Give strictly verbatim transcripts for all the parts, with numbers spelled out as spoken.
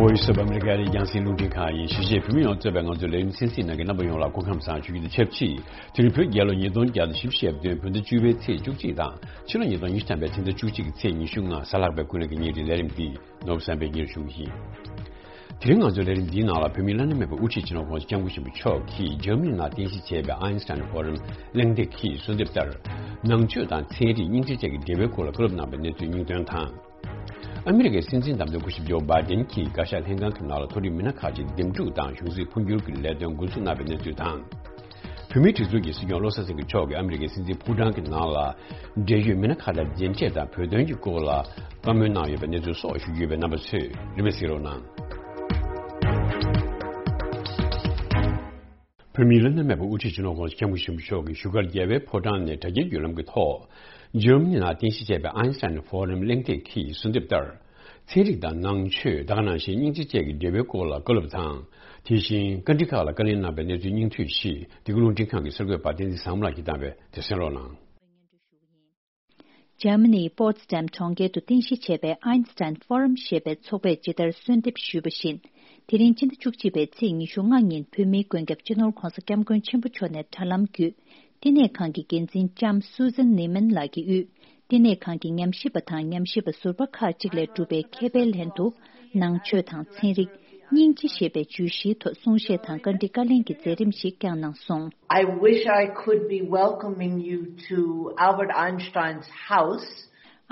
Voice of America ཡི་རྒྱང་སྲིང་རླུང་འཕྲིན་ཁང་ཡིན། གཞིས་བྱེས་བོད་མི་ཡོངས་གཙོས་པའི་ང་ཚོའི་ལས་རིམ་གསན་གཟིགས་གནང་མཁན་རྣམ་པ་ཡོངས་ལ་སྐུ་ཁམས་བཟང་ཞུ་རྒྱུ་དང་ཆབས་ཅིག་དེ་རིང་བོད་རྒྱལ་ལོ་ཉིས་སྟོང་བརྒྱ་དང་བཞི་བཅུ་ཞེ་བདུན་བོད་ཟླ་བཅུ་པའི་ཚེས་བཅུ་གཅིག་དང་ཕྱི་ལོ་ཉིས་སྟོང་ཉི་ཤུ་ཐམ་པའི་ཕྱི་ཟླ་བཅུ་གཅིག་གི་ཚེས་ཉི་ཤུ་ལྔ་གཟའ་ལྷག་པའི་ཀུན་གླེང་གི་ཉིན་རེའི་ལས་རིམ་འདི་ནོར་བུ་བསམ་འཕེལ་གྱིས་ཞུ་གི་ཡིན། དེ་རིང་ང་ཚོའི་ལས་རིམ་འདིའི་ནང་ལ་བོད་མིའི་བླ་ན་མེད་པའི་དབུ་ཁྲིད་སྤྱི་ནོར་༸གོང་ས་༸སྐྱབས་མགོན་ཆེན་པོ་མཆོག་གིས་འཇར་མ་ནི་ནང་རྟེན་གཞི་བྱས་པའི་ཨའིན་སི་ཐན་ཕོ་རམ་གླེང་སྟེགས་ཀྱི་གསོལ་འདེབས་ལྟར། ནང་ཆོས་དང་ཚན་རིག་སྙིང་རྗེ་བཅས་ཀྱི་འབྲེལ་བའི་སྐོར་ལ་བཀའ་སློབ་གནང་བའི་གནས་ཚུལ་སྙིང་དོན་དང་། ཨ་མི་རི་ཀའི་སྲིད་འཛིན་བདམས་ཐོན་སྐུ་ཞབས་ཇོ་བྷའི་ཏན་གྱིས་བཀའ་ཤག་ལྷན་ཁང་གི་ནང་ལ་མཐོ་རིམ་མི་སྣ་ཁག་ཅིག་འདེམས་སྒྲུག་དང་གཞུང་སྲིད་འཕོ་འགྱུར་གྱི་ལས་དོན་འགོ་འཛུགས་གནང་བའི་གནས་ཚུལ་དང་། བོད་མིའི་སྒྲིག་འཛུགས་ཀྱི་སྲིད་སྐྱོང་བློ་བཟང་སེང་གེ་མཆོག་གིས་ཨ་མི་རི་ཀའི་སྲིད་འཛིན་ཕུའུ་ཀྲང་གི་ནང་ལ་འབྲེལ་ཡོད་མི་སྣ་ཁག་དང་མཇལ་འཕྲད་དང་བོད་དོན་གྱི་སྐོར་ལ་བཀའ་མོལ་གནང་ཡོད་པའི་གནས་ཚུལ་སོགས་ཞུ་རྒྱུ་ཡོད་པས་རྣམ་པ་ཚོས་རིན་མེད་གཟིགས་རོགས་གནང་། བོད་མིའི་བླ་ན་མེད་པ་དབུ་ཁྲིད་སྤྱི་ནོར་༸གོང་ས་༸སྐྱབས་མགོན་ཆེན་པོ་མཆོག་གིས་བཞུགས་སྒར་རྒྱལ་བའི་ཕོ་བྲང་ནས་དྲ་རྒྱའི་བརྒྱུད་ལམ་གྱི་ཐོག་འཇར་མ་ནི་ནང་རྟེན་གཞི་བྱས་པའི་ཨའིན་སི་ཐན་ཕོ་རམ་གླེང་སྟེགས་ཀྱི་གསོལ་འདེབས་ལྟར། ཚན་རིག་དང་ནང་ཆོས་ད་ག་ནང་བཞིན་སྙིང་རྗེ་བཅས་ཀྱི་འབྲེལ་བའི་སྐོར་ལ་བཀའ་སློབ་དང་། དེ་བཞིན་བཀའ་འདྲི་ཁག་ལ་བཀའ་ལན་གནང་བའི་གནས་ཚུལ་སྙིང་བསྡུས་ཤིག་འདི་ག་རླུང་འཕྲིན་ཁང་གི་གསར་འགོད་པ་བསྟན་འཛིན་བཟང་མོ་ལགས་ཀྱིས་བཏང་བས་དེ་གསན་རོགས་གནང་། འཇར་མ་ནིའི་པོ་ཏི་སི་ཌམ་གྲོང་ཁྱེར་དུ་རྟེན་གཞི་བྱས་པའི་ཨའིན་སི་ཐན་ཕོ་རམ་ཞེས་པའི་ཚོགས་པས་ཇི་ལྟར་གསོལ་འདེབས་ཞུས་པ་བཞིན། དེ་རིང་སྤྱི་ཟླ་བཅུ་གཅིག་པའི་ཚེས་ཉི་ཤུ་ལྔ་ཉིན་བོད་མིའི་མགོན་སྐྱབས་སྤྱི་ནོར་༸གོང་ས་༸སྐྱབས་མགོན་ཆེན་པོ་མཆོག་ནས་དྲ་ལམ་བརྒྱུད། བསྟི་གནས་ཁང་གི་འགན་འཛིན་ལྕམ་སུ་ཛན་ནི་མན་ལགས་ཀྱིས་དབུས་བསྟི་གནས་ཁང་གི་ཉམས་ཞིབ་པ་དང་ཉམས་ཞིབ་པ་ཟུར་པ་ཁག་ཅིག་ལས་གྲུབ་པའི་མཁས་པའི་ལྷན་དུ། ནང་ཆོས་དང་ཚན་རིག་སྙིང་རྗེ་ཞེས་པའི་བརྗོད་གཞིའི་ཐོག་གསུང་བཤད་དང་བཀའ་འདྲི་བཀའ་ལན་གྱི་མཛད་རིམ་ཞིག་བསྐྱངས་གནང་སོང་། I wish I could be welcoming you to Albert Einstein's house.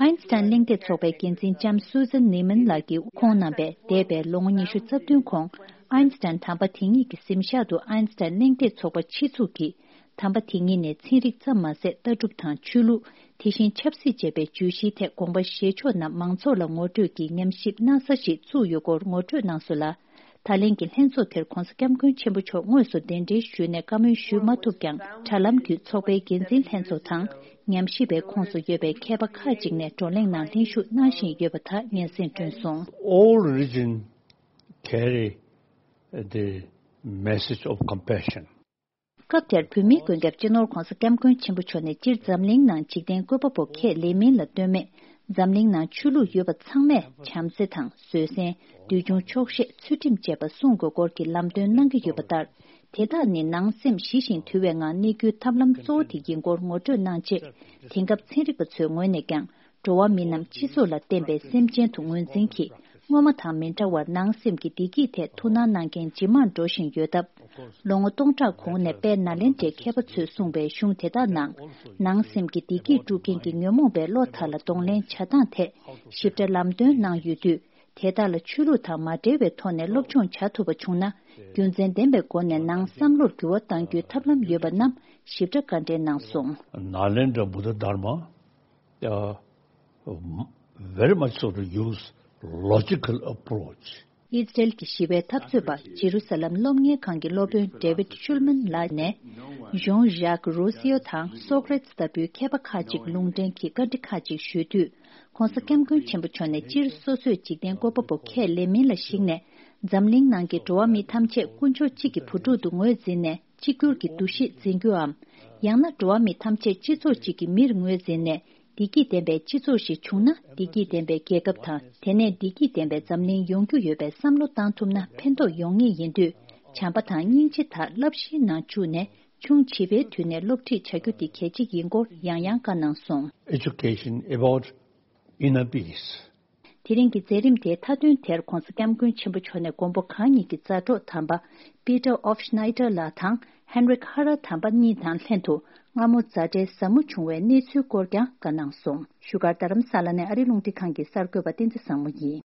ཨའིན་སི་ཐན་གླེང་སྟེགས་ཚོགས་པའི་འགན་འཛིན་ལྕམ་སུ་ཛན་ནི་མན་ལགས་ཀྱིས་ཁོང་རྣམ་པས་འདས་པའི་ལོ་ངོ་ཉི་ཤུ་རྩ་བདུན་གོང་། ཨའིན་སི་ཐན་དམ་པ་དེ་ཉིད་ཀྱི་གཟིམ་ཤག་ཏུ་ཨའིན་སི་ཐན་གླེང་སྟེགས་ཚོགས་པ་ཕྱི་ཚུགས་ཀྱིས། དམ་པ་དེ་ཉིད་ནས་ཚན་རིག་ཙམ་མ་ཟད་ལྟ་གྲུབ་དང་ཆོས་ལུགས། དེ་བཞིན་ཆབ་སྲིད་ཅེས་པའི་བརྗོད་གཞིའི་ཐད་དགོངས་པ་བཞེས་ཕྱོགས་རྣམས་མང་ཚོགས་ལ་ངོ་སྤྲོད་ཀྱིས་ཉམས་ཞིབ་གནང་ས་ཞིག་བཙུགས་ཡོད་སྐོར་ངོ་སྤྲོད་གནང་སོང་ལ། ད་ལན་གྱི་ལྷན་ཚོགས་དེར་༸གོང་ས་༸སྐྱབས་མགོན་ཆེན་པོ་མཆོག་དངོས་སུ་གདན་འདྲེན་ཞུས་ནས་བཀའ་མོལ་ཞུས་མ་ཐུབ་ཀྱང་། དྲ་ལམ་བརྒྱུད་ཚོགས་པའི་འགན་འཛིན་ལྷན་ཚོགས་དང་། ཉམས་ཞིབ་པའི་ཁོངས་སུ་ཡོད་པའི་མཁས་པ་ཁག་ཅིག་ནས་བགྲོ་གླེང་ནང་ལྷན་ཞུགས་གནང་བཞིན་ཡོད་པ་དག་སྙན་སེང་བསྐྲུན་སོང་། All religion carry the message of compassion. སྐབས་དེར་བོད་མིའི་མགོན་སྐྱབས་སྤྱི་ནོར་༸གོང་ས་༸སྐྱབས་མགོན་ཆེན་པོ་མཆོག་ནས་སྤྱིར་འཛམ་གླིང་ནང་འཇིག་རྟེན་བཀོད་པ་པོ་ཁས་ལེན་མིན་ལ་ལྟོས་མེད། འཛམ་གླིང་ནང་ཆོས་ལུགས་ཡོད་པ་ཚང་མས་བྱམས་བརྩེ་དང་བཟོད་བསྲན། འདོད་ཆུང་ཆོག་ཤེས། ཚུལ་ཁྲིམས་བཅས་པ་སྲུང་དགོས་སྐོར་གྱི་ལམ་སྟོན་གནང་གི་ཡོད་པ་ལྟར། དེ་དག་ནི་ནང་སེམས་ཞི་ཞིང་དུལ་བའི་ངང་གནས་རྒྱུའི་ཐབས་ལམ་གཙོ་བོ་དེ་ཡིན་སྐོར་ངོ་སྤྲོད་གནང་རྗེས། དེང་སྐབས་ཚན་རིག་པ་ཚོའི་ངོས་ནས་ཀྱང་། འགྲོ་བ་མི་རྣམས་སྤྱི་ཚོགས་ལ་བརྟེན་པའི་སེམས་ཅན་དུ་ངོས་འཛིན་གྱིས། སྔོན་མ་དང་མི་འདྲ་བར་ནང་སེམས་ཀྱི་བདེ་སྐྱིད་ཐད་ཐུགས་སྣང་གནང་མཁན་ཇེ་མང་འགྲོ་བཞིན་ཡོད་སྟབས། ལོ་ངོ་སྟོང་ཕྲག་གོང་ནས་དཔལ་ནཱ་ལེནྡྲའི་མཁས་པ་ཚོས་གསུངས་པའི་གཞུང་དེ་དག་ནང་། ནང་སེམས་ཀྱི་བདེ་སྐྱིད་དཀྲུག་མཁན་གྱི་ཉོན་མོངས་པའི་བློ་དག་ལ་གདོང་ལེན་བྱ་སྟངས་ཐད་ཞིབ་ཕྲ་ལམ་སྟོན་གནང་ཡོད་དུས། དེ་དག་ལ་ཆོས་ལུགས་དང་མ་འབྲེལ་བའི་ཐོག་ནས་སློབ་སྦྱོང་བྱ་ཐུབ་པ་བྱུང་ན། རྒྱུ་མཚན་ལྡན་པའི་སྒོ་ནས་ནང་བསམ་བློར་འགྱུར་བ་གཏང་རྒྱུའི་ཐབས་ལམ་ཡོད་པ་རྣམས་ཞིབ་ཕྲ་བཀའ་འགྲེལ་གནང་སོང་། Nalendra Buddha Dharma, uh, very much so to use logical approach. ཨི་ཛི་རལ་གྱི་ཞི་བའི་འཐབ་རྩོད་པ་ཇེ་རུ་ས་ལམ་སློབ་གཉེར་ཁང་གི་སློབ་དཔོན་David Shulman ལགས་ནས། Jean-Jacques Rousseau དང་Socrates ལྟ་བུའི་མཁས་པ་ཁག་ཅིག་ལུང་འདྲེན་གྱིས་བཀའ་འདྲི་ཁག་ཅིག་ཞུས་དུས། ༸གོང་ས་༸སྐྱབས་མགོན་ཆེན་པོ་མཆོག་ནས་སྤྱིར་སོ་སོས་འཇིག་རྟེན་བཀོད་པ་པོ་ཁས་ལེན་མིན་ལ་གཞིགས་ནས། འཛམ་གླིང་ནང་གི་འགྲོ་བ་མི་ཐམས་ཅད་དཀོན་མཆོག་གཅིག་གི་བུ་ཕྲུག་ཏུ་ངོས་འཛིན་ནས་གཅིག་གྱུར་གྱི་འདུ་ཤེས་འཛིན་རྒྱུའམ། ཡང་ན་འགྲོ་བ་མི་ཐམས་ཅད་སྤྱི་ཚོགས་གཅིག་གི་མིར་ངོས་འཛིན་ནས་བདེ་སྐྱིད་ལྡན་པའི་སྤྱི་ཚོགས་ཤིག་བྱུང་ན་བདེ་སྐྱིད་ལྡན་པའི་རྒྱལ་ཁབ་དང་དེ་ནས་བདེ་སྐྱིད་ལྡན་པའི་འཛམ་གླིང་ཡོང་རྒྱུ་ཡོད་པའི་བསམ་བློ་བཏང་ཐུབ་ན་ཕན་ཐོགས་ཡོང་ངེས་ཡིན་དུས། བྱམས་པ་དང་སྙིང་རྗེ་དག་བསླབ་གཞིའི་ནང་བཅུག་ནས་ཆུང་བྱིས་པའི་དུས་ནས་སློབ་ཁྲིད་བྱ་རྒྱུ་དེ་གལ་ཆེ་ཡིན་སྐོར་ཡང་ཡང་བཀའ་གནང་སོང་། Education about inner peace. དེ་རིང་གི་མཛད་རིམ་དེའི་མཐའ་དོན་དེར་༸གོང་ས་༸སྐྱབས་མགོན་ཆེན་པོ་མཆོག་ནས་མགོན་པོ་གང་ཉིད་ཀྱི་མཛའ་གྲོགས་དམ་པ་Peter Hofschneider ལགས་དང་Heinrich Harrer དམ་པ་གཉིས་དང་ལྷན་དུ་སྔ་མོ་མཛའ་འབྲེལ་ཟབ་མོ་བྱུང་བའི་གནས་ཚུལ་སྐོར་ཀྱང་བཀའ་གནང་སོང་། བཞུགས་སྒར་རྡ་རམ་ས་ལ་ནས་ཨ་རིའི་རླུང་འཕྲིན་ཁང་གི་གསར་འགོད་པ་བསྟན་འཛིན་བཟང་མོ་ཡིན།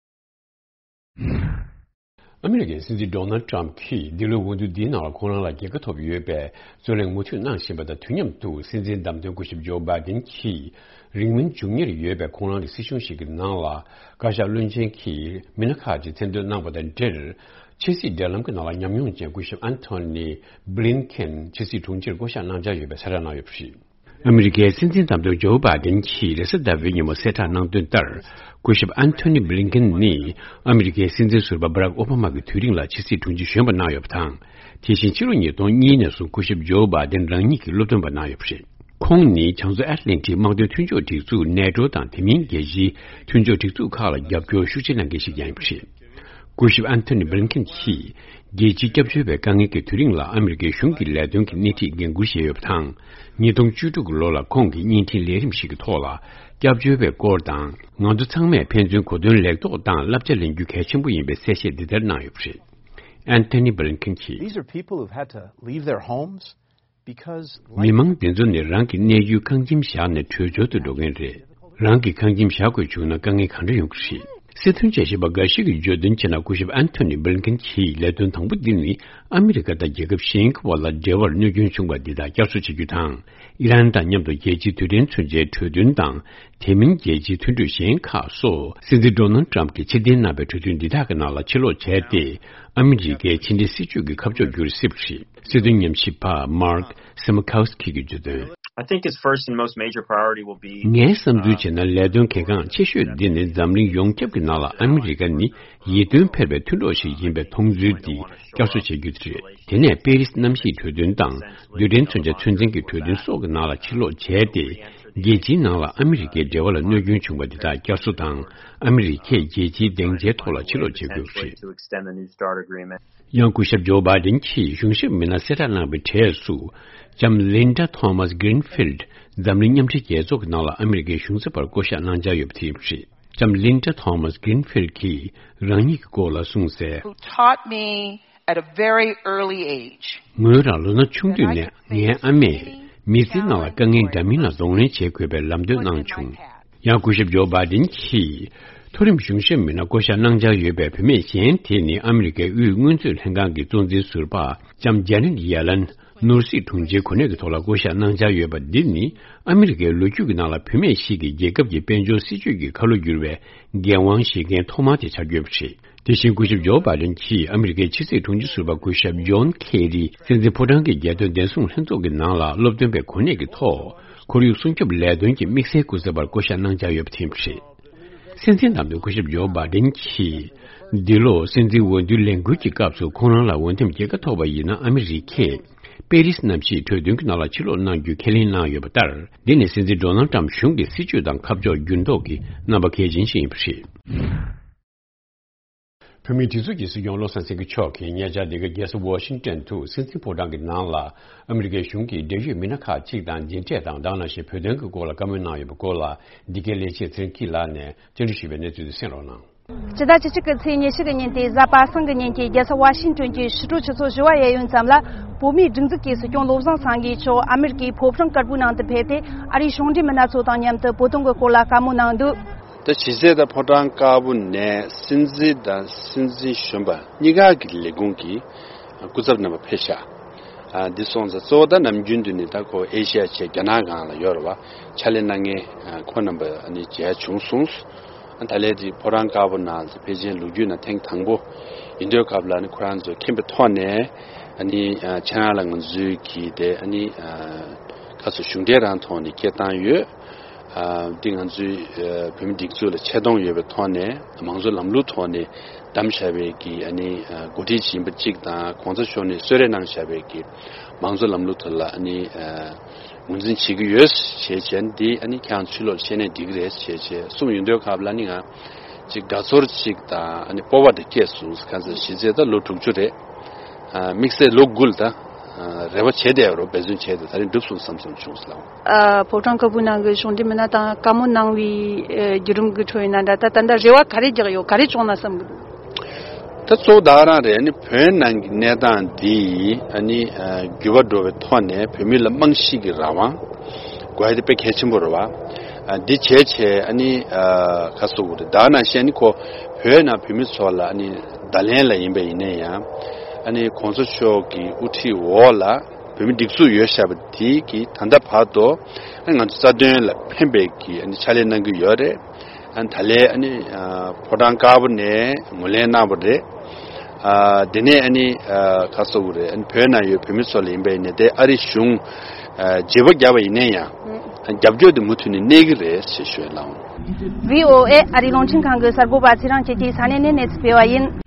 ཨ་མི་རི་ཀའི་སྲིད་འཛིན་ཌོ་ནལ་ཊམ་གྱིས་འདི་ལོའི་འོས་བསྡུ་འདིའི་ནང་ལ་ཁོང་རང་ལ་རྒྱལ་ཁ་ཐོབ་ཡོད་པའི་རྩོད་གླེང་མུ་མཐུད་གནང་བཞིན་པ་དང་དུས་མཉམ་དུ་སྲིད་འཛིན་བདམས་ཐོན་སྐུ་ཞབས་ཇོ་བྷའི་ཌེན་གྱིས་རིང་མིན་འབྱུང་ཉེར་ཡོད་པའི་ཁོང་རང་གི་སྲིད་གཞུང་ཞིག་གི་ནང་ལ་བཀའ་ཤག་བློན་ཆེན་གྱི་མི་སྣ་ཁག་ཅིག་མཚན་འདོན་གནང་བ་དང་འབྲེལ། ཕྱི་སྲིད་འབྲེལ་ལམ་གྱི་ནང་ལ་ཉམས་མྱོང་ཅན་སྐུ་ཞབས་ཨན་ཐོ་ནི་བྷི་ལིན་ཀེན་ཕྱི་སྲིད་དྲུང་ཆེར་བསྐོ་གཞག་གནང་འཆར་ཡོད་པའི་གསལ་བསྒྲགས་གནང་ཡོད་པ་རེད། ཨ་མི་རི་ཀའི་སྲིད་འཛིན་བདམས་ཐོན་ཇོ་བྷའི་ཌེན་གྱིས་རེས་གཟའ་ཟླ་བའི་ཉིན་མོ་གསལ་བསྒྲགས་གནང་དོན་ལྟར། སྐུ་ཞབས་ཨན་ཐོ་ནི་བྷི་ལིན་ཀེན་ནི་ཨ་མི་རི་ཀའི་སྲིད་འཛིན་ཟུར་པ་བྷ་རག་ཨོ་བྷ་མ་གི་དུས་རིང་ལ་ཕྱི་སྲིད་དྲུང་ཆེ་གཞོན་པ་གནང་ཡོད་པ་དང་། དེ་བཞིན་ཕྱི་ལོ་ཉིས་སྟོང་གཉིས་ནས་བཟུང་སྐུ་ཞབས་ཇོ་བྷའི་ཌེན་རང་ཉིད་ཀྱི་སློབ་སྟོན་པ་གནང་ཡོད་པ་རེད། ཁོང་ནི་བྱང་མཚོ་ཨེཊ་ལན་ཊིག་དམག་དོན་མཐུན་ཕྱོགས་སྒྲིག་འཛུགས་ནེ་ཊོ་དང་དེ་མིན་རྒྱལ་སྤྱིའི་མཐུན་ཕྱོགས་སྒྲིག་འཛུགས་ཁག་ལ་རྒྱབ་སྐྱོར་ཤུགས་ཆེ་གནང་མཁན་ཞིག་ཀྱང་ཡིན་པ་རེད། སྐུ་ཞབས་ཨན་ཐོ་ནི་བྷི་ལིན་ཁེན་གྱིས་རྒྱལ་སྤྱིའི་སྐྱབས་བཅོལ་བའི་དཀའ་ངལ་གྱི་དུས་རིང་ལ་ཨ་མི་རི་ཀའི་གཞུང་གི་ལས་དོན་གྱི་སྣེ་ཁྲིད་འགན་འཁུར་བཞེས་ཡོད་པ་དང་། ཉིས་སྟོང་བཅུ་དྲུག་གི་ལོ་ལ་ཁོང་གིས་བརྙན་འཕྲིན་ལས་རིམ་ཞིག་གི་ཐོག་ལ་སྐྱབས་བཅོལ་བའི་སྐོར་དང་། ང་ཚོ་ཚང་མས་ཕན་ཚུན་གོ་དོན་ལེགས་རྟོགས་དང་བསླབ་བྱ་ལེན་རྒྱུ་གལ་ཆེན་པོ་ཡིན་པའི་གསལ་བཤད་འདི་ལྟར་གནང་ཡོད་པ་རེད། ཨན་ཐོ་ནི་བྷི་ལིན་ཁེན་གྱིས། These are people who've had to leave their homes because life མི་མང་འདི་ཚོ་ནི་རང་གི་གནས་ཡུལ་ཁང་ཁྱིམ་བཞག་ནས་བྲོས་བྱོལ་དུ་འགྲོ་མཁན་རེད། རང་གི་ཁང་ཁྱིམ་བཞག་དགོས་བྱུང་ན་དཀའ་ངལ་གང་འདྲ་ཡོང་གི་རེད། སྲིད་དོན་དཔྱད་ཞིབ་པ་འགའ་ཞིག་གིས་བརྗོད་དོན་བྱས་ན། སྐུ་ཞབས་ཨན་ཐོ་ནི་བྷི་ལིན་ཁེན་གྱི་ལས་དོན་དང་པོ་འདི་ནི་ཨ་མི་རི་ཀ་དང་རྒྱལ་ཁབ་གཞན་གྱི་བར་ལ་འབྲེལ་བར་གནོད་སྐྱོན་བྱུང་བ་འདི་དག་བསྐྱར་གསོ་བྱེད་རྒྱུ་དང་། ཨི་རན་དང་མཉམ་དུ་རྒྱལ་སྤྱིའི་རྡུལ་ཕྲན་མཚོན་ཆའི་གྲོས་མཐུན་དང་། དེ་མིན་རྒྱལ་སྤྱིའི་མཐུན་གྲོས་གཞན་ཁག་སོགས། སྲིད་འཛིན་ཌོ་ནལ་ཏྲམ་གྱིས་ཕྱིར་འཐེན་གནང་བའི་གྲོས་མཐུན་འདི་དག་གི་ནང་ལ་ཕྱིར་ལོག་བྱས་ཏེ། ཨ་མི་རི་ཀའི་ཕྱི་འབྲེལ་སྲིད་ཇུས་ཀྱི་ཁ་ཕྱོགས་བསྒྱུར་སྲིད་པ་རེད། སྲིད་དོན་ཉམས་ཞིབ་པ་མཱརྐ་སི་མ་ཁའུ་སི་ཀི་གིས་བརྗོད་དོན། I think his first and most major priority will be ངའི་བསམ་ཚུལ་བྱས་ན། ལས་དོན་གལ་འགངས་ཆེ་ཤོས་འདི་ནི་འཛམ་གླིང་ཡོངས་ཁྱབ་ཀྱི་ནང་ལ་ཨ་མི་རི་ཀ་ནི་ཡིད་རྟོན་འཕེར་བའི་མཐུན་གྲོགས་ཤིག་ཡིན་པའི་མཐོང་ཚུལ་འདི་བསྐྱར་གསོ་བྱེད་རྒྱུ་དེ་རེད། དེ་ནས་པེ་རིས་གནམ་གཤིས་གྲོས་མཐུན་དང་། རྡུལ་ཕྲན་མཚོན་ཆ་ཚོད་འཛིན་གྱི་གྲོས་མཐུན་སོགས་ཀྱི་ནང་ལ་ཕྱིར་ལོག་བྱས་ཏེ། རྒྱལ་སྤྱིའི་ནང་ལ་ཨ་མི་རི་ཀའི་འབྲེལ་བ་ལ་གནོད་སྐྱོན་བྱུང་བ་འདི་དག་བསྐྱར་གསོ་དང་། ཨ་མི་རི་ཀས་རྒྱལ་སྤྱིའི་སྡིངས་ཆའི་ཐོག་ལ་ཕྱིར་ལོག་བྱེད་དགོས་པ་རེད། ཡང་སྐུ་ཞབས་ཇོ་བྷའི་ཌེན་གྱིས་གཞུང་ཞབས་མི་སྣ་གསལ་བསྒྲགས་གནང་བའི་གྲས་སུ། ལྕམ་ལིན་ཌ་ཐོ་མཱས་གྷི་རིན་ཕིལ་ཌི་འཛམ་གླིང་མཉམ་འབྲེལ་རྒྱལ་ཚོགས་ཀྱི་ནང་ལ་ཨ་མི་རི་ཀའི་གཞུང་ཚབ་པར་བསྐོ་གཞག་གནང་འཆར་ཡོད་པ་དེ་ཡིན་པ་རེད། ལྕམ་ལིན་ཌ་ཐོ་མཱས་གྷི་རིན་ཕིལ་ཌི་གིས་རང་ཉིད་ཀྱི་སྐོར་ལ་གསུངས་གསལ། Who taught me at a very early age ངོས་རང་ལོ་ན་ཆུང་དུས་ནས་ངའི་ཨ་མས་མི་ཚེའི་ནང་ལ་དཀའ་ངལ་འདྲ་མིན་ལ་གདོང་ལེན་བྱེད་དགོས་པའི་ལམ་སྟོན་གནང་བྱུང་། ཡང་སྐུ་ཞབས་ཇོ་བྷའི་ཌེན་གྱིས་མཐོ་རིམ་གཞུང་ཞབས་མི་སྣ་བསྐོ་གཞག་གནང་འཆར་ཡོད་པའི་བུད་མེད་གཞན་དེ་ནི་ཨ་མི་རི་ཀའི་དབུས་སྔོན་ཚོད་ལྷན་ཁང་གི་གཙོ་འཛིན་ཟུར་པ་ལྕམ་ཇེ་ནེཊ་ཡེ་ལན། ནོར་སྲིད་དྲུང་ཆེའི་གོ་གནས་ཀྱི་ཐོག་ལ་བསྐོ་གཞག་གནང་འཆར་ཡོད་པ་འདི་ནི་ཨ་མི་རི་ཀའི་ལོ་རྒྱུས་ཀྱི་ནང་ལ་བུད་མེད་ཞིག་གིས་རྒྱལ་ཁབ་ཀྱི་དཔལ་འབྱོར་སྲིད་ཇུས་ཀྱི་ཁ་ལོ་བསྒྱུར་བའི་འགན་དབང་བཞེས་མཁན་ཐོག་མ་དེ་ཆགས་ཡོད་པ་རེད། དེ་བཞིན་སྐུ་ཞབས་ཇོ་བྷའི་ཌེན་གྱིས་ཨ་མི་རི་ཀའི་ཕྱི་སྲིད་དྲུང་ཆེ་ཟུར་པ་སྐུ་ཞབས་ཇོན་ཁེ་རི་སྲིད་འཛིན་ཕོ་བྲང་གི་རྒྱལ་དོན་བདེ་སྲུང་ལྷན་ཚོགས་ཀྱི་ནང་ལ་སློབ་སྟོན་པའི་གོ་གནས་ཀྱི་ཐོག་ཁོར་ཡུག་སྲུང་སྐྱོབ་ལས་དོན་གྱི་དམིགས་བསལ་སྐུ་ཚབ་པར་བསྐོ་གཞག་གནང་འཆར་ཡོད་པ་དེ་ཡིན་པ་རེད། སྲིད་འཛིན་དམ་དུ་སྐུ་ཞབས་ཇོ་བྷའི་ཌེན་གྱིས་འདི་ལོ་སྲིད་འཛིན་འོས་བསྡུའི་ལས་འགུལ་གྱི་སྐབས་སུ་ཁོང་རང་ལ་འོས་འདེམས་རྒྱལ་ཁ་ཐོབ་པ་ཡིན་ན། ཨ་མི་རི་ཀས་པེ་རིས་གནམ་གཤིས་གྲོས་མཐུན་གྱི་ནང་ལ་ཕྱིར་ལོག་གནང་རྒྱུ་ཁས་ལེན་གནང་ཡོད་པ་ལྟར། འདི་ནི་སྲིད་འཛིན་ཌོ་ནལ་ཏྲམ་གཞུང་གི་སྲིད་ཇུས་དང་ཁ་ཕྱོགས་འགྱུར་ལྡོག་གི་རྣམ་པ་གལ་ཆེན་ཞིག་ཡིན་པ་རེད། བོད་མིའི་སྒྲིག་འཛུགས་ཀྱི་སྲིད་སྐྱོང་བློ་བཟང་སེང་གེ་མཆོག་གིས་ཉེ་ཆར་འདི་ག་རྒྱལ་ས་ཝ་ཤིང་ཏོན་དུ་སྲིད་འཛིན་ཕོ་བྲང་གི་ནང་ལ་ཨ་མི་རི་ཀའི་གཞུང་གི་འབྲེལ་ཡོད་མི་སྣ་ཁག་ཅིག་དང་མཇལ་འཕྲད་དང་། དེ་ནང་བཞིན་བོད་དོན་གྱི་སྐོར་ལ་བཀའ་མོལ་གནང་ཡོད་པའི་སྐོར་ལ། འདི་གའི་ལས་བྱེད་ཚེ་རིང་སྐྱིད་ལགས་ནས་བཅར་འདྲི་ཞུས་པའི་གནས་ཚུལ་དེ་གསན་རོགས་གནང་། སྤྱི་ཟླ་བཅུ་གཅིག་གི་ཚེས་ཉི་ཤུ་གི་ཉིན་ཏེ་གཟའ་པ་སངས་ཀྱི་ཉིན་གྱི་རྒྱལ་ས་ཝ་ཤིང་ཏོན་གྱི་ཕྱི་དྲོ་ཆུ་ཚོད་བཞི་པ་ཡས་ཡོལ་ཙམ་ལ། བོད་མིའི་སྒྲིག་འཛུགས་ཀྱི་སྲིད་སྐྱོང་བློ་བཟང་སེང་གེ་མཆོག་ཨ་མི་རི་ཀའི་ཕོ་བྲང་དཀར་པོའི་ནང་དུ་ཕེབས་ཏེ། ཨ་རིའི་གཞུང་འབྲེལ་མི་སྣ་ཚོ་དང་མཉམ་དུ་བོད་དོན་གྱི་སྐོར་ལ་བཀའ་མོལ་གནང་འདུག་ད་གཞི་རྩའི་ད་ཕོ་བྲང་དཀར་པོ་ནས་སྲིད་འཛིན་དང་སྲིད་འཛིན་གཞོན་པ་གཉིས་ཀ་གི་ལས་ཁུངས་ཀྱི་སྐུ་ཚབ་རྣམ་པ་ཕེབས་ཤག་ཨ། འདི་སོང་ཙང་གཙོ་བོ་ད་ནམ་རྒྱུན་དུ་ནི་ད་ཁོ་ཨེ་ཤི་ཡ་བྱས་རྒྱ་ནག་སྒང་ལ་ཡོད་རེད་བ། ཕྱག་ལས་གནང་མཁན་ཁོ་རྣམ་པ་ཨ་ནི་མཇལ་བྱུང་སོང་། ད་ལན་དེ་ཕོ་བྲང་དཀར་པོ་ནང་ལ་ཕལ་ཆེར་ལོ་རྒྱུས་ནང་ཐེངས་དང་པོ་ཡིན་དུས་སྐབས་ལ་ནི་ཁོ་རང་ཚོ་མཁྱེན་པའི་ཐོག་ནས་ཨ་ནི་ཁྱེད་རང་ལ་ང་ཚོའི་གི་དེ་ཨ་ནི་ཁ་སོ་གཞུང་འབྲེལ་རང་ཐོག་ནས་སྐད་བཏང་ཡོད། འདི་ང་ཚོའི་བོད་མི་སྒྲིག་འཛུགས་ལ་ཆེ་མཐོང་ཡོད་པའི་ཐོག་ནས་མང་གཙོ་ལམ་ལུགས་ཐོག་ནས་བདམས་བཞག་པའི་གི་ཨ་ནི་འགོ་ཁྲིད་ཡིན་པ་གཅིག་དང་། གོང་ས་མཆོག་ནས་གསོལ་རས་གནང་བཞག་པའི་གི་མང་གཙོ་ལམ་ལུགས་ཐོག་ལ་ཨ་ནི་ངོས་འཛིན་བྱེད་ཀྱི་ཡོད་ཞེས་བྱས་ནས། འདི་ཨ་ནི་ཁྱེད་རང་ཕྱི་ལོགས་བཤད་ནས་འགྲིག་གི་རེད་ཞེས་བྱས་གསུངས་ཡོང་དུས་སྐབས་ལ་ནི་ང་ཅིག་དགའ་ཚོར་ཅིག་དང་ཨ་ནི་སྤོབས་པ་དེ་སྐྱེས་སོང་། གང་ཟེར་གཞི་རྩའི་ད་ལོ་དྲུག་ཅུ་རེད། དམིགས་བསལ་ལོ་དགུ་ལ་ད་རེ་བ་བྱས་བསྡད་རོགས། འབད་བརྩོན་བྱས་ཏེ་ད་རིང་འགྲུབ་སོང་བསམ་སོང་བྱུང་སོང་། ཨ། ཕོ་བྲང་དཀར་པོའི་ནང་གི་གཞུང་འབྲེལ་མི་སྣ་དང་བཀའ་མོལ་གནང་བའི་ཨ་བརྒྱུད་རིམ་གྱི་ཁྲོད་ཡིན་ན་འདྲ། ད་ད་ལྟ་རེ་བ་ག་རེ་རྒྱག་ཡོད། ག་རེ་བྱུང་ན་བསམ་གི་འདུག་ད་གཙོ་བོ་ད་ག་རང་རེད། ཨ་ནི་བོད་ནང་གི་གནས་སྟངས་འདི་ཨ་ནི་འགྱུར་བ་འགྲོ་བའི་ཐོག་ནས་བོད་མི་ལ་རྨང་གཞི་གི་རང་དབང་དགོས་ཡ་དེ་དཔེ་གལ་ཆེན་པོ་རེད་བ། འདི་བྱས་བྱས་ཨ་ནི་ཁ་སོ་བོ་རེད། ད་ག་ནང་བཞིན་ཨ་ནི་ཁོ་བོད་ནང་བོད་མི་ཚོ་ལ་ཨ་ནི་བརྡ་ལན་ལ་ཡིན་པ་ཡིན་ན་ཡང་། ཨ་ནི་གོང་ས་མཆོག་གི་དབུ་ཁྲིད་འོག་ལ་བོད་མི་སྒྲིག་འཛུགས་ཡོད་བཞག་པ་དེ་གི་ད་ལྟ་བར་དུ་ཨ་ནི་ང་ཚོ་རྩ་དོན་ལ་ཕན་པའི་གི་ཨ་ནི་ཕྱག་ལས་གནང་གི་ཡོད་རེད། ཨ་ནི་ད་ལན་ཨ་ནི་ཕོ་བྲང་དཀར་པོ་ནས་ངོས་ལེན་གནང་བ་རེད། ཨ། དེ་ནས་ཨ་ནི་ཁ་སོ་བོ་རེད། ཨ་ནི་བོད་ནང་ཡོད་བོད་མི་ཚོ་ལ་ཡིན་པ་ཡིན་ན། དེ་ཨ་རི་གཞུང་བརྗེ་པོ་བརྒྱབ་པ་ཡིན་ན་ཡང་རྒྱབ་སྐྱོར་དེ་མུ་མཐུད་ནས་གནས་ཀྱི་རེད་ཞེས་ཞུ་ཡ་ལགས། བྷི་ཨོ་ཨེ་ཨ་རིའི་རླུང་འཕྲིན་ཁང་གི་གསར་འགོད་པ་ཚེ་རིང་སྐྱིད་ཀྱིས་ས་གནས་ནས་གནས་ཚུལ་སྤེལ་བ་ཡིན།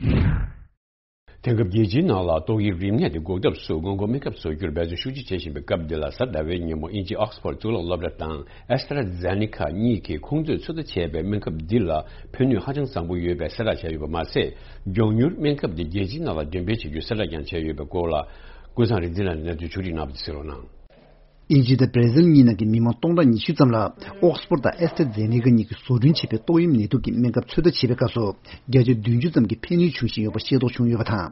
དེང་སྐབས་རྒྱལ་སྤྱིའི་ནང་ལ་ཏོག་དབྱིབས་རིམས་ནད་དེ་འགོག་ཐབས་སུ་སྔོན་འགོག་སྨན་ཁབ་བཟོ་རྒྱུར་འབད་བརྩོན་ཤུགས་ཆེ་བྱེད་བཞིན་པའི་སྐབས་འདི་ལ། གཟའ་ཟླ་བའི་ཉིན་མོ་དབྱིན་ཇིའི་ཨོག་སི་ཕོར་གཙུག་ལག་སློབ་གྲྭ་དང་ཨེ་སི་ཏྲ་ཛེ་ནེ་ཀ་གཉིས་ཀྱིས་ཁོང་ཚོས་ཚོད་ལྟ་བྱས་པའི་སྨན་ཁབ་འདི་ལ་ཕན་ནུས་ཧ་ཅང་བཟང་པོ་ཡོད་པའི་གསལ་བསྒྲགས་བྱས་ཡོད་པ་མ་ཟད། མགྱོགས་མྱུར་སྨན་ཁབ་འདི་རྒྱལ་སྤྱིའི་ནང་ལ་འགྲེམས་སྤེལ་བྱེད་རྒྱུའི་གསལ་བསྒྲགས་ཀྱང་བྱས་ཡོད་པའི་སྐོར་ལ། ཀུན་བཟང་རིག་འཛིན་ལགས་ནས་གནས་ཚུལ་ཕྱོགས་སྒྲིག་གནང་བ་དེ་གསན་རོགས་གནང་། དབྱིན་ཇི་དང་བྷར་ཟིལ་གཉིས་ནང་གི་མི་མང་སྟོང་ཕྲག་ཉི་ཤུ་ཙམ་ལ་ཨོག་སི་ཕོར་དང་ཨེ་སི་ཏྲ་ཛེ་ནེ་ཀ་གཉིས་ཀྱིས་བཟོ་སྐྲུན་བྱས་པའི་ཏོག་དབྱིབས་ནད་དུག་གི་སྨན་ཁབ་ཚོད་ལྟ་བྱེད་པའི་སྐབས་སུ། བརྒྱ་ཆ་བདུན་ཅུ་ཙམ་གྱི་ཕན་ནུས་བྱུང་བཞིན་ཡོད་པ་ཤེས་རྟོགས་བྱུང་ཡོད་པ་དང་།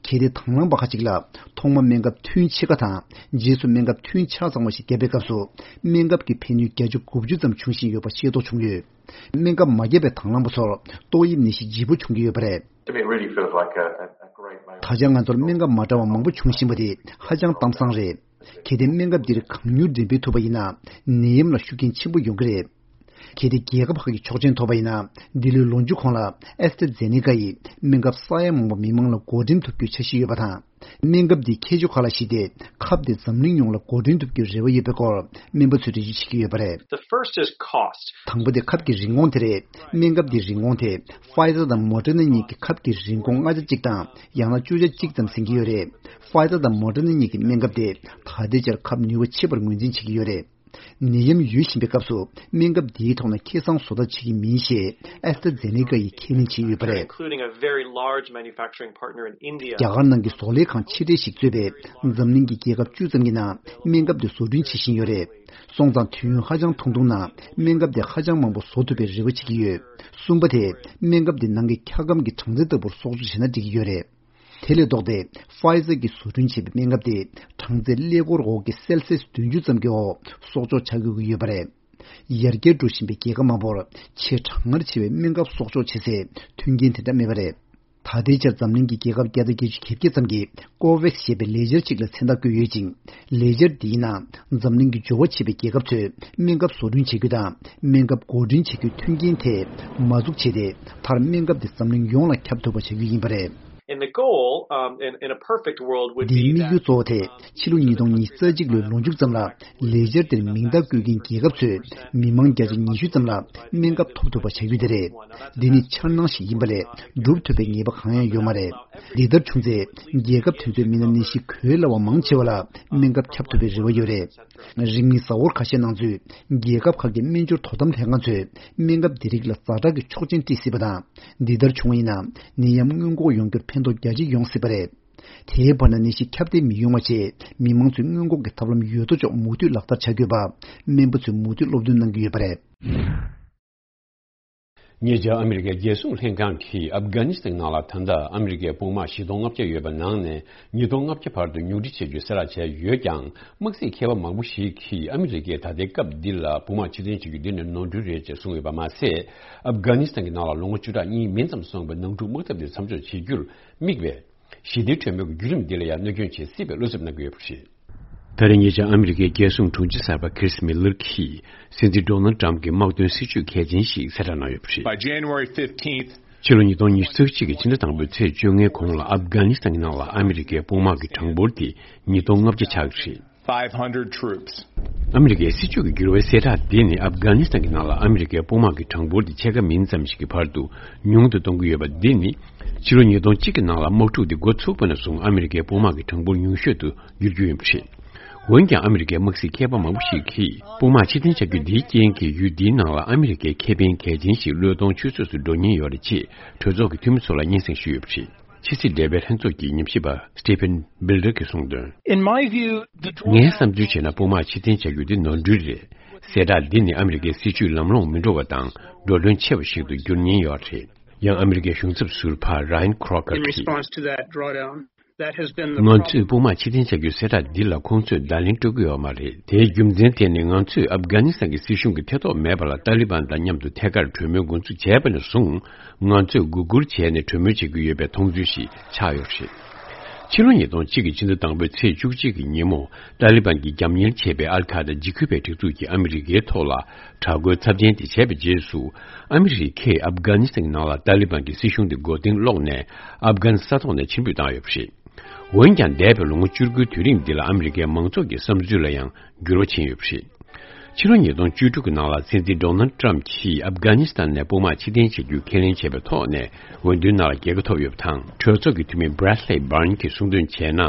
གལ་ཏེ་དང་བླངས་པ་ཁག་ཅིག་ལ་ཐོག་མ་སྨན་ཁབ་ཐུན་ཕྱེད་ཀ་དང་རྗེས་སུ་སྨན་ཁབ་ཐུན་ཆ་ཚང་བ་ཞིག་བརྒྱབ་པའི་སྐབས་སུ། སྨན་ཁབ་ཀྱི་ཕན་ནུས་བརྒྱ་ཆ་དགུ་བཅུ་ཙམ་འབྱུང་བཞིན་ཡོད་པ་ཤེས་རྟོགས་བྱུང་ཡོད། སྨན་ཁབ་མ་བརྒྱབ་པའི་དང་བླངས་པ་ཚོར་ཏོག་དབྱིབས་ནད་གཞི་ལྗིད་པོ་བྱུང་གི་ཡོད་པ་རེད། To me, it really feels like a, a, a great moment. ད་ཆ་ང་ཚོར་སྨན་ཁབ་མ་འདྲ་བ་མང་པོ་འབྱུང་བཞིན་པ་དེ་ཧ་ཅང་གཏམ་བཟང་རེད། གལ་ཏེ་སྨན་ཁབ་འདིར་གང་མྱུར་འགྲེམས་སྤེལ་ཐུབ་པ་ཡིན་ན། ནད་ཡམས་ལ་ཤུགས་རྐྱེན་ཆེན་པོ་ཡོང་གི་རེད། གལ་ཏེ་རྒྱལ་ཁབ་ཁག་གིས་ཆོག་མཆན་ཐོབ་པ་ཡིན་ན། འདི་ལོའི་ལོ་མཇུག་གོང་ལ་ཨེ་སི་ཏྲ་ཛེ་ནེ་ཀ་ཡིས་སྨན་ཁབ་ས་ཡ་མང་པོ་མི་མང་ལ་བགོ་འགྲེམས་ཐུབ་རྒྱུའི་འཆར་གཞི་ཡོད་པ་དང་། སྨན་ཁབ་འདིའི་ཁྱད་ཆོས་ཁག་ལ་གཞིགས་ཏེ། ཁབ་དེ་འཛམ་གླིང་ཡོངས་ལ་བགོ་འགྲེམས་ཐུབ་རྒྱུའི་རེ་བ་ཡོད་པའི་སྐོར་སྨན་པ་ཚོས་འགྲེལ་བརྗོད་བྱེད་ཀྱི་ཡོད་པ་རེད། The first is cost. དང་པོ་དེ་ཁབ་ཀྱི་རིན་གོང་དེ་རེད། སྨན་ཁབ་འདིའི་རིན་གོང་དེ་ཕ་ཡི་ཛར་དང་མོ་ཌར་ན་གཉིས་ཀྱི་ཁབ་ཀྱི་རིན་གོང་ལྔ་ཆ་གཅིག་དང་ཡང་ན་བཅུ་ཆ་གཅིག་ཙམ་ཟིན་གྱི་ཡོད་རེད། ཕ་ཡི་ཛར་དང་མོ་ཌར་ན་གཉིས་ཀྱི་སྨན་ཁབ་དེ་ད་ལྟའི་ཆར་ཁབ་ནུས་པ་ཆེ་བར་ངོས་འཛིན་བྱེད་ཀྱི་ཡོད་རེད། ནད་ཡམས་ཡོད་བཞིན་པའི་སྐབས་སུ་སྨན་ཁབ་འདིའི་ཐོག་ན་ཁེ་བཟང་བཟོ་ཐབས་བྱེད་ཀྱི་མིན་ཞེས་ཨེ་སི་ཏྲ་ཛེ་ནེ་ཀ་ཡིས་ཁས་ལེན་བྱས་ཡོད་པ་རེད། Including a very large manufacturing partner in India. རྒྱ་གར་ནང་གི་བཟོ་ལས་ཁང་ཆེ་གྲས་ཤིག་གཙོས་པའི་འཛམ་གླིང་གི་རྒྱལ་ཁབ་བཅུ་ཙམ་གྱི་ནང་སྨན་ཁབ་དེ་བཟོ་སྐྲུན་བྱེད་བཞིན་ཡོད་རེད། སོང་ཙང་དུས་ཡུན་ཧ་ཅང་ཐུང་ཐུང་ནང་སྨན་ཁབ་དེ་ཧ་ཅང་མང་པོ་བཟོ་ཐུབ་པའི་རེ་བ་བྱེད་ཀྱི་ཡོད། གསུམ་པ་དེ་སྨན་ཁབ་དེ་ནང་གི་འཁྱག་སྒམ་གྱི་གྲངས་ཚད་ལྟ་བུར་གསོག་འཇོག་བྱས་ན་འགྲིག་གི་ཡོད་རེད། དེ་ལས་ལྡོག་སྟེ། ཕ་ཡི་ཛར་གྱིས་བཟོ་སྐྲུན་བྱས་པའི་སྨན་ཁབ་དེ་གྲངས་ཚད་ཀླད་ཀོར་འོག་གི་སེལ་སི་ཡས་བདུན་ཅུ་ཙམ་གྱི་འོག་གསོག་འཇོག་བྱ་དགོས་ཀྱི་ཡོད་པ་རེད། ཡར་རྒྱས་འགྲོ་བཞིན་པའི་རྒྱལ་ཁབ་མང་པོར་ཆེས་གྲང་ངར་ཆེ་བའི་སྨན་ཁབ་གསོག་འཇོག་བྱེད་སའི་མཐུན་རྐྱེན་དེ་འདྲ་མེད་པ་རེད། ད་ལྟའི་ཆར་འཛམ་གླིང་གི་རྒྱལ་ཁབ་བརྒྱ་དང་བརྒྱད་ཅུ་གྱ་བརྒྱད་ཙམ་གྱིས་ཀོ་ཝེག་སི་ཞེས་པའི་ལས་འཆར་ཅིག་ལ་མཚན་རྟགས་བཀོད་ཡོད་ཅིང་། ལས་འཆར་འདིའི་ནང་འཛམ་གླིང་གི་འབྱོར་བ་ཆེ་བའི་རྒྱལ་ཁབ་ཚོས་སྨན་ཁབ་བཟོ་སྐྲུན་བྱེད་རྒྱུ་དང་སྨན་ཁབ་བགོ་སྐྲུན་བྱེད་རྒྱུའི་མཐུན་རྐྱེན་དེ་མ་འཛུགས་བྱས་ཏེ། མཐར་སྨན་ཁབ་དེ་འཛམ་གླིང་ཡོངས་ལ་ཁྱབ་ཐུབ་པ་བྱ་རྒྱུ་ཡིན་པ་རེད། And the goal, um, in, in a perfect world would འདིའི་be དམིགས་ཡུལ་that གཙོ་བོ་དེ་ཕྱི་ལོ་ཉིས་སྟོང་ཉི་ཤུ་རྩ་གཅིག་ལོའི་ལོ་མཇུག་ཙམ་ལ་ལས་འཆར་དེར་མིང་རྟགས་བཀོད་མཁན་རྒྱལ་ཁབ་ཚོས་མི་མང་བརྒྱ་ཆ་ཉི་ཤུ་ཙམ་ལ་སྨན་ཁབ་ཐོབ་ཐུབ་པ་བྱ་རྒྱུ་དེ་རེད། འདི་ནི་འཆར་སྣང་ཞིག་ཡིན་པ་ལས་སྒྲུབ་ཐུབ་པའི་ངེས་པ་གང་ཡང་ཡོད་མ་རེད། འདི་ལྟར་བྱུང་ཚེ་རྒྱལ་ཁབ་དེ་ཚོའི་མི་སྣ་ནད་གཞི་འགོས་སླ་བ་མང་ཆེ་བ་ལ་སྨན་ཁབ་ཁྱབ་ཐུབ་པའི་རེ་བ་ཡོད་རེད། རིང་མིན་གཟའ་འཁོར་ཁ་ཤས་ནང་ཚུད་རྒྱལ་ཁབ་ཁག་གི་སྨན་སྦྱོར་དོ་དམ་ལྷན་ཁང་ཚོས་སྨན་ཁབ་འདི་རིགས་ལ་ཛ་དྲག་གི་ཆོག་མཆན་སྤྲད་སྲིད་པ་དང་། འདི་ལྟར་བྱུང་བ་ཡིན་ན་ནད་ཡམས་སྔོན་འགོག་ཡོང་རྒྱུར་ཕན་ཐོགས་རྒྱ་ཆེ་ཡོང་སྲིད་པ་རེད། དེའི་བར་ན་ནད་གཞི་ཁྱབ་གདལ་མི་ཡོང་བ་ཆེད་མི་མང་ཚོས་སྔོན་འགོག་གི་ཐབས་ལམ་ཡོད་དོ་ཅོག་མུ་མཐུད་ལག་བསྟར་བྱ་དགོས་པ་སྨན་པ་ཚོས་མུ་མཐུད་སློབ་སྟོན་གནང་གི་ཡོད་པ་རེད། ཉེ་ཆར་ཨ་མི་རི་ཀའི་རྒྱལ་སྲུང་ལྷན་ཁང་གིས་ཨབ་གྷ་ནི་སི་ཐན་ནང་ལ་ད་ལྟ་ཨ་མི་རི་ཀའི་དཔུང་དམག་བཞི་སྟོང་ལྔ་བརྒྱ་ཡོད་པ་ནང་ནས་ཉིས་སྟོང་ལྔ་བརྒྱ་བར་དུ་ཉུང་འཕྲི་བྱེད་རྒྱུའི་གསལ་བསྒྲགས་བྱས་ཡོད་ཀྱང་། དམག་སྲིད་མཁས་པ་མང་པོ་ཞིག་གིས་ཨ་མི་རི་ཀས་ད་ལྟའི་སྐབས་འདི་ལ་དཔུང་དམག་ཕྱིར་འཐེན་བྱེད་རྒྱུ་འདི་ནི་ནོར་འཁྲུལ་རེད་ཅེས་གསུངས་ཡོད་པ་མ་ཟད། ཨབ་གྷ་ནི་སི་ཐན་གྱི་ནང་ལ་ལོ་ངོ་བཅུ་ཕྲག་གཉིས་མིན་ཙམ་སོང་བའི་ནང་འཁྲུག་དམག་འཐབ་འདི་མཚམས་འཇོག་བྱེད་རྒྱུར་དམིགས་པའི་ཞི་བདེའི་གྲོས་མོལ་གྱི་བརྒྱུད་རིམ་འདི་ལ་ཡང་གནོད་སྐྱོན་བྱེད་སྲིད་པའི་བློ་འཚབ་གནང་གི་ཡོད་པ་རེད། ད་རེས་ཉེ་ཆར་ཨ་མི་རི་ཀའི་རྒྱལ་སྲུང་དྲུང་ཆེ་གསར་པ་ཁྲིས་མི་ལར་གྱིས་སྲིད་འཛིན་ཌོ་ནལ་ཊམ་གྱི་དམག་དོན་སྲིད་ཇུས་གལ་ཆེན་ཞིག་གསལ་བསྒྲགས་གནང་ཡོད་པ་རེད། By January fifteenth, ཕྱི་ལོ་ཉིས་སྟོང་ཉི་ཤུ་རྩ་གཅིག་གི་ཕྱི་ཟླ་དང་པོའི་ཚེས་བཅོ་ལྔའི་གོང་ལ་ཨབ་གྷ་ནི་སི་ཐན་གྱི་ནང་ལ་ཨ་མི་རི་ཀའི་དཔུང་དམག་གི་གྲངས་འབོར་དེ་ཉིས་སྟོང་ལྔ་བརྒྱ་ཆགས་ཀྱི་རེད། Five hundred troops. ཨ་མི་རི་ཀའི་སྲིད་ཇུས་ཀྱི་འགྱུར་བའི་གསལ་བསྒྲགས་འདི་ནི་ཨབ་གྷ་ནི་སི་ཐན་གྱི་ནང་ལ་ཨ་མི་རི་ཀའི་དཔུང་དམག་གི་གྲངས་འབོར་དེ་ཕྱེད་ཀ་མིན་ཙམ་ཞིག་གི་བར་དུ་ཉུང་དུ་གཏོང་གི་ཡོད་པ་འདི་ནི། ཕྱི་ལོ་ཉིས་སྟོང་གཅིག་གི་ནང་ལ་དམག་འཁྲུག་འདི་འགོ་ཚུགས་པ་ནས་བཟུང་ཨ་མི་རི་ཀའི་དཔུང་དམག་གི་གྲངས་འབོར་ཉུང་ཤོས་སུ་འགྱུར་རྒྱུ་ཡིན་པ་རེད། འོན་ཀྱང་ཨ་མི་རི་ཀའི་དམག་སྲིད་མཁས་པ་མང་པོ་ཞིག་གིས་དཔུང་དམག་ཕྱིར་འཐེན་བྱ་རྒྱུ་འདིའི་རྐྱེན་གྱིས་ཡུལ་འདིའི་ནང་ལ་ཨ་མི་རི་ཀའི་ཁེ་ཕན་གལ་ཆེན་ཞིག་བློས་གཏོང་ཆུད་ཟོས་སུ་འགྲོ་ཉེན་ཡོད་རེད་ཅེས་གྲོས་ཚོགས་ཀྱི་འཐུས་མི་ཚོ་ལ་སྙན་སེང་ཞུས་ཡོད་པ་རེད། ཕྱི་སྲིད་འབྲེལ་བའི་ལྷན་ཚོགས་ཀྱི་ཉམས་ཞིབ་པ་སི་ཊི་ཕན་བྷིལ་ཌར་གྱིས་གསུངས་དོན། In my view, the drawdown. ངའི་བསམ་ཚུལ་བྱས་ན་དཔུང་དམག་ཕྱིར་འཐེན་བྱ་རྒྱུ་འདི་ནོར་འཁྲུལ་རེད། གསལ་བསྒྲགས་འདི་ནི་ཨ་མི་རི་ཀའི་སྲིད་ཇུས་ལམ་ལྷོང་མི་འགྲོ་བ་དང་འགྲོ་གྲོན་ཆེ་བ་ཞིག་ཏུ་འགྱུར་ཉེན་ཡོད་རེད། ཡང་ཨ་མི་རི་ཀའི་གཞུང་ཚབ་ཟུར་པ་ར་ཡན་ཁྲོ་ཀར་In གྱིས། Response to that drawdown, that has been the ང་ཚོས་problem. དཔུང་དམག་ཕྱིར་འཐེན་བྱ་རྒྱུའི་གསལ་བསྒྲགས་འདི་ལ་ཁོང་ཚོས་བརྡ་ལན་སྤྲོད་ཀྱི་ཡོད་མ་རེད། དེའི་རྒྱུ་མཚན་དེ་ནི་ང་ཚོས་ཨབ་གྷ་ནི་སི་ཐན་གྱི་སྲིད་གཞུང་གི་ཐེ་གཏོགས་མེད་པ་ལ་ཏཱ་ལི་བན་དང་མཉམ་དུ་ཐད་ཀར་གྲོས་མོལ་འགོ་འཛུགས་བྱས་པ་ནས་བཟུང་། ང་ཚོས་སྒུག་སྒུར་བྱས་ནས་གྲོས་མོལ་བྱེད་ཀྱི་ཡོད་པའི་མཐོང་ཚུལ་ཞིག་ཆགས་ཡོད་པ་རེད། ཕྱི་ལོ་ཉིས་སྟོང་གཅིག་གི་ཕྱི་ཟླ་དང་པོའི་ཚེས་བཅུ་གཅིག་གི་ཉིན་མོ། ཏཱ་ལི་བན་གྱིས་རྒྱབ་གཉེར་བྱས་པའི་ཨལ་ཁ་ད་འཇིགས་སྐུལ་བའི་སྒྲིག་འཛུགས་ཀྱིས་ཨ་མི་རི་ཀའི་ཐོག་ལ་དྲག་རྒོལ་ཚབས་ཆེན་དེ་བྱས་པའི་རྗེས་སུ། ཨ་མི་རི་ཀས་ཨབ་གྷ་ནི་སི་ཐན་ནང་ལ་ཏཱ་ལི་བན་གྱི་སྲིད་གཞུང་དེ་མགོ་རྟིང་སློག་ནས། ཨབ་གྷན་ས་ཐོག་ནས་ཕྱིར་འབུད་བཏང་ཡོད་པ་རེད། འོན་ཀྱང་། འདས་པའི་ལོ་ངོ་བཅུ་དགུའི་དུས་རིང་འདི་ལ་ཨ་མི་རི་ཀའི་མང་ཚོགས་ཀྱི་བསམ་ཚུལ་ལ་ཡང་འགྱུར་བ་ཕྱིན་ཡོད་པ་རེད། ཕྱི་ལོ་ཉིས་སྟོང་བཅུ་དྲུག་གི་ནང་ལ་སྲིད་འཛིན་ཌོ་ནལ་ཊམ་གྱིས་ཨབ་གྷ་ནི་སི་ཐན་ནས་དཔུང་དམག་ཕྱིར་འཐེན་བྱེད་རྒྱུའི་ཁས་ལེན་བྱས་པའི་ཐོག་ནས་འོས་བསྡུའི་ནང་ལ་རྒྱལ་ཁ་ཐོབ་ཡོད་པ་དང་། གྲོས་ཚོགས་ཀྱི་འཐུས་མི་Bradley Byrne གྱིས་གསུངས་དོན་བྱས་ན།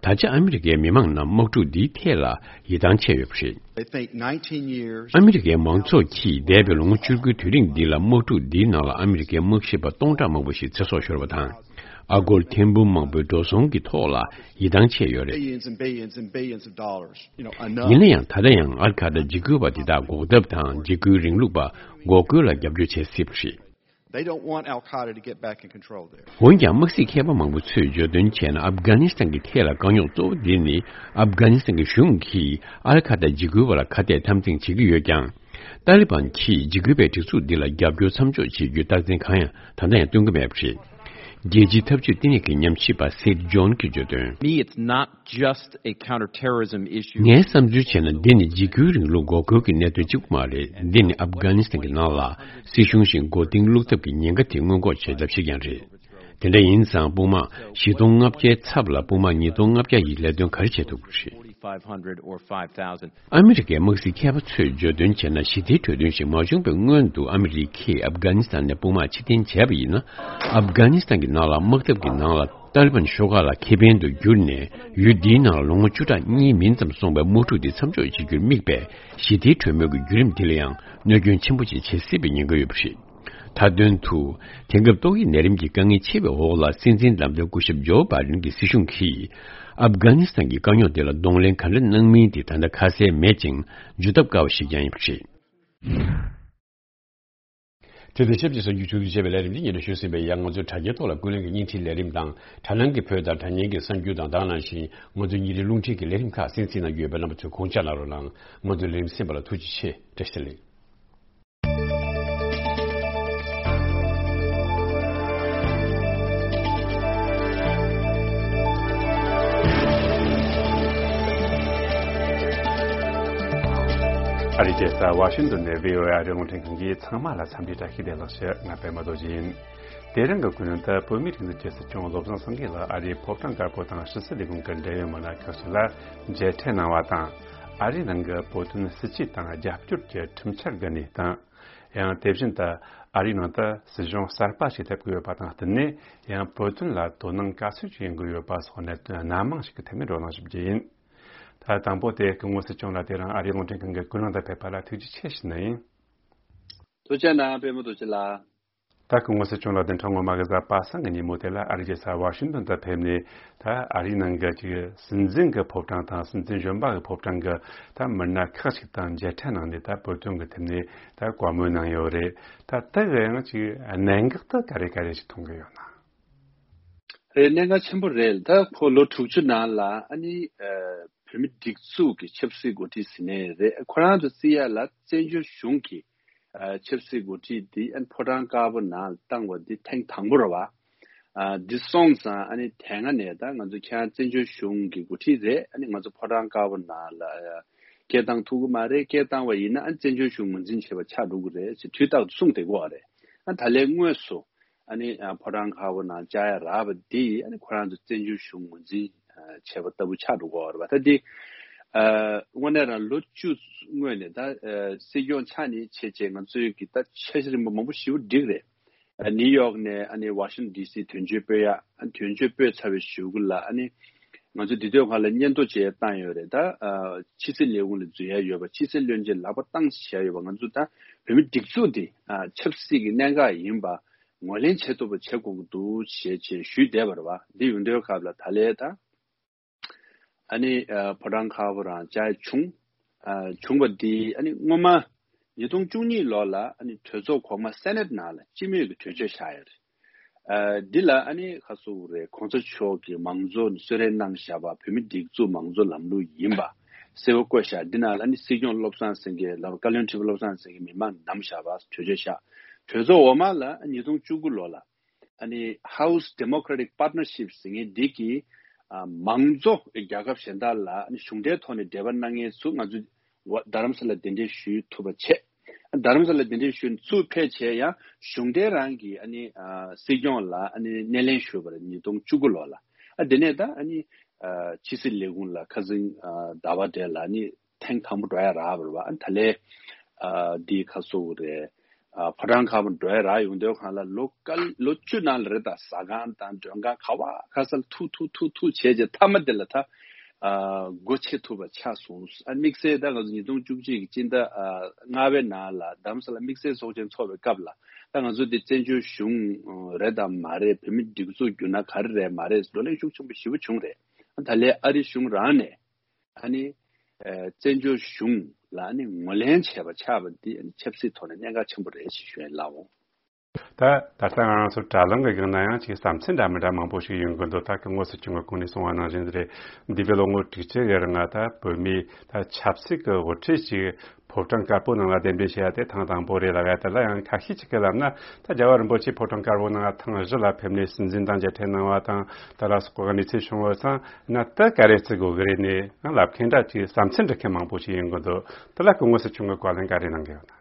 ད་ཆ་ཨ་མི་རི་ཀའི་མི་མང་རྣམས་དམག་འཁྲུག་འདིའི་ཐད་ལ་ཡིད་ཐང་ཆད་ཡོད་པ་རེད། They think nineteen years ཨ་མི་རི་ཀའི་མང་ཚོགས་ཀྱིས་འདས་པའི་ལོ་ངོ་བཅུ་དགུའི་དུས་རིང་འདི་ལ་དམག་འཁྲུག་འདིའི་ནང་ལ་ཨ་མི་རི་ཀའི་དམག་ཞིབ་པ་སྟོང་ཕྲག་མང་པོ་ཞིག་ཚེ་སྲོག་ཤོར་བ་དང་། ཨ་སྒོར་ཐེར་འབུམ་མང་པོའི་འགྲོ་སོང་གི་ཐོག་ལ་ཡིད་ཐང་ཆད་ཡོད་རེད། Billions and billions and billions of dollars. You know, enough. ཡིན་ན་ཡང་ད་ལྟ་ཡང་ཨལ་ཁ་ད་འཇིགས་སྐུལ་བ་དེ་དག་འགོག་ཐབས་དང་འཇིགས་སྐུལ་རིང་ལུགས་པ་འགོག་རྒོལ་ལ་རྒྱབ་སྐྱོར་བྱེད་སྲིད་པ་རེད། They don't want Al Qaeda to get back in control there. འོན་ཀྱང་དམག་སྲིད་མཁས་པ་མང་པོ་ཚོས་བརྗོད་དོན་བྱས་ན། ཨབ་གྷ་ནི་སི་ཐན་གྱི་ཐད་ལ་དཀའ་རྙོག་གཙོ་བོ་འདི་ནི། ཨབ་གྷ་ནི་སི་ཐན་གྱི་གཞུང་གིས་ཨལ་ཁ་ད་འཇིགས་སྐུལ་བ་ལ་ཁ་གཏད་དམ་འཛིན་བྱེད་ཀྱི་ཡོད་ཀྱང་། ཏཱ་ལི་བན་གྱིས་འཇིགས་སྐུལ་བའི་སྒྲིག་འཛུགས་འདི་ལ་རྒྱབ་སྐྱོར་མཚམས་འཇོག་བྱེད་རྒྱུའི་རྟགས་མཚན་གང་ཡང་ད་ལྟ་ཡང་སྟོན་གྱི་མེད་པ་རེད། རྒྱལ་སྤྱིའི་འཐབ་ཇུས་ལྟེ་གནས་ཀྱི་ཉམས་ཞིབ་པ་སེད་ཇོན་གྱིས་བརྗོད་དོན། Me, it's not just a counterterrorism issue. ངས་བསམ་ཚུལ་བྱས་ན། འདི་ནི་འཇིགས་སྐུལ་རིང་ལུགས་འགོག་རྒོལ་གྱི་གནད་དོན་གཅིག་པུ་མ་རེད། འདི་ནི་ཨབ་གྷ་ནི་སི་ཐན་གྱི་ནང་ལ་སྲིད་གཞུང་ཞིག་མགོ་རྟིང་བླུག་ཐབས་ཀྱི་ཉེན་ཁ་དེ་སྔོན་འགོག་བྱེད་ཐབས་ཤིག་ཀྱང་རེད། དེ་འདྲ་ཡིན་ཙང་དཔུང་དམག་བཞི་སྟོང་ལྔ་བརྒྱའི་ཚབ་ལ་དཔུང་དམག་ཉིས་སྟོང་ལྔ་བརྒྱ་ཡིས་ལས་དོན་ག་རེ་བྱེད་ཐུབ་ཀྱི་རེད། Forty-five hundred or five thousand. ཨ་མི་རི་ཀའི་དམག་སྲིད་མཁས་པ་ཚོས་བརྗོད་དོན་བྱས་ན། ཞི་བདེའི་གྲོས་མཐུན་ཞིག་མ་བྱུང་བའི་སྔོན་དུ་ཨ་མི་རི་ཀས་ཨབ་གྷ་ནི་སི་ཐན་ནས་དཔུང་དམག་ཕྱིར་འཐེན་བྱས་པ་ཡིན་ན། ཨབ་གྷ་ནི་སི་ཐན་གྱི་ནང་ལ་དམག་འཐབ་ཀྱི་ནང་ལ་ཏཱ་ལི་བན་ཤོག་ཁག་ལ་ཁེ་ཕན་དུ་གྱུར་ནས། ཡུལ་འདིའི་ནང་ལ་ལོ་ངོ་བཅུ་ཕྲག་གཉིས་མིན་ཙམ་སོང་བའི་དམག་འཁྲུག་འདི་མཚམས་འཇོག་བྱེད་རྒྱུར་དམིགས་པའི་ཞི་བདེའི་གྲོས་མོལ་གྱི་བརྒྱུད་རིམ་འདི་ལ་ཡང་གནོད་སྐྱོན་ཆེན་པོ་ཅིག་བྱེད་སྲིད་པའི་ཉེན་ཁ་ཡོད་པ་རེད། མཐའ་དོན་དུ། དེང་སྐབས་ཏོག་དབྱིབས་ནད་རིམས་ཀྱི་དཀའ་ངལ་ཆེ་བའི་འོག་ལ་སྲིད་འཛིན་ལམ་སྟོན་སྐུ་ཞབས་ཇོ་བྷའི་ཌེན་གྱི་སྲིད་གཞུང་གིས་ཨབ་གྷ་ནི་སི་ཐན་གྱི་དཀའ་རྙོག་དེ་ལ་གདོང་ལེན་ག་འདྲ་གནང་མིན་དེ་ད་ལྟ་ཁ་གསལ་མེད་ཅིང་། བརྗོད་ཐབས་དཀའ་བ་ཞིག་ཀྱང་ཡིན་པ་རེད། དེ་དང་ཆབས་ཅིག་གསར་འགྱུར་ཕྱོགས་བསྡུས་བྱས་པའི་ལས་རིམ་འདི་ཉན་དུ་ཞུ་ཟིན་པའི་ཡང་། ང་ཚོའི་དྲ་རྒྱའི་ཐོག་ལ་ཀུན་གླེང་གི་བརྙན་འཕྲིན་ལས་རིམ་དང་། དྲ་ནང་གི་བོད་དང་དྲ་བརྙན་གྱི་གསར་འགྱུར་དང་། དེ་ནང་བཞིན་ང་ཚོའི་ཉིན་རེའི་རླུང་འཕྲིན་གྱི་ལས་རིམ་ཁག་གསན་གཟིགས་གནང་རྒྱུ་ཡོད་པས། རྣམ་པ་ཚོས་དགོངས་འཇགས་གནང་རོགས་གནང་། ང་ཚོའི་ལས་རིམ་གསན་པ་ལ་ཐུགས་རྗེ་ཆེ། བཀྲ་ཤིས་བདེ་ལེགས། ཨ་རིའི་རྒྱལ་ས་ཝ་ཤིང་ཏོན་ནས་བྷི་ཨོ་ཨེ་ཨ་རིའི་རླུང་འཕྲིན་ཁང་གི་ཚང་མ་ལ་འཚམས་འདྲི་བཀྲ་ཤིས་བདེ་ལེགས་ཞུ། ང་པད་མ་རྡོ་རྗེ་ཡིན། དེ་རིང་གི་ཀུན་གླེང་དུ། བོད་མིའི་སྒྲིག་འཛུགས་ཀྱི་སྲིད་སྐྱོང་བློ་བཟང་སེང་གེ་ལ་ཨ་རིའི་ཕོ་བྲང་དཀར་པོ་དང་ཕྱི་སྲིད་ལས་ཁུངས་ཀྱི་འབྲེལ་ཡོད་མི་སྣ་ཁག་ཅིག་ལ་མཇལ་འཕྲད་གནང་བ་དང་། ཨ་རིའི་ནང་གི་བོད་དོན་སྲིད་བྱུས་དང་རྒྱབ་སྐྱོར་གྱི་ཁྲིམས་འཆར་གྱི་གནས་སྟངས། ཡང་དེ་བཞིན་དུ་ཨ་རིའི་ནང་དུ་སྲིད་གཞུང་གསར་པ་ཞིག་སླེབས་ཀྱི་ཡོད་པ་དང་བསྟུན་ནས། ཡང་བོད་དོན་ལ་དོ་སྣང་ག་ཚོད་ཅིག་ཡོང་གི་ཡོད་པ་སོགས་གནད་དོན་སྣ་མང་ཞིག་གི་ཐད་ནས་བགྲོ་གླེང་ཞུ་རྒྱུ་ཡིན། ད་དང་པོ་དེ་སྐུ་ངོ་སྲིད་སྐྱོང་ལགས་དེ་རིང་ཨ་རིའི་རླུང་འཕྲིན་ཁང་གི་ཀུན་གླེང་དུ་ཕེབས་པ་ལ་ཐུགས་རྗེ་ཆེ་ཞུ་ནི་ཡིན། ཐུགས་རྗེ་གནང་པད་མ་རྡོ་རྗེ་ལགས། ད་སྐུ་ངོ་སྲིད་སྐྱོང་ལགས་བདུན་ཕྲག་སྔོན་མ་གི་གཟའ་པ་སངས་ཀྱི་ཉིན་མོ་དེ་ལ་ཨ་རིའི་རྒྱལ་ས་ཝ་ཤིང་ཏོན་དུ་ཕེབས་ནས། ད་ཨ་རིའི་ནང་གི་ཅིག་སྲིད་འཛིན་གྱི་ཕོ་བྲང་དང་སྲིད་འཛིན་གཞོན་པ་གི་ཕོ་བྲང་གི་ད་མི་སྣ་ཁག་ཅིག་དང་མཇལ་འཕྲད་གནང་ནས། ད་བོད་དོན་གྱི་ཐད་ནས་ད་བཀའ་མོལ་གནང་ཡོད་རེད། ད་དེ་གི་ཡང་ཅིག་གནད་འགག་ད་ག་རེ་ག་རེ་ཞིག་མཐོང་གི་ཡོད་ན། རེད། གནད་འགག་ཆེན་པོ་རེད། ད་ཁོ་ལོ་དྲུག་ཅུ་ནང་ལ་ཨ་ནི་ཨ་བོད་མི་སྒྲིག་འཛུགས་ཀྱི་ཆབ་སྲིད་འགོ་ཁྲིད་ཟིན་ནས་རེད། ཁོ་རང་ཚོ་བརྩི་ཡ་ལ་བཙན་བྱོལ་གཞུང་གི་ཨ་ཆབ་སྲིད་འགོ་ཁྲིད་འདི་ཨ་ནི་ཕོ་བྲང་དཀར་པོ་ནང་བཏང་བ་འདི་ཐེངས་དང་པོ་རེད་བ། ཨ་འདི་སོང་ཙང་ཨ་ནི་དེ་སྔ་ནས་ད་ང་ཚོ་ཁྱེད་རང་བཙན་བྱོལ་གཞུང་གི་འགོ་ཁྲིད་རེད། ཨ་ནི་ང་ཚོ་ཕོ་བྲང་དཀར་པོ་ནང་ལ་ཨ་སྐད་བཏང་ཐུབ་ཀྱི་མ་རེད། སྐད་བཏང་བ་ཡིན་ན་ཨ་ནི་བཙན་བྱོལ་གཞུང་ངོས་འཛིན་བྱས་པ་ཆགས་འགྲོ་གི་རེད་ཟེར་དུས་རྟག་ཏུ་གསུངས་བསྡད་ཀྱི་ཡོད་རེད། ཨ་ད་ལན་དངོས་སུ་ཨ་ནི་ཨ་ཕོ་བྲང་དཀར་པོ་ནང་བཅར་ཡ་རག་པ་འདི་ཨ་ནི་ཁོ་རང་ཚོ་བཙན་བྱོལ་གཞུང་ངོས་འཛིན་ཨ་བྱས་པ་ལྟ་བུ་ཆགས་འགྲོ་གི་ཡོད་རེད་བ། ད་འདི་ཨ་དངོས་གནས་རང་ལོ་བཅུ་སྔོན་ནས་ད་ཨ་སྲིད་སྐྱོང་ཆགས་ནས་བྱས་བྱས་ང་ཚོའི་གི་ད་འཆར་གཞི་རིམ་པ་མང་པོ་ཞེ་པོ་བསྒྲིགས་རེད། ཨ་ནིའུ་ཡོག་ནས་ཨ་ནི་ཝ་ཤིང་ཊོན་ཌི་སི་དོན་གཅོད་སྤོས་ཡ། ཨ་དོན་གཅོད་སྤོས་ཚར་བའི་གཞུག་གུ་ལ་ཨ་ནི་ང་ཚོ་འདི་དུས་སྒང་ལ་སྙན་ཐོ་ཅིག་བཏང་ཡོད་རེད། ད་ཨ་ཕྱི་སྲིད་ལས་ཁུངས་ལ་འཛུལ་ཡ་ཡོད་པ། ཕྱི་སྲིད་བློན་ཆེན་ལག་པ་བཏང་བྱས་ཡོད་པ། ང་ཚོ་ད་བོད་མི་སྒྲིག་འཛུགས་འདི་ཨ་ཆབ་སྲིད་ཀྱི་གནད་འགག་ཡིན་པ་ངོས་ལེན་བྱེད་ཐུབ་པ་བྱེད་དགོས་ཀྱི་འདུག་ཞེས་བྱས་ཞུས་བསྡད་པ་རེད་བ། འདི་ཡོང་དུས་སྐབས་ལ་ད་ལས་ད་ཨ་ནི་ཨ་ཕོ་བྲང་དཀར་པོ་རང་བཅར་བྱུང་། ཨ་བྱུང་བ་འདི་ཨ་ནི་སྔོན་མ་ཉིས་སྟོང་བཅུ་གཉིས་ལོ་ལ་ཨ་ནི་གྲོས་ཚོགས་གོང་མ་སེ་ནེ་ཊི་ནང་ལ་སྤྱི་མོས་ཀྱི་གྲོས་ཆོད་བཞག་ཡོད་རེད། ཨ་འདི་ལ་ཨ་ནི་ཁ་སོ་རེད། གོང་ས་མཆོག་གིས་མང་གཙོ་གསོལ་རས་གནང་བཞག་པ། བོད་མི་སྒྲིག་འཛུགས་མང་གཙོ་ལམ་ལུགས་ཡིན་པ་གསལ་པོ་བཀོད་བཞག་འདི་ནང་ལ་ཨ་ནི་སྲིད་སྐྱོང་བློ་བཟང་སེང་གེ་ལ་བཀའ་བློན་ཁྲི་པ་བློ་བཟང་སེང་གེ་མི་མང་བདམས་བཞག་པ་གྲོས་ཆོད་བཞག་གྲོས་ཚོགས་འོག་མ་ལ་ཉིས་སྟོང་བཅུ་དགུ་ལོ་ལ་ཨ་ནི་House Democratic Partnership ཟེར་མཁན་འདི་གིས་ཨ་མང་གཙོ་རྒྱལ་ཁབ་གཞན་དག་ལ་ཨ་ནི་གཞུང་འབྲེལ་ཐོག་ནས་འབྲེལ་བ་གནང་མཁན་ཚོ་ང་ཚོ་རྡ་རམ་ས་ལ་གདན་འདྲེན་ཞུ་ཐུབ་པ་བྱས། རྡ་རམ་ས་ལ་གདན་འདྲེན་ཞུ་ཚུར་ཕེབས་བྱས་ཡང་གཞུང་འབྲེལ་རང་གི་ཨ་ནི་ཨ་སྲིད་སྐྱོང་ལ་ཨ་ནི་སྣེ་ལེན་ཞུས་པ་རེད། ཉིས་སྟོང་བཅུ་དགུ་ལོ་ལ། ཨ་དེ་ནས་ད་ཨ་ནི་ཨ་ཕྱི་སྲིད་ལས་ཁུངས་ལ་ཁ་སང་ཨ་ཟླ་བ་འདྲ་ལ་ཨ་ནི་ ཐེངས་དང་པོ་འགྲོ་ཡ་རག་པ་རེད་བ། ཨ་ནི་ད་ལས་ཨ་འདི་ཁ་སོ་རེད། ཨ་ཕོ་བྲང་དཀར་པོ་འགྲོ་ཡ་རག་ཡོང་དུས་སྒང་ལ་ལོ་ཀ་ལོ་བཅུ་ནང་ལ་རེད། ད་ཟ་ཁང་དང་མགྲོན་ཁང་ག་བ་ག་ས་ལ་ཐུག་ཐུག་ཐུག་ཐུག་བྱས་རྗེས་མཐའ་མ་དེ་ལ་ད་ཨ་སྒོ་ཕྱེ་ཐུབ་པ་ཆགས་སོང་། ཨ་དམིགས་བསལ་ད་ང་ཚོ་ཉིས་སྟོང་བཅུ་གཅིག་གི་སྤྱི་ཟླ་ཨ་ལྔ་པའི་ནང་ལ་རྡ་རམ་ས་ལ་དམིགས་བསལ་ཚོགས་ཆེན་ཚོགས་པའི་སྐབས་ལ་ད་ང་ཚོ་འདི་བཙན་བྱོལ་གཞུང་རེད་དམ་མ་རེད། བོད་མིའི་སྒྲིག་འཛུགས་བསྒྱུར་ན་ག་རེ་རེད་མ་རེད་བགྲོ་གླེང་ཤུགས་ཆེན་པོ་ཞེ་པོ་བྱུང་རེད། ད་ལས་ཨ་རི་གཞུང་རང་ནས་ཨ་ནི་ཨ་བཙན་བྱོལ་གཞུང་ལ་ཨ་ནི་ངོས་ལེན་བྱས་པ་ཆགས་པ་འདི་ཨ་ནི་ཆབ་སྲིད་ཐོག་ནས་གནད་འགག་ཆེན་པོ་རེད་ཅེས་ཞུ་ཡ་ཡིན་ལགས་འོང་། ད་ད་ལྟ་ང་རང་ཚོ་དྲ་ལམ་གྱི་སྒང་ན་ཡང་ཅིག་བསམ་ཚུལ་འདྲ་མི་འདྲ་མང་པོ་ཞིག་ཡོང་གི་འདུག་ད་སྐུ་ངོ་སྲིད་སྐྱོང་གི་གོང་ནས་གསུངས་པ་ནང་བཞིན་རེད། འདས་པའི་ལོ་ངོ་དྲུག་ཅུ་གི་རིང་ལ་ད་བོད་མིའི་ད་ཆབ་སྲིད་ཀྱི་དབུ་ཁྲིད་ཅིག་ཕོ་བྲང་དཀར་པོ་ནང་ལ་གདན་འདྲེན་བྱས་ཡ་དེ་ཐེངས་དང་པོ་རེད་ལབ་ཡ་དེ་ལ་ཡང་ཁ་ཤས་ཅིག་གིས་ལབ་ན། ད་རྒྱལ་བ་རིན་པོ་ཆེ་ཕོ་བྲང་དཀར་པོ་ནང་ཐེངས་བཞི་ལ་ཕེབས་ནས་སྲིད་འཛིན་དང་མཇལ་འཕྲད་གནང་བ་དང་། ད་ལ་སོགས་པའི་གནས་ཚུལ་བྱུང་བ་ཙང་ན་ད་ག་རེ་བརྩི་དགོས་ཀྱི་རེད་ནས་ཡང་ལབ་མཁན་འདྲ་ཅིག་བསམ་ཚུལ་འདྲི་མཁན་མང་པོ་ཞིག་ཡོང་གི་འདུག་དེ་ལ་སྐུ་ངོ་སྲིད་སྐྱོང་གིས་བཀའ་ལན་ག་རེ་གནང་གི་ཡོད་ན།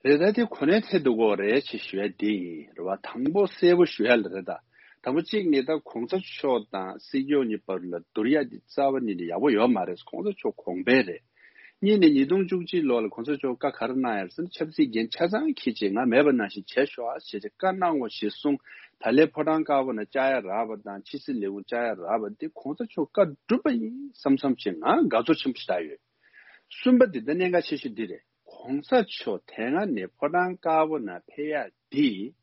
རེད། ད་དེ་གོ་གནས་ཐད་དུ་གོ་རེད་ཅེས་ཞུ་ཡ་དེ་ཡིན་རེད་བ། དང་པོ་གསལ་པོ་ཞུ་ཡ་ལ་རེད། ད་དང་པོ་གཅིག་ནི་ད་གོང་ས་མཆོག་དང་སྲིད་སྐྱོང་གཉིས་བར་ལ་བསྡུར་ཡ་དེ་རྩ་བ་ཉིད་ནས་ཡག་པོ་ཡོད་མ་རེད། གོང་ས་མཆོག་གོང་འཕེལ་རེད། གཉིས་ནས་ཉིས་སྟོང་བཅུ་གཅིག་ལོ་ལ་གོང་ས་མཆོག་བཀའ་ག་རེ་གནང་ཡ་རེད་ཟེར་ན། ཆབ་སྲིད་འགན་ཆ་ཚང་འཁྱེར་བྱས་ང་མེད་པ་ནང་བཞིན་བྱས་ཤོག་ཨ་ཞེས་བྱས་བཀའ་གནང་བ་ཞེས་གསུངས། ད་ལས་ཕོ་བྲང་དཀར་པོ་ནང་བཅར་ཡ་རག་པ་དང་ཕྱི་སྲིད་ལས་ཁུངས་བཅར་ཡ་རག་པ་དེ་གོང་ས་མཆོག་བཀའ་བསྒྲུབས་པ་ཡིན་བསམ་བསམ་བྱས་ང་དགའ་ཚོར་ཆེན་པོ་ཞིག་བཏང་ཡོད། གསུམ་པ་འདི་ད་གནད་འགག་ཆེ་ཤོས་འདི་རེད། གོང་ས་མཆོག་དེ་སྔ་ནས་ཕོ་བྲང་དཀར་པོ་ནང་ཕེབས་ཡ་འདི་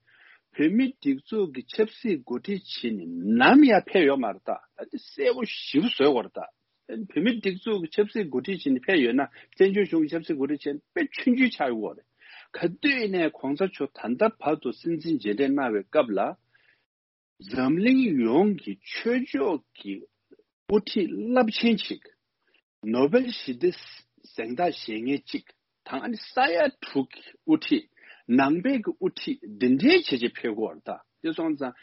བོད་མི་སྒྲིག་འཛུགས་ཀྱི་ཆབ་སྲིད་འགོ་ཁྲིད་བྱས་ནས་ནམ་ཡང་ཕེབས་ཡོད་མ་རེད། ད་ད་འདི་གསལ་པོ་ཞིབ་བཟོས་པ་རེད། ད་བོད་མི་སྒྲིག་འཛུགས་ཀྱི་ཆབ་སྲིད་འགོ་ཁྲིད་བྱས་ནས་ཕེབས་ཡོད་ན་བཙན་བྱོལ་གཞུང་གི་ཆབ་སྲིད་འགོ་ཁྲིད་བྱས་ན་དཔེ་ཆུང་ཆུང་ཆགས་ཡོད་རེད། ག་དུས་ནས་གོང་ས་མཆོག་ད་ལྟ་བར་དུ་སྲིད་འཛིན་མཇལ་འཕྲད་གནང་བའི་སྐབས་ལ། འཛམ་གླིང་ཡོངས་ཀྱི་ཆོས་ཕྱོགས་ཀྱི་དབུ་ཁྲིད་རླབས་ཆེན་ཞིག་ནོ་བེལ་ཞི་བདེ་གཟེངས་རྟགས་བཞེས་མཁན་གཅིག་དང་ཨ་ནི་ས་ཡ་དྲུག་གི་དབུ་ཁྲིད། ནང་པའི་གི་དབུ་ཁྲིད་འདི་འདྲའི་བྱས་བྱས་ཕེབས་ཀྱི་ཡོད་རེད། ད་དེ་སོང་ཙང་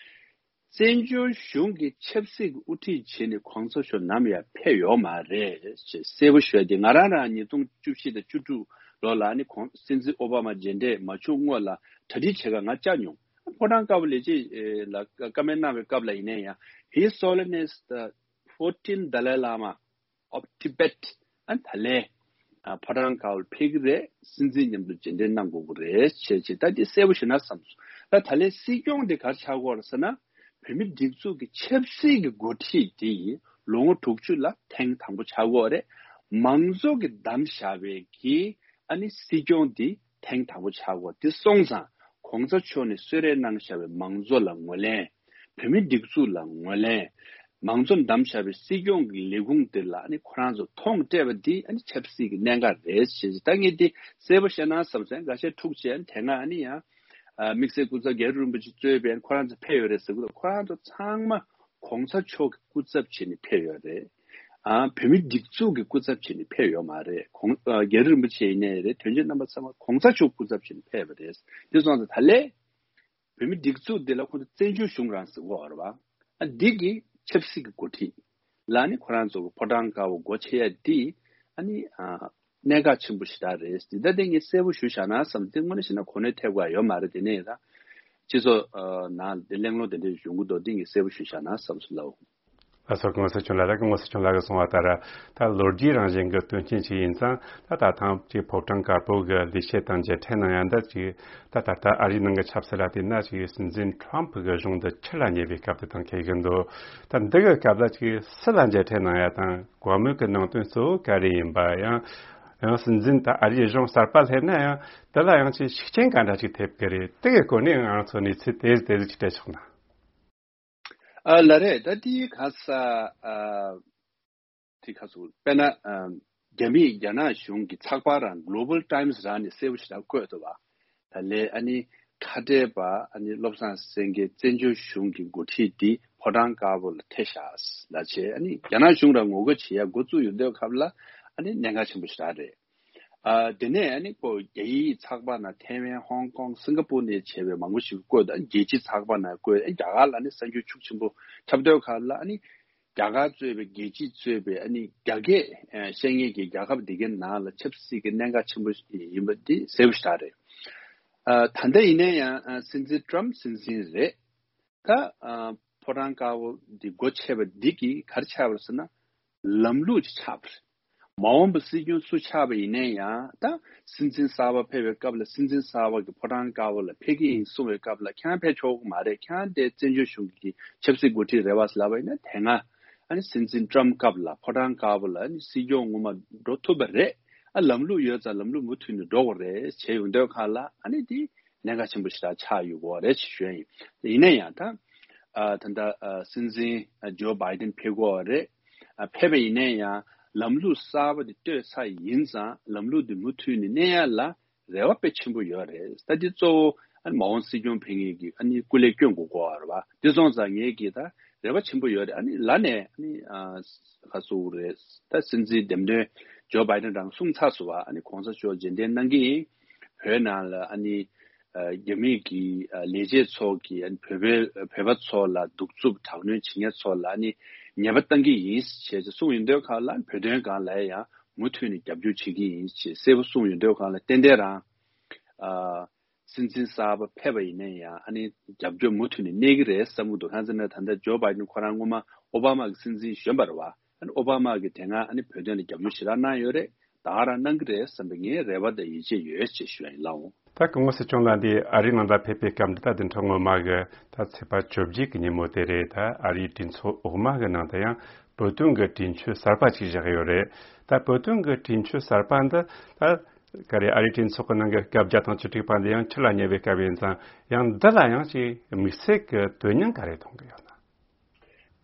བཙན་བྱོལ་གཞུང་གི་ཆབ་སྲིད་ཀྱི་དབུ་ཁྲིད་བྱས་ནས་གོང་ས་མཆོག་ནམ་ཡང་ཕེབས་ཡོད་མ་རེད་ཅེས་གསལ་པོ་ཞུ་ཡ་དེ། ང་རང་རང་ཉིས་སྟོང་བཅུ་བཞི་དང་བཅུ་དྲུག་ལོ་ལ་ཨ་ནི་གོང་སྲིད་འཛིན་ཨོ་བྷ་མ་མཇལ་འཕྲད་མ་བྱུང་སྔོན་ལ་གྲ་སྒྲིག་བྱེད་ག་ང་བཅར་མྱོང་། ཕོ་བྲང་དཀར་པོ་ལས་བྱེད་ལ་བཀའ་མོལ་གནང་བའི་སྐབས་ལ་ཡིན་ན་ཡང་། His Holiness the fourteenth Dalai Lama of Tibet ཨ་ད་ལས་ཕོ་བྲང་དཀར་པོར་ཕེབས་ཀྱི་རེད། སྲིད་འཛིན་མཉམ་དུ་མཇལ་འཕྲད་གནང་དགོས་ཀྱི་རེད་ཅེས་བྱས། ད་འདི་གསལ་པོ་ཞུས་ན་བསམ་སོང་། ད་ད་ལས་སྲིད་སྐྱོང་འདི་ག་རེ་ཆགས་ཀྱི་ཡོད་རེད་ཟེར་ན། བོད་མི་སྒྲིག་འཛུགས་ཀྱི་ཆབ་སྲིད་ཀྱི་འགོ་ཁྲིད་དེ་ཡིན་ལོ་ངོ་དྲུག་ཅུ་ལ་ཐེངས་དང་པོ་ཆགས་ཀྱི་ཡོད་རེད། མང་གཙོ་གི་བདམས་བཞག་པའི་གི་ཨ་ནི་སྲིད་སྐྱོང་འདི་ཐེངས་དང་པོ་ཆགས་ཀྱི་ཡོད། དེ་སོང་ཙང་གོང་ས་མཆོག་ནས་གསོལ་རས་གནང་བཞག་པའི་མང་གཙོ་ལ་ངོས་ལེན། བོད་མི་སྒྲིག་འཛུགས་ལ་ངོས་ལེན། མང་གཙོ་བདམས་བཞག་པའི་སྲིད་སྐྱོང་གི་ལས་ཁུངས་དེ་ལ་ཨ་ནི་ཁོ་རང་ཚོ་མཐོང་སྤྲད་པ་འདི་ཨ་ནི་ཆབ་སྲིད་ཀྱི་གནད་འགག་རེད་ཅེས། ད་ངས་འདི་གསལ་པོ་བཤད་ན་བསམ་སོང་། འགའ་ཤས་འཁྲུག་བྱས་དེ་སྔ་ཨ་ནི་ཡང་དམིགས་བསལ་སྐུ་ཚབ་རྒྱ་རི་རིན་པོ་ཆེ་གཙོས་པའི་ཁོ་རང་ཚོ་ཕེབས་ཡོད་རེད་ཟེར་གི་འདུག་ཁོ་རང་ཚོ་ཚང་མ་གོང་ས་མཆོག་གི་སྐུ་ཚབ་བྱས་ནས་ཕེབས་ཡོད་རེད། ཨ་བོད་མི་སྒྲིག་འཛུགས་ཀྱི་སྐུ་ཚབ་བྱས་ནས་ཕེབས་ཡོད་མ་རེད། གོང་ཨ་རྒྱ་རི་རིན་པོ་ཆེ་ཡིན་ནའི་རེད། དོན་གཅོད་རྣམ་པ་ཚང་མ་གོང་ས་མཆོག་སྐུ་ཚབ་བྱས་ནས་ཕེབས་པ་རེད། དེ་སོང་ཙང་ད་ལས་བོད་མི་སྒྲིག་འཛུགས་འདི་ལ་ཁོང་ཚོ་བཙན་བྱོལ་གཞུང་རང་ཟེར་གྱི་ཡོད་རེད་བ། ཨ་འདི་གི་ཆབ་སྲིད་ཀྱི་འགོ་ཁྲིད་ལ་ནི་ཁོ་རང་ཚོ་གི་ཕོ་བྲང་དཀར་པོ་སྒོ་ཕྱེ་ཡ་འདི་ཨ་ནི་ཨ་གནད་འགག་ཆེན་པོ་ཞེ་དྲག་རེད། འདི་ལྟ་སྟེ་ངས་གསལ་པོ་ཞུ་བཞག་ན་བསམ། དེ་དངོས་གནས་བྱས་ན་གོ་གནས་ཐེབས་དགོས་ཡ་ཡོད་མ་རེད། དེ་ནས་ད་སྤྱི་ཚོགས་ཨ་ནང་དེ་གླེང་སློང་དེ་འདྲ་ཡོང་གི་འདུག་འདི་ངས་གསལ་པོ་ཞུ་བཞག་ན་བསམ་སོང་ལགས། ལགས་སོ། སྐུ་ངོ་སྲིད་སྐྱོང་ལགས། ད་སྐུ་ངོ་སྲིད་སྐྱོང་ལགས་ཀྱིས་གསུངས་པ་ལྟར། ད་ལོ་རྒྱུས་རང་བཞིན་གྱི་དོན་རྐྱེན་ཞིག་ཡིན་ཙང་། ད་ད་ཐེངས་ཀྱི་ཕོ་བྲང་དཀར་པོ་གི་ལས་བྱེད་དང་མཇལ་འཕྲད་གནང་ཡ་འདི་ཅིག་ད་ད་ལྟ་ཨ་རིའི་ནང་གི་ཆབ་སྲིད་ལ་བལྟས་ན་ཅིག་སྲིད་འཛིན་ཁྲོམ་ཕུ་གི་གཞུང་འདི་ཕྱིར་ལ་ཉེ་བའི་སྐབས་དེ་དང་འཁེལ་གྱི་འདུག་ད་འདི་གི་སྐབས་ལ་ཅིག་སུ་ལ་མཇལ་འཕྲད་གནང་ཡ་དང་བཀའ་མོལ་གྱི་ནང་དོན་གཙོ་བོ་ག་རེ་ཡིན་པ། ཡང་ཡང་སྲིད་འཛིན་ད་ཨ་རིའི་གཞུང་གསར་པ་སླེབས་ན་ཡང་དེ་ལ་ཡང་ཅིག་ཤུགས་རྐྱེན་ག་འདྲ་ཅིག་ཐེབས་ཀྱི་རེད། དེ་གི་སྐོར་ནས་ང་ཚོ་གནས་ཚུལ་ཏོག་ཙམ་ཏོག་ཙམ་ཅིག་སྤྲད་ཆོག་ན། ཨ་ལགས་རེད། ད་དེའི་ཁ་ས་ཨ་དེ་ཁ་སུ་དཔེར་ན་ཨ་རྒྱ་མིས་རྒྱ་ནག་གཞུང་གི་ཚགས་པར་རང་Global Times རང་ནས་གསལ་པོ་ཞིག་ད་བཀོད་འདུག་བ། ད་ལས་ཨ་ནི་ཁ་བྲལ་པ་ཨ་ནི་བློ་བཟང་སེང་གེ་བཙན་བྱོལ་གཞུང་གི་འགོ་ཁྲིད་འདི་ཕོ་བྲང་དཀར་པོ་ལ་ཐེ་ཤག་ལ་བྱས། ཨ་ནི་རྒྱ་ནག་གཞུང་རང་ངོ་རྒོལ་བྱེད་ཡ་འགོ་བཙུགས་ཡོང་དུས་སྐབས་ལ་ཨ་ནི་གནད་འགག་ཆེན་པོ་ཞིག་རེད། ཨ་དེ་ནས་ཨ་ནི་ཁོ་རྒྱ་ཡིག་ཚགས་པར་ནང་ཐེ་ཝན་ཧོང་ཀོང་སིང་ག་པུར་ནས་བྱས་པའི་མང་པོ་ཞིག་བཀོད། ཨ་རྒྱལ་སྤྱིའི་ཚགས་པར་ནང་བཀོད། ཨ་རྒྱ་གར་ལ་ནི་གསར་འགྱུར་ཤུགས་ཆེན་པོ་ཁྱབ་སྡོད་ཁག་ལ་ཨ་ནི་རྒྱ་གར་གཙོས་པའི་རྒྱལ་སྤྱི་གཙོས་པའི་ཨ་ནི་རྒྱ་སྐད་བཤད་མཁན་གྱི་རྒྱལ་ཁབ་དེ་གའི་ནང་ལ་ཆབ་སྲིད་ཀྱི་གནད་འགག་ཆེན་པོ་ཡིན་པ་འདི་གསལ་པོ་ཞིག་རེད། ཨ་ད་ལྟ་ཡིན་ན་ཡང་ཨ་སྲིད་འཛིན་ཀྲམ་སྲིད་འཛིན་རེད། ད་ཨ་ཕོ་བྲང་དཀར་པོ་འདི་སྒོ་ཕྱེ་བ་འདི་གིས་ག་རེ་ཆགས་པ་རེད་ཟེར་ན། ལམ་ལུགས་ཅིག་ཆགས་པ་རེད། མ་འོངས་པ་སྲིད་སྐྱོང་སུ་ཆགས་པ་ཡིན་ནའི་ཡང་ད་སྲིད་འཛིན་གསར་པ་ཕེབས་པའི་སྐབས་ལ་སྲིད་འཛིན་གསར་པ་གི་ཕོ་བྲང་དཀར་པོ་ལ་ཕེབས་ཀྱི་ཡིན་གསུང་བའི་སྐབས་ལ་ཁྱེད་རང་ཕེབས་ཆོག་གི་མ་རེད། ཁྱེད་རང་དེ་བཙན་བྱོལ་གཞུང་གི་ཆབ་སྲིད་འགོ་ཁྲིད་རེད་བ་ཟེར་ལབ་པ་ཡིན་ན། དེ་སྔ་ཨ་ནི་སྲིད་འཛིན་ཊམ་སྐབས་ལ་ཕོ་བྲང་དཀར་པོ་ལ་ཨ་ནི་སྲིད་སྐྱོང་ངོ་མ་འགྲོ་ཐུབ་པ་རེད། ཨ་ལམ་ལུགས་ཡོད་ཙང་ལམ་ལུགས་མུ་མཐུད་ནས་འགྲོ་དགོས་རེད་བྱས་ཡོང་དུས་སྒང་ལ། ཨ་ནི་དེ་གནད་འགག་ཆེན་པོ་ཞིག་ཆགས་ཡོད་དགོས་རེད་ཅེས་ཞུ་ཡ་ཡིན། ཡིན་ན་ཡང་ད་ཨ་ད་ལྟ་ཨ་སྲིད་འཛིན་ཨ་ཇོ་བྷའི་ཏིན་ཕེབས་དགོས་རེད། ཨ་ཕེབས་པ་ཡིན་ན་ཡང་ལམ་ལུགས་གསར་པ་དེ་གཏོད་ཚར་ཡིན་ཙང་ལམ་ལུགས་དེ་མུ་མཐུད་ནས་གནས་ཡ་ལ་རེ་བ་དཔེ་ཆེན་པོ་ཡོད་རེད། ད་འདི་གཙོ་བོ་ཨ་ནི་མ་འོངས་སྲིད་སྐྱོང་ཕེབས་མཁན་གྱི་ཨ་ནི་སྐུ་ལས་སྐྱོན་དགོས་དགོས་པ་རེད་བ། དེ་སོང་ཙང་ངས་ཀྱིས་ད་རེ་བ་ཆེན་པོ་ཡོད་རེད། ཨ་ནི་ལ་ནས་ཨ་ནི་ཨ་ག་ཟེར་དགོས་རེད། ད་སྲིད་འཛིན་འདེམས་ཐོན་ཇོ་བྷའི་ཏིན་རང་གསུངས་ཚར་སོང་བ། ཨ་ནི་གོང་ས་མཆོག་རྗེས་དྲན་གནང་གི་ཡིན། བོད་ནང་ལ་ཨ་ནི་ཨ་རྒྱ་མིའི་གི་ཨ་ལས་བྱེད་ཚོ་གིས་ཨ་ནི་བོད་པའི་བོད་པ་ཚོ་ལ་གདུག་རྩུབ་དྲག་གནོན་བྱེད་མཁན་ཚོ་ལ་ཨ་ནི་ཉེས་པ་གཏང་གི་ཡིན་ཞེས་གསུངས་ཡོང་དུས་སྒང་ལ། བོད་དོན་སྒང་ལ་ཡང་མུ་མཐུད་ནས་རྒྱབ་སྐྱོར་བྱེད་ཀྱི་ཡིན་ཞེས་གསལ་པོ་གསུངས་ཡོང་དུས་སྒང་ལ། ཏན་ཏན་རང་ཨ་སྲིད་འཛིན་གསར་པ་ཕེབས་པ་ཡིན་ན་ཡང་ཨ་ནི་རྒྱབ་སྐྱོར་མུ་མཐུད་ནས་གནས་ཀྱི་རེད་བསམ་གྱི་འདུག་གང་ཟེར་ན་ད་ལྟ་ཇོ་བྷའི་ཏིན་ཁོ་རང་སྔོན་མ་ཨོ་བྷ་མ་གི་སྲིད་འཛིན་གཞོན་པ་རེད་བ། ཨ་ནི་ཨོ་བྷ་མ་གིས་དེ་སྔ་ཨ་ནི་བོད་དོན་ལ་རྒྱབ་སྐྱོར་ཞེ་དྲག་གནང་ཡོད་རེད། ད་ག་རང་གནང་གི་རེད་བསམ་པའི་ངའི་རེ་བ་དང་ཡིད་ཆེས་ཡོད་ཅེས་ཞུ་ཡ་ཡིན་ལགས་འོང་། ད་སྐུ་ངོ་སྲིད་སྐྱོང་ལགས་འདི་ཨ་རིའི་ནང་ལ་ཕེབས་པའི་སྐབས་འདི་ད་བདུན་ཕྲག་སྔོན་མ་གི་ད་ཚེས་པ་བཅོ་བརྒྱད་ཀྱི་ཉིན་མོ་དེ་རེད། ད་ཨ་རིའི་གྲོས་ཚོགས་འོག་མ་གི་ནང་དུ་ཡང་བོད་དོན་གྱི་གྲོས་ཆོད་གསར་པ་ཅིག་བཞག་ཡོད་རེད། ད་བོད་དོན་གྱི་གྲོས་ཆོད་གསར་པ་འདི་ད་ག་རེ་ཨ་རིའི་གྲོས་ཚོགས་ཀྱི་ནང་གི་སྐབས་བརྒྱ་དང་བཅུ་དྲུག་པ་འདི་ཡང་ཕྱི་ལ་ཉེ་བའི་སྐབས་ཡིན་ཙང་། ཡང་འདི་ལ་ཡང་ཅིག་དམིགས་བསལ་གྱི་དོན་སྙིང་ག་རེ་མཐོང་གི་ཡོད་ན།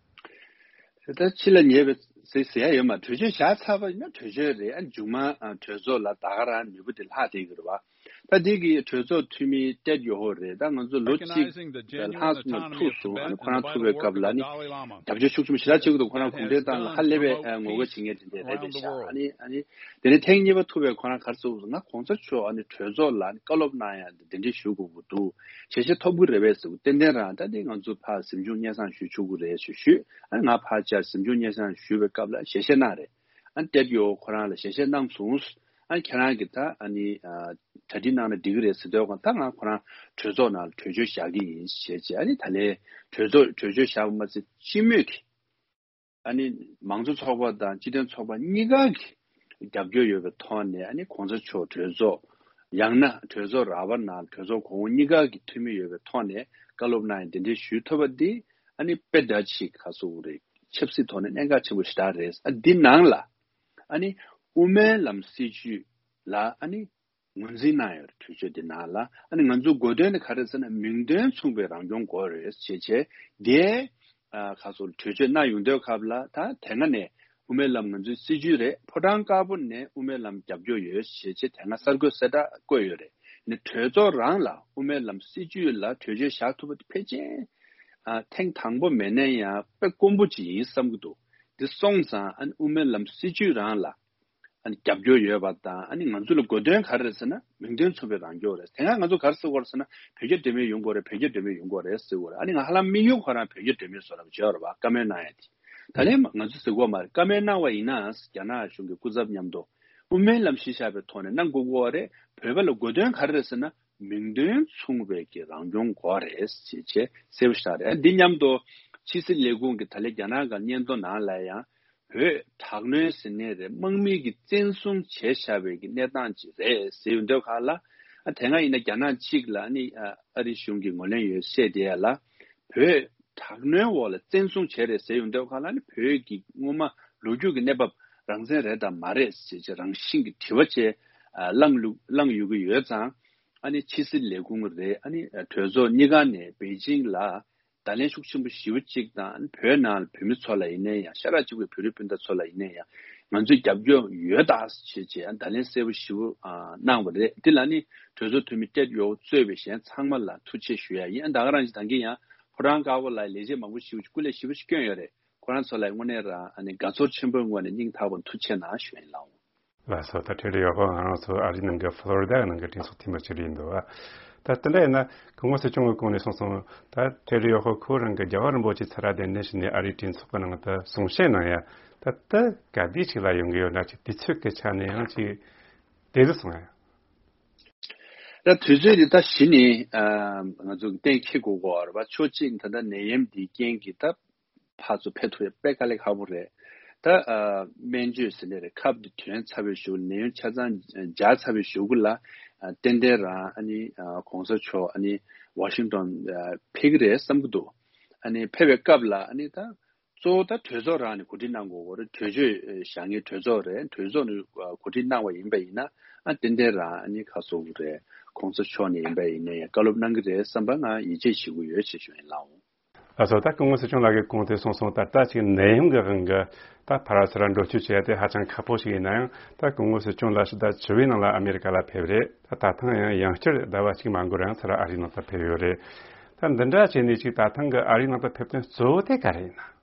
ད་ཕྱི་ལ་ཉེ་བའི་ཟེར་ཟེར་ཡ་ཡོད་མ། གྲོས་ཆོད་བཞག་ཚར་བ་ཡིན་ན་གྲོས་ཆོད་རེད། ཨ་མཇུག་མ་ཨ་གྲོས་ཚོགས་ལ་ད་ག་རང་ནུས་པ་དེ་ལྷག་བསྡད་ཀྱི་རེད་བ། ད་འདི་གི་གྲོས་ཚོགས་འཐུས་མི་ཏེད་ཡོ་ཧོ་རེད། ད་ང་ཚོ་ལོ་གཅིག་ལྷག་སོང་ན་ཐུག་སོང་། ཨ་ནི་ཁོ་རང་ཐུག་པའི་སྐབས་ལ་ནི་རྒྱབ་སྐྱོར་ཤུགས་ཆེན་པོ་ཞེ་དྲག་བྱེད་ཀྱི་འདུག་ཁོ་རང་གུང་ཁྲན་ཏང་ལ་ཧ་ལས་པའི་ཨ་ངོ་རྒོལ་བྱེད་མཁན་དེ་འདྲ་རེད་པས་ཤག་ཨ་ནི་ཨ་ནི་དེ་ནས་ཐེངས་གཉིས་པ་ཐུག་པའི་ཁོ་རང་ག་རེ་ཟེར་གྱི་འདུག་ང་གོང་ས་མཆོག་ཨ་ནི་གྲོས་ཚོགས་ལ་ནི་བཀའ་སློབ་གནང་ཡ་འདི་འདི་འདྲ་ཞུ་དགོས་ཀྱི་འདུག་ཞལ་བཞེས་ཐོབ་ཀྱི་རེད་པས་ཟེར་གྱི། ཏན་ཏན་རང་ད་འདི་ང་ཚོ་ཕར་གཟིམ་ཆུང་སྙན་སེང་ཞུ་ཆོག་གི་རེད་ཞུ་ཞུས། ཨ་ནི་ང་ཕར་བཅར་གཟིམ་ཆུང་སྙན་སེང་ཞུ་བའི་སྐབས་ལ་ཞལ་བཞེས་གནང་རེད། ཨ་ནི་ཏེད་ཡོ་ཁོ་རང་ལ་ཞལ་བཞེས་གནང་སོང་། ཨ་ནི་ཁྱེད་རང་གིས་ད་ཨ་ནི་ཨ་གྲ་སྒྲིག་གནང་ན་འགྲིག་གི་རེད་ཟེར་དུས་སྒང་ད་ང་ཁོ་རང་གྲོས་ཚོགས་ནང་ལ་གྲོས་ཆོད་བཞག་གི་ཡིན་ཞེས་བྱས། ཨ་ནི་ད་ལན་གྲོས་ཚོགས་གྲོས་ཆོད་བཞག་པ་མ་ཟད་སྤྱི་མོས་ཀྱིས་ཨ་ནི་མང་གཙོ་ཚོགས་པ་དང་སྤྱི་མཐུན་ཚོགས་པ་གཉིས་ཀ་གི་རྒྱབ་སྐྱོར་ཡོད་པའི་ཐོག་ནས། ཨ་ནི་གོང་ས་མཆོག་གྲོས་ཚོགས་ཡང་ན་གྲོས་ཚོགས་ར་བ་ནང་གྲོས་ཚོགས་གོང་འོག་གཉིས་ཀ་གི་འཐུས་མི་ཡོད་པའི་ཐོག་ནས་བཀའ་སློབ་གནང་ཡ་འདི་འདྲའི་ཞུས་ཐུབ་པ་འདི་ཨ་ནི་དཔེ་འདྲ་ཅིག་ག་ཟེར་དགོས་རེད། ཆབ་སྲིད་ཐོག་ནས་གནད་འགག་ཆེན་པོ་ཞེ་དྲག་རེད། ཨ་འདི་ནང་ལ་ཨ་ནི་དབུ་མའི་ལམ་སྲིད་བྱུས་ལ་ཨ་ནི་ངོས་འཛིན་གནང་ཡོད་རེད། གྲོས་ཆོད་འདི་ནང་ལ་ཨ་ནི་ང་ཚོ་དགོས་དོན་ནི་ག་རེ་ཟེར་ན་མིང་དོན་མཚུངས་པའི་རང་སྐྱོང་དགོས་རེད་ཅེས་བྱས། དེ་ཨ་ག་ཟེར་གྲོས་ཆོད་གནང་ཡོང་དུས་སྐབས་ལ་ད་དེ་སྔ་ནས་དབུ་མའི་ལམ་ང་ཚོའི་སྲིད་བྱུས་རེད། ཕོ་བྲང་དཀར་པོ་ནས་དབུ་མའི་ལམ་རྒྱབ་སྐྱོར་ཡོད་ཅེས་བྱས་དེ་སྔ་གསར་འགོད་གསལ་བསྒྲགས་བཀོད་ཡོད་རེད། ནི་གྲོས་ཚོགས་རང་ལ་དབུ་མའི་ལམ་སྲིད་བྱུས་ལ་གྲོས་ཆོད་བཞག་ཐུབ་པ་དེ་ཕལ་ཆེར་ཨ་ཐེངས་དང་པོ་མིན་ན་ཡང་དཔེ་དཀོན་པོ་ཅིག་ཡིན་བསམ་གྱི་འདུག་འདི་སོང་ཙང་ཨ་ནི་དབུ་མའི་ལམ་སྲིད་བྱུས་རང་ལ་ཨ་ནི་རྒྱབ་སྐྱོར་ཡོད་པ་དང་། ཨ་ནི་ང་ཚོ་ལ་དགོས་དོན་ག་རེ་རེད་ཟེར་ན་མིང་དོན་མཚུངས་པའི་རང་སྐྱོང་རེད། དེ་སྔ་ང་ཚོ་ག་རེ་ཟེར་གྱི་ཡོད་རེད་ཟེར་ན་བོད་རྒྱ་འབྲེལ་མོལ་ཡོང་དགོས་རེད། བོད་རྒྱ་འབྲེལ་མོལ་ཡོང་དགོས་རེད་ཟེར་གྱི་ཡོད་རེད། ཨ་ནི་ང་ཧ་ལམ་དམིགས་ཡུལ་ཁོ་རང་བོད་རྒྱ་འབྲེལ་མོལ་བཟོ་འདྲ་བྱས་ཡོད་རེད་བ། བཀའ་མོལ་གནང་ཡ་དེ་ད་ལན་ང་ཚོ་ཟེར་གྱི་ཡོད་མ་རེད། བཀའ་མོལ་གནང་བ་ཡིན་ན་རྒྱ་ནག་གཞུང་གི་སྐུ་ཚབ་མཉམ་དུ་དབུ་མའི་ལམ་གཞི་བཞག་པའི་ཐོག་ནས་གནང་དགོས་ཀྱི་ཡོད་རེད། བོད་པ་ལ་དགོས་དོན་ག་རེ་རེད་ཟེར་ན་མིང་དོན་མཚུངས་པའི་གི་རང་སྐྱོང་དགོས་རེད་ཅེས་བྱས་གསལ་པོ་ཞིག་རེད། འདི་མཉམ་དུ་ཕྱི་སྲིད་ལས་ཁུངས་ཀྱི་ད་ལན་རྒྱ་ནག་གི་སྙན་ཐོ་ནང་ལ་ཡང་བོད་དྲག་གནོན་ཟེར་ནའི་རེད། དམག་མི་གིས་བཙན་བཟུང་བྱས་བཞག་པའི་གི་གནས་སྟངས་ཅིག་རེད་ཟེར་ཡོང་དུས་སྒང་ལ། ཨ་དེ་སྔ་ཡིན་ན་རྒྱ་ནག་གཅིག་ལ་ནི་ཨ་ཨ་རི་གཞུང་གིས་ངོས་ལེན་ཡོད་བཤད་བསྡད་ཡ་ལ། བོད་དྲག་གནོན་འོག་ལ་བཙན་བཟུང་བྱས་རེད་ཟེར་ཡོང་དུས་སྒང་ལ་ནི་བོད་ཀྱི་སྔོན་མ་ལོ་རྒྱུས་ཀྱི་གནས་བབ་རང་བཙན་རེད་དམ་མ་རེད་ཟེར་བྱས་རང་བཞིན་གྱི་དྲི་བ་བཅས་ཨ་བསླངས་ལུགས་བསླངས་ཡོང་གི་ཡོད་ཙང་། ཨ་ནི་ཕྱི་སྲིད་ལས་ཁུངས་རེད། ཨ་ནི་གྲོས་ཚོགས་གཉིས་ཀ་ནས་པེ་ཅིང་ལ་བརྡ་ལན་ཤུགས་ཆེན་པོ་ཞེ་པོ་གཅིག་དང་། ཨ་ནི་བོད་ནང་ལ་བོད་མི་ཚོ་ལ་ཡིན་ན་ཡང་། ཤ་ཁྲག་གཅིག་པའི་བོད་རིགས་སྤུན་ཟླ་ཚོ་ལ་ཡིན་ན་ཡང་། ང་ཚོས་རྒྱབ་སྐྱོར་ཡོད་ད་ཟེར་བྱས་བརྡ་ལན་གསལ་པོ་ཞེ་པོ་ཨ་གནང་བ་རེད། འདི་ལ་ནི་གྲོས་ཚོགས་འཐུས་མི་ཏེད་ཡོ་གཙོས་པའི་གཞན་ཚང་མ་ལ་ཐུགས་རྗེ་ཆེ་ཞུ་ཡ་ཡིན། ཨ་ད་ག་རང་ཅིག་ད་གིན་ཡང་ཕོ་བྲང་དཀར་པོ་ལ་ལས་བྱེད་མང་པོ་ཞེ་པོ་ཅིག་སྐུ་ལས་ཞེ་པོ་ཅིག་བསྐྱོན་ཡོད་རེད། ཁོ་རང་ཚོ་ལ་དངོས་གནས་རང་ཨ་ནི་དགའ་ཚོར་ཆེན་པོའི་ངོས་ནས་སྙིང་ཐག་པ་ནས་ཐུགས་རྗེ་གནང་ཞུ་ཡིན་ལགས། ལགས་སོ། ད་ཏེད་ཡོ་ཧོ་ང་རང་ཚོ་ཨ་རི་ནང་གི་ཕློ་རི་ཌ་ནང་གི་གྲོས་ཚོགས་འཐུས་མི་ཅིག་རེད་འདུག་ད་དེ་འདྲ་ཡིན་ན་སྐུ་ངོ་སྲིད་སྐྱོང་གི་གོང་ནས་གསུངས་སོང་། ད་ཏེད་ཡོ་ཧོ་ཁོ་རང་གི་རྒྱལ་བ་རིན་པོ་ཆེ་ཚུར་ར་གདན་འདྲེན་ཞུས་ནས་ཨ་རིའི་གྲོས་ཚོགས་ཀྱི་ནང་དུ་གསུང་བཤད་གནང་ཡ། ད་ལྟ་ག་དུས་ཅིག་ལ་ཡོང་གི་ཡོད་ན། ཅིག་དུས་ཚོད་ཀྱི་ཆ་ནས་ཡང་ཅིག་དེ་ཚོ་སོང་ཡ། ད་དུས་ཚོད་འདི་ད་གཞི་ནས་ཨ་ང་ཚོ་གཏན་འཁེལ་དགོས་ཀྱི་ཡོད་རེད་པ། ཕྱོགས་གཅིག་ད་ལྟ་ནད་ཡམས་འདིའི་རྐྱེན་གྱིས་ད་ཕར་ཚུར་ཕེབས་ཐུབ་ཡ་དཔེ་དཀའ་ལས་ཁག་པོ་རེད། ད་ ད་ཨ་སྨན་བཅོས་ཟེར་ནས་རེད། ཁབ་དེ་ཐོན་ཚར་བའི་གཞུག་ནད་ཡམས་ཆ་ཚང་འཇགས་ཚར་བའི་གཞུག་གུ་ལ་ཨ་ཏན་ཏན་རང་ཨ་ནི་ཨ་གོང་ས་མཆོག་ཨ་ནི་ཝ་ཤིང་ཏོན་ཨ་ཕེབས་ཀྱི་རེད་བསམ་གྱི་འདུག་ཨ་ནི་ཕེབས་པའི་སྐབས་ལ་ཨ་ནི་ད་གཙོ་བོ་ད་གྲོས་ཚོགས་རང་ནས་གོ་སྒྲིག་གནང་དགོས་ཀྱི་རེད། གྲོས་ཆོད་བཞག་མཁན་གྲོས་ཚོགས་རེད། གྲོས་ཚོགས་ནས་གོ་སྒྲིག་གནང་བ་ཡིན་པ་ཡིན་ན་ཨ་ཏན་ཏན་རང་ཨ་ནི་ཁ་གསོ་གི་རེད། གོང་ས་མཆོག་ནས་ཡིན་པ་ཡིན་ན་ཡང་བཀའ་སློབ་གནང་གི་རེད་བསམ་པ་ང་ཡིད་ཆེས་བྱེད་ཀྱི་ཡོད་ཅེས་ཞུ་ཡིན་ལགས། ལགས་སོ། ད་སྐུ་ངོ་སྲིད་སྐྱོང་ལགས་ཀྱིས་གོང་དུ་གསུངས་སོང་། ད་ལྟ་ཅིག་ནད་ཡམས་ཀྱི་དབང་གིས་ད་ཕར་ཚུར་འགྲོ་སྐྱོད་བྱེད་ཡ་དེ་ཧ་ཅང་ཁག་པོ་ཞིག་ཡིན་ན་ཡང་། ད་སྐུ་ངོ་སྲིད་སྐྱོང་ལགས་ཕྱི་ཟླ་བཅུ་པའི་ནང་ལ་ཨ་མེ་རི་ཀ་ལ་ཕེབས་རེད། ད་ད་ཐེངས་ཡང་ཡང་བསྐྱར་ཟླ་བ་གཅིག་མ་འགོར་རིང་ཚུར་ཨ་རིའི་ནང་དུ་ཕེབས་ཡོད་རེད། ད་འདི་འདྲ་བྱས་ནས་ཅིག་ད་ཐེངས་ཀྱི་ཨ་རིའི་ནང་དུ་ཕེབས་དོན་གཙོ་བོ་དེ་ག་རེ་ཡིན་ན།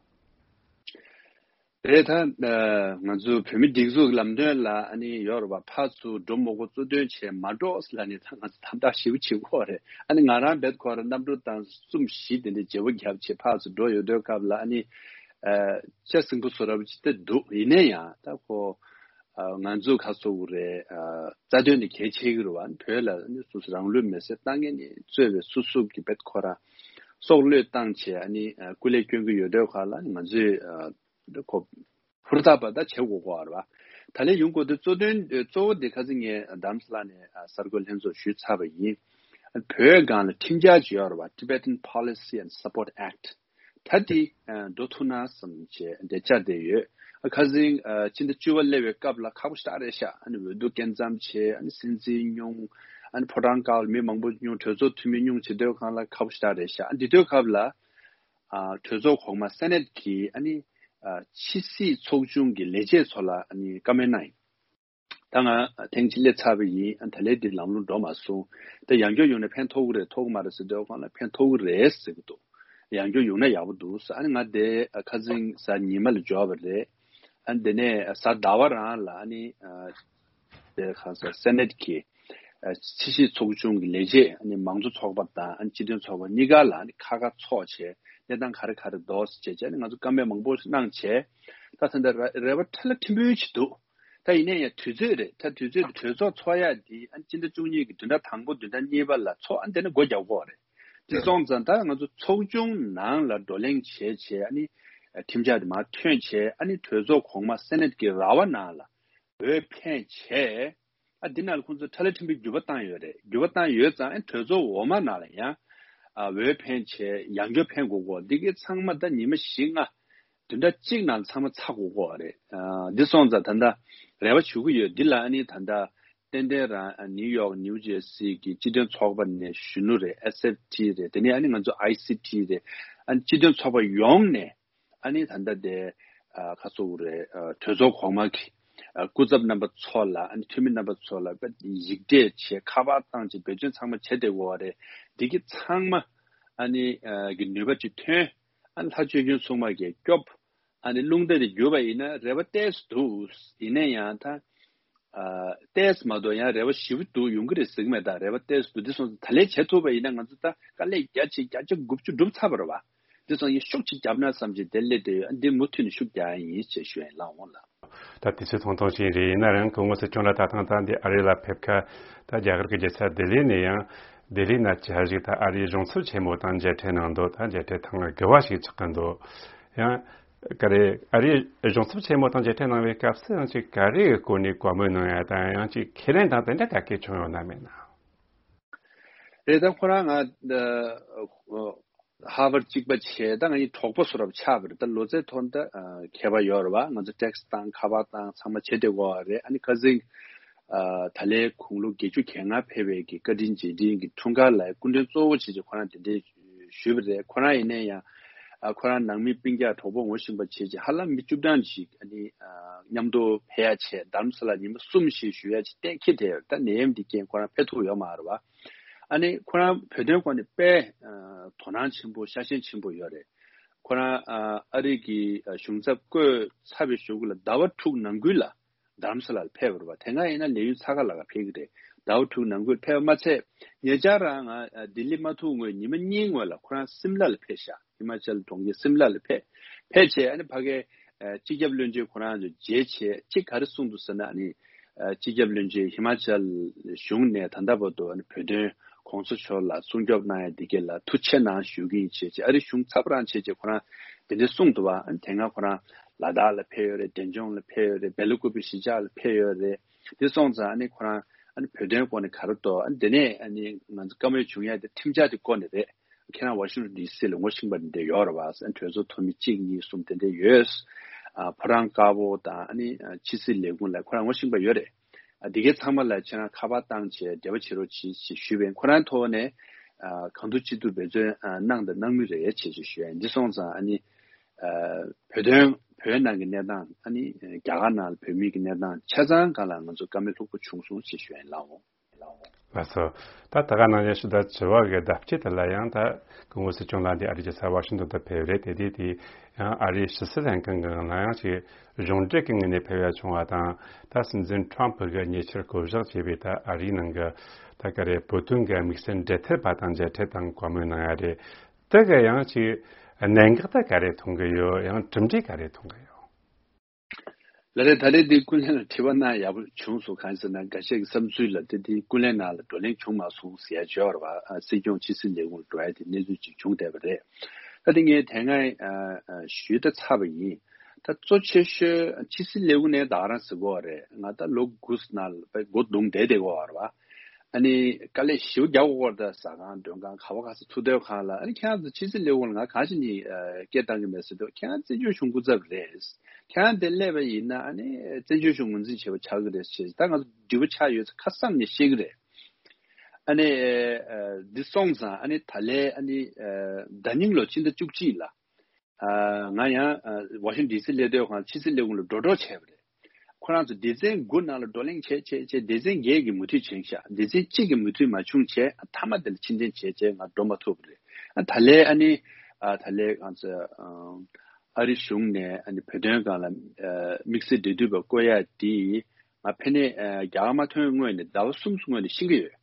རེད། ད་ང་ཚོ་བོད་མི་སྒྲིག་འཛུགས་ལམ་སྟོན་ལ་ཨ་ནི་ཡོད་རེད་པ། ཕར་ཚུར་འགྲོ་མི་དགོས་གཙོ་དོན་བྱས་མ་འགྲོ་ལབ་ནས་ད་ང་ཚོ་དམ་དྲག་ཞེ་པོ་བྱེད་ཀྱི་ཡོད་རེད། ཨ་ནི་ང་རང་རྦད་ཁོ་རང་གནམ་གྲུ་བཏང་གསུམ་བཞི་དེ་འདྲ་བརྗེ་པོ་བརྒྱབ་བྱས་ཕར་ཚུར་འགྲོ་ཡོང་དུས་སྐབས་ལ་ཨ་ནི་ཨ་ཤ་ཟིང་པོ་བཟོ་འདྲ་པོ་ཅིག་ད་འདུག་ཡིན་ན་ཡང་ད་ཁོ་ཨ་ང་ཚོ་ག་ཟེར་དགོས་རེད། ཨ་རྩ་དོན་ནི་གལ་ཆེ་གི་རེད་པ། བོད་ལ་ཨ་ནི་སོ་སོ་རང་ལུས་མེར་སྲེག་བཏང་མཁན་ནི་གཙོས་པའི་སོ་སོ་གི་རྦད་ཁོ་རང་སྲོག་བློས་བཏང་བྱས་ཨ་ནི་ཨ་སྐུ་ལས་སྐྱོན་གྱི་ཡོད་དུས་སྐབས་ལ་ང་ཚོས་ཨ་ཁོ་ཧུར་ཐག་པ་ད་བྱེད་དགོས་ཀྱི་ཡོད་རེད་པ། ད་ལན་ཡོང་དགོས་དུས་གཙོ་དོན་གཙོ་བོ་དེ་ཁ་སང་ངས་རྡ་རམ་ས་ལ་ནས་ཨ་གསར་འགོད་ལྷན་ཚོགས་ཞུས་ཚར་བ་ཡིན། བོད་སྒང་ལ་ཁྲིམས་འཆར་ཅིག་ཡོད་རེད་པ། Tibetan Policy and Support Act། ད་དེ་ཨ་འགྲོ་ཐུབ་ན་བསམ་བྱས་འདི་འཆར་བསྡད་ཡོད། ཨ་ཁ་སང་ཨ་སྤྱི་ཟླ་བཅུ་པ་སླེབས་པའི་སྐབས་ལ་ཁག་པོ་ཞེ་དྲག་རེད་ཤག་ཨ་ནི་འོས་བསྡུ་སྐབས་མཚམས་བྱས། ཨ་ནི་སྲིད་འཛིན་སྙུང་། ཨ་ནི་ཕོ་བྲང་དཀར་པོར་མི་མང་པོ་སྙུང་། གྲོས་ཚོགས་འཐུས་མི་སྙུང་བྱེད་དུས་སྒང་ལ་ཁག་པོ་ཞེ་དྲག་རེད་ཤག་ཨ་འདི་དུས་སྐབས་ལ། ཨ་གྲོས་ཚོགས་གོང་མ་སེ་ནེ་ཊི་གི་ཨ་ནི་ཨ་ཕྱི་སྲིད་ཚོགས་ཆུང་གི་ལས་བྱེད་ཚོ་ལ་ཨ་ནི་བཀའ་མོལ་གནང་ཡིན། ད་ང་ཐེངས་གཅིག་སླེབས་ཚར་བ་ཡིན། ཨ་ད་ལན་འདི་ལམ་ལྷོང་འགྲོ་མ་སོང་། ད་ཡང་བསྐྱར་ཡོང་ན་ཕན་ཐོགས་ཀྱི་རེད་ཐོགས་ཀྱི་མ་རེད་ཟེར་དུས་སྒང་ལ་ཕན་ཐོགས་ཀྱི་རེད་ཟེར་གྱི་འདུག་ཡང་བསྐྱར་ཡོང་ན་ཡག་པོ་འདུག་ཟེར། ཨ་ནི་ང་དེ་ཨ་ཁ་སང་གཟའ་ཉི་མ་ལ་འབྱོར་བ་རེད། ཨ་ནི་དེ་ནས་གཟའ་ཟླ་བ་རང་ལ་ཨ་ནི་ཨ། དེ་ག་ས་སེ་ནེ་ཊི་གི་ཨ་ཕྱི་སྲིད་ཚོགས་ཆུང་གི་ལས་བྱེད་ཨ་ནི་མང་གཙོ་ཚོགས་པ་དང་ཨ་ནི་སྤྱི་མཐུན་ཚོགས་པ་གཉིས་ཀ་ལ་ཨ་ནི་ཁ་ཁ་ཚོགས་བྱས་གནས་སྟངས་ག་རེ་ག་རེ་འདུག་ཟེར་བྱས་བྱས་ཨ་ནི་ང་ཚོ་བཀའ་མོལ་མང་པོ་གནང་བྱས། ད་ད་ལྟ་རེ་རེ་བ་ཁྲ་ལ་ཁྲིམས་དཔོན་ཞིག་འདུག་ད་ཡིན་ན་ཡང་དུས་ཚོད་རེད། ད་དུས་ཚོད་དེ་གྲོས་ཚོགས་ཚོགས་ཡ་དེ་ཨ་ནི་སྤྱི་ཟླ་བཅུ་གཉིས་ཀྱི་བདུན་ཕྲག་དང་པོ་བདུན་ཕྲག་གཉིས་པ་ལ་ཚོགས། ཨ་ནི་དེ་ནས་སྒོ་རྒྱག་དགོས་རེད། དེ་སོང་ཙང་ད་ང་ཚོ་ཚོགས་ཆུང་ནང་ལ་བགྲོ་གླེང་བྱས་བྱས་ཨ་ནི་ཁྲིམས་འཆར་དེ་མར་ཐོན་བྱས་ཨ་ནི་གྲོས་ཚོགས་གོང་མ་སེ་ནེ་ཊི་གི་ར་བ་ནང་ལ་འོས་འཕེན་བྱས། ཨ་འདི་ནང་ལ་ཁོང་ཚོས་ཁྲ་ལ་ཁྲིམས་དཔོན་བརྒྱུད་པ་བཏང་ཡོད་རེད། བརྒྱུད་པ་བཏང་ཡོད་ཙང་ཨ་གྲོས་ཚོགས་འོག་མ་ནང་ལ་ཡང་ཨ་འོས་འཕེན་བྱས་ཡང་བསྐྱར་འཕེན་དགོས་གོ་འདི་གའི་ཚང་མ་ད་ཉི་མ་བཞི་ལྔ་བདུན་ཕྲག་གཅིག་ནང་ཚང་མ་ཚར་དགོས་གོ་རེད། ཨ་འདི་སོང་ཙང་ད་ལྟ་རེ་བ་ཞུ་གི་ཡོད། འདི་ལ་ཨ་ནི་ད་ལྟ་ཏན་ཏན་རང་ཨ་ནིའུ་ཡོག་ནིའུ་ཇེར་སི་གི་སྤྱི་མཐུན་ཚོགས་པ་ནས་གཞོན་ནུ་རེད། ཨེས་ཨེཕ་ཊི་རེད། དེ་ནས་ཨ་ནི་ང་ཚོ་ཨའི་སི་ཊི་རེད། ཨ་ནི་སྤྱི་མཐུན་ཚོགས་པ་ཡོངས་ནས་ཨ་ནི་ད་ལྟ་དེ་ཨ་ཁ་སོ་རེད། ཨ་གྲོས་ཚོགས་གོང་མ་གི་ཨ་སྐུ་ཚབ་རྣམ་པ་ཚོ་ལ་ཨ་ནི་འཐུས་མི་རྣམ་པ་ཚོ་ལ་དཔེ་ཡིག་འབྲེལ་བྱས་ཁ་པར་བཏང་བྱས་འབད་བརྩོན་ཚང་མ་བྱས་བསྡད་ཡོད་རེད། འདི་གི་ཚང་མ་ཨ་ནི་ཨ་གི་ནུས་པ་ཅིག་ཐོན། ཨ་ནི་ལྷ་ཆོས་སྐྱོང་སྲུང་མ་གིས་སྐྱོབ། ཨ་ནི་རླུང་རྟ་དེ་བརྒྱུད་པ་ཡིན་ན་རེ་བ་ཏོག་ཙམ་འདུག་ཡིན་ན་ཡང་ད། ཨ་ཏོག་ཙམ་མ་གཏོགས་ཡང་རེ་བ་ཞེ་པོ་འདུག་ཡོང་གི་རེད་ཟེར་གི་མེད། ད་རེ་བ་ཏོག་ཙམ་འདུག་འདི་སོང་ཙང་ད་ལན་བྱེད་ཐུབ་པ་ཡིན་ན་ང་ཚོ་ད་དཀའ་ལས་རྒྱ་ཆེ་བརྒྱ་ཆ་དགུ་བཅུ་འགྲུབ་ཚར་བ་རེད་བ། འདི་སོང་ཡིན་ཤུགས་ཆེ་བརྒྱབ་ན་བསམ་གྱི་འདི་སླེབས་བསྡད་ཡོད། ཨ་འདི་མུ་མཐུད་ནས་ཤུགས་རྒྱག་ཡ་ཡིན་ཅེས་ཞུ་ཡ་ཡིན་ལགས། འོང་ལགས། ད་དུས་ཚོད་ཐུང་ཐུང་ཞིག་རེད། ཡིན་ན་རང་སྐུ་ངོ་སྲིད་སྐྱོང་ལགས་ད་ཐེངས་ད་འདི་ཨ་རི་ལ་ཕེབས་ཁ་ད་རྒྱ་གར་གྱི་རྒྱལ་ས་ལྡི་ལི་ནས་ཡང་ལྡི་ལི་ན་བཅའ་བཞུགས་ད་ཨ་རིའི་གཞུང་ཚབ་ཆེན་མོ་དང་མཇལ་འཕྲད་གནང་འདུག་ད་མཇལ་འཕྲད་ཐེངས་དགུ་པ་ཞིག་ཆགས་ཀྱི་འདུག་ཡང་ག་རེ་ཨ་རིའི་གཞུང་ཚབ་ཆེན་མོ་དང་མཇལ་འཕྲད་གནང་བའི་སྐབས་སུ་ཡང་ཅིག་ག་རེའི་སྐོར་ནས་བཀའ་མོལ་གནང་ཡ་དང་ཡང་ཅིག་ཁས་ལེན་དང་དེ་འདྲ་ག་གེ་བྱུང་ཡོད་ན་མེད་ན། རེད། ད་ཁོ་རང་ང་ཧར་ཝར་གཅིག་པ་བྱས། ད་ང་ཡི་གྲོགས་པོ་བཟོ་འདྲ་ཆགས་པ་རེད། ད་ལོ་ཚད་ཐོག་ད་ཁྱད་པར་ཡོད་རེད་བ། ང་ཚོ་ཊེག་སི་བཏང་ཁ་པར་བཏང་ཚང་མ་བྱེད་བསྡད་ཡོད་རེད། ཨ་ནི་ཁ་སང་ད་ལན་དགུང་ལོ་བརྒྱད་ཅུ་གྱ་ལྔ་ཕེབས་པའི་གི་བཀའ་དྲིན་རྗེས་དྲན་གྱི་འཁྲུངས་སྐར་ལ་སྐུ་མགྲོན་གཙོ་བོ་བྱས་བྱས་ཁོ་རང་དེ་འདྲའི་ཞུས་པ་རེད། ཁོ་རང་ཡིན་ན་ཡང་ཨ་ཁོ་རང་ནང་མི་སྤུན་ཀྱག་གྲོགས་པོ་ངོ་ཤེས་པ་བྱས་བྱས་ཧ་ལམ་མི་བཅུ་གྲངས་ཤིག་ཨ་ནི་ཨ་མཉམ་དུ་ཕེབས་ཡ་བྱས་རྡ་རམ་ས་ལ་ཉི་མ་གསུམ་ཞིག་བཞུགས་ཡ་ཅིག་གཏན་འཁེལ་བསྡད་ཡོད། ད་ནད་ཡམས་འདི་རྐྱེན་ཁོ་རང་ཕེབས་ཐུབ་ཡོད་མ་རེད་བ། ཨ་ནི་ཁོ་རང་བོད་དོན་སྐོར་ནས་དཔེ་ཨ་དོ་སྣང་ཆེན་པོ་ཤ་ཞེན་ཆེན་པོ་ཡོད་རེད། ཁོ་རང་ཨ་ཨ་རི་གི་ཨ་གཞུང་ཚབ་བསྐོས་ཚར་བའི་གཞུག་གུ་ལ་ཟླ་བ་དྲུག་ནང་ཁུལ་ལ་རྡ་རམ་ས་ལར་ཕེབས་པ་རེད་བ། དེ་སྔ་ཡིན་ན་ལས་ཡུན་ཚ་ཁ་ལ་ཁ་ཕེབས་ཀྱི་རེད། ཟླ་བ་དྲུག་ནང་ཁུལ་ཕེབས་པ་མ་ཚད་ཉེ་ཆར་རང་ང་ཨ་ལྡི་ལི་མ་ཐུག་སྔོན་ཉི་མ་གཉིས་སྔོན་ལ་ཁོ་རང་སིམ་ལ་ལ་ཕེབས་ཤག་ཧི་མ་ཅལ་གྲོང་ཁྱེར་སིམ་ལ་ལ་ཕེབས། ཕེབས་བྱས་ཨ་ནི་ཕ་གའི་ཨ་སྤྱི་ཁྱབ་བློན་ཆེན་ཁོ་རང་ཚོ་མཇལ་བྱས་ཅིག་ག་རེ་གསུངས་འདུག་ཟེར་ན། ཨ་ནི་ཨ་སྤྱི་ཁྱབ་བློན་ཆེན་ཧི་མ་ཅལ་གཞུང་ནས་ད་ལྟ་བར་དུ་ཨ་ནི་བོད་དོན་གོང་ས་མཆོག་ལ་སྲུང་སྐྱོབ་གནང་ཡ་འདི་གས་ལ་ཐུགས་རྗེ་གནང་ཞུ་གི་ཡིན་བྱས་བྱས། ཨ་རི་གཞུང་ཚབ་རང་བྱས་བྱས་ཁོ་རང་དེ་འདྲ་གསུངས་འདུག་བ། ཨ་ནི་དེ་སྔ་ཁོ་རང་ ལ་དྭགས་ལ་ཕེབས་ཡོད་རེད། འབྲས་ལྗོངས་ལ་ཕེབས་ཡོད་རེད། སྦེལ་ཀོབ་གཞིས་ཆགས་ལ་ཕེབས་ཡོད་རེད། དེ་སོང་ཙང་ཨ་ནི་ཁོ་རང་ཨ་ནི་བོད་དོན་སྐོར་ནས་ག་རེ་འདུག་ཨ་ནི་དེ་ནས་ཨ་ནི་ང་ཚོ་བཀའ་མོལ་བྱུང་ཡ་དེ་ཁྲིམས་འཆར་དེ་སྐོར་ནས་རེད། ཁྱེད་རང་ཝ་ཤིང་ཊོན་ཌི་སི་ལ་ངོ་ཤེས་པ་འདི་འདྲ་ཡོད་རེད་བ། ཨ་ནི་གྲོས་ཚོགས་འཐུས་མི་གཅིག་གཉིས་གསུམ་དེ་འདྲ་ཡོད། ཨ་ཕོ་བྲང་དཀར་པོ་དང་ཨ་ནི་ཕྱི་སྲིད་ལས་ཁུངས་ལ་ཁོ་རང་ངོ་ཤེས་པ་ཡོད་རེད། ཨ་འདི་གའི་ཚང་མ་ལ་ཁྱེད་རང་ཁ་པར་བཏང་བྱས་འབྲེལ་བ་བྱེད་རོགས་གྱིས་ཞེས་ཞུས་པས། ཁོ་རང་ཐོག་ནས་ཨ་གང་ཐུབ་ཅི་ཐུབ་འབད་བརྩོན་ཨ་གནང་དང་གནང་མུས་རེད་ཅེས་ཞུས་ཡ། འདི་སོང་ཙང་ཨ་ནི་ཨ་བོད་དོན་བོད་ནང་གི་གནས་སྟངས་ཨ་ནི་རྒྱ་གར་ནང་ལ་བོད་མི་གི་གནས་སྟངས་ཆ་ཚང་སྒང་ལ་ང་ཚོ་བཀའ་མོལ་ལྷུག་པོ་བྱུང་སོང་ཞེས་ཞུ་ཡ་ཡིན་ལགས། ལགས་སོ། ད་ད་ག་ནང་བཞིན་ཞུ་དག་དྲི་བ་གི་ལྡབ་གཅིག་དེ་ལ་ཡང་ད་སྐུ་ངོ་སྲིད་སྐྱོང་ལགས་འདི་ཨ་རི་རྒྱལ་ས་ཝ་ཤིང་ཏོན་དུ་ཕེབས་རེད། དེ་དུས་དེ་ཡང་ཨ་རིའི་ཕྱི་སྲིད་ལྷན་ཁང་གི་ནང་ཡང་ཅིག་གཞུང་འབྲེལ་གྱི་ངོས་ནས་ཕེབས་ཡ་བྱུང་བ་དང་། ད་སྲིད་འཛིན་ཁྲོམ་ཕུ་གི་ཉེ་ཆར་བསྐོ་གཞག་བྱས་པའི་ད་ཨ་རིའི་ནང་གི་ད་ག་རེ་བོད་དོན་གྱི་དམིགས་བསལ་འབྲེལ་མཐུད་པ་དང་མཇལ་འཕྲད་དང་བཀའ་མོལ་གནང་ཡ་རེད། དེ་ག་ཡང་ཅིག་གནད་འགག་ད་ག་རེ་མཐོང་གི་ཡོད། ཡང་གྲུབ་འབྲས་ག་རེ་མཐོང་གི་ཡོད། ལགས་རེད། ད་རེས་འདི་ཀུན་གླེང་ལ་དྲི་བ་གནང་ཡག་པོ་བྱུང་སོང་། གང་ཟེར་ན་འགའ་ཤས་ཀྱི་བསམ་ཚུལ་ལ་དེ་འདི་ཀུན་གླེང་ནང་ལ་བགྲོ་གླེང་བྱུང་མ་སོང་ཟེར་ཡ་བརྗོད་པ་རེད་བ། ཨ་སྲིད་སྐྱོང་ཕྱི་སྲིད་ལས་ཁུངས་ལ་འགྲོ་ཡ་དེ་གནས་ཚུལ་ཅིག་བྱུང་བསྡད་པ་རེད། ད་དེ་ངས་དེ་སྔ་ཨ་ཨ་ཞུས་ད་ཚར་བ་ཡིན། ད་གཙོ་ཆེ་ཤོས་ཕྱི་སྲིད་ལས་ཁུངས་ནས་ད་ག་རང་ཟེར་གོ་བ་རེད། ང་ད་ལོ་དགུ་ནང་ལ་དཔེ་སྒོ་བརྡུངས་བསྡད་བསྡད་གོ་བ་རེད་བ། ཨ་ནི་དཀའ་ལས་ཞེ་པོ་རྒྱག་དགོས་ཀྱི་རེད། ད་ཟ་ཁང་མགྲོན་ཁང་ག་བ་ག་ས་ཐུག་སྡོད་ཁང་ལ། ཨ་ནི་ཁྱེད་རང་ཚོ་ཕྱི་སྲིད་ལས་ཁུངས་ལ་ང་གང་ཞིག་ནས་ཨ་སྐད་བཏང་གི་མེད་ཟེར་དུས། ཁྱེད་རང་བཙན་བྱོལ་གཞུང་སྐུ་ཚབ་རེད། ཁྱེད་རང་དེ་སླེབས་པ་ཡིན་ན་ཨ་ནི་བཙན་བྱོལ་གཞུང་ངོས་འཛིན་བྱེད་པ་ཆགས་ཀྱི་རེད་ཅེས། ད་ང་ཚོ་འགྲིག་པ་ཆགས་ཡོད་ཚེ་ཁ་གསབ་ནས་བཤད་ཀྱི་རེད། ཨ་ནི་ཨ་འདི་སོང་ཙང་ཨ་ནི་ད་ལན་ཨ་ནི་ཨ་ཟླ་ཉིན་ལོ་ཕྱི་ཟླ་བཅུ་གཅིག་ལ། ཨ་ང་ཡང་ཨ་ཝ་ཤིང་ཌི་སི་སླེབས་དུས་ཁོང་ཕྱི་སྲིད་ལས་ཁུངས་ལ་འགྲོ་གྲབས་བྱས་པ་རེད། ཁོ་རང་ཚོ་སྡེ་ཚན་དགུ་ནང་ལ་བགྲོ་གླེང་བྱས་བྱས་བྱས། སྡེ་ཚན་བརྒྱད་ཀྱིས་མོས་མཐུན་བྱུང་ཤག་སྡེ་ཚན་གཅིག་གིས་མོས་མཐུན་མ་བྱུང་བྱས། མཐའ་མ་དེ་ལ་ཕྱིར་འཐེན་བྱས་བྱས་ང་འགྲོ་མ་ཐུབ་པ་རེད། ཨ་ད་ལན་ཨ་ནི་ཨ་ད་ལན་ང་ཚོ་ཨ་ཨ་རི་གཞུང་ནས་ཨ་ནི་བོད་དོན་སྒང་ལ་ཨ་དམིགས་བསལ་འབྲེལ་མཐུད་པ་བསྐོ་ཡ་དེ་ང་ཕ་ནས་ཨ་རྒྱ་གར་མ་ཐོན་སྔོན་ནས་ཟླ་བ་གསུམ་སྔོན་ནས་ཤེས་ཀྱི་ཡོད།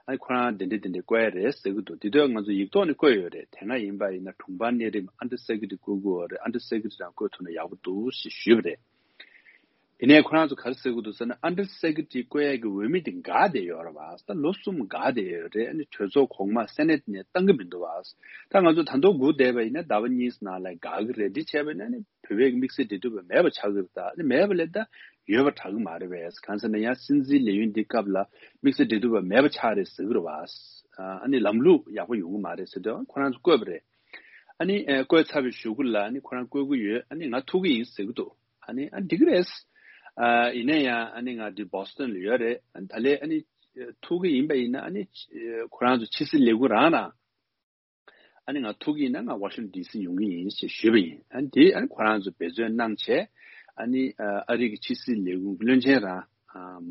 ཨ་ནི་ཁོ་རང་དེ་འདྲ་དེ་འདྲ་བསྐོ་ཡ་རེད་ཟེར་གྱི་འདུག་དེ་དུས་ང་ཚོ་ཡིག་ཐོག་ནས་བསྐོས་ཡོད་རེད། དེ་སྔ་ཡིན་པ་ཡིན་ན་དྲུང་འཕར་གནས་རིམ་ཨན་ཌར་སེ་ཀེ་རེ་ཊི་བསྐོ་དགོས་རེད། ཨན་ཌར་སེ་ཀེ་རེ་ཊི་རང་བསྐོས་ཐུབ་ན་ཡག་པོ་འདུག་ཞེས་ཞུས་པ་རེད། ཡིན་ནའི་ཁོ་རང་ཚོ་ག་རེ་ཟེར་གྱི་འདུག་ཟེར་ན། ཨན་ཌར་སེ་ཀེ་རེ་ཊི་བསྐོ་ཡ་གི་འོས་མི་དེ་འགག་བསྡད་ཡོད་རེད་བ། ད་ལོ་གསུམ་འགག་བསྡད་ཡོད་རེད། ཨ་ནི་གྲོས་ཚོགས་གོང་མ་སེ་ནེ་ཊི་ནས་བཏང་གི་མི་འདུག་བ། ད་ང་ཚོ་ད་དུང་སྒུག་བསྡད་པ་ཡིན་ན་ཟླ་བ་གཉིས་ནང་ལ་འགག་གི་རེད། འདི་བྱས་པ་ཡིན་ན་ནི་བོད་པའི་དམིགས་བསལ་འབྲེལ་མཐུད་པ་མེད་པ་ཆགས་ཀྱི་རེད། ད་ནི་མེད་པ་ལས་ད་ཡོད་པ་དྲག་གི་མ་རེད་པས། གང་ཟེར་ན་ཡང་སྲིད་འཛིན་ལས་ཡུན་འདི་སྐབས་ལ་དམིགས་བསལ་འབྲེལ་མཐུད་པ་མེད་པ་ཆགས་རེད་ཟེར་གྱི་རེད་བ། ཨ་ནི་ལམ་ལུགས་ཡག་པོ་ཡོང་གི་མ་རེད་ཟེར་དུས་ཁོ་རང་ཚོ་བསྐོས་པ་རེད། ཨ་ནི་ཨ་བསྐོས་ཚར་བའི་གཞུག་གུ་ལ་ཨ་ནི་ཁོ་རང་བསྐོས་ཀྱི་ཡོད། ཨ་ནི་ང་ཐུག་གི་ཡིན་ཟེར་གྱི་འདུག་ཨ་ནི་ཨ་འགྲིག་གི་རེད། ཨ་ཡིན་ན་ཡང་ཨ་ནི་ང་འདི་བོ་སི་ཊོན་ལ་ཡོད་རེད། ཨ་ནི་ད་ལན་ཨ་ནི་ཐུག་གི་ཡིན་པ་ཡིན་ན་ཨ་ནི་ཁོ་རང་ཚོ་ཕྱི་སྲིད་ལས་ཁུངས་རང་ན། ཨ་ནི་ང་ཐུག་གི་ཡིན་ན་ང་ཝ་ཤིང་ཊོན་ཌི་སི་ཡོང་གི་ཡིན་ཞེས་ཞུས་པ་ཡིན། ཨ་ནི་དེ་ཨ་ནི་ཁོ་རང་ཚོ་འབད་བརྩོན་གནང་བྱས། ཨ་ནི་ཨ་རི་གི་ཕྱི་སྲིད་ལས་ཁུངས་བློན་ཆེན་རང་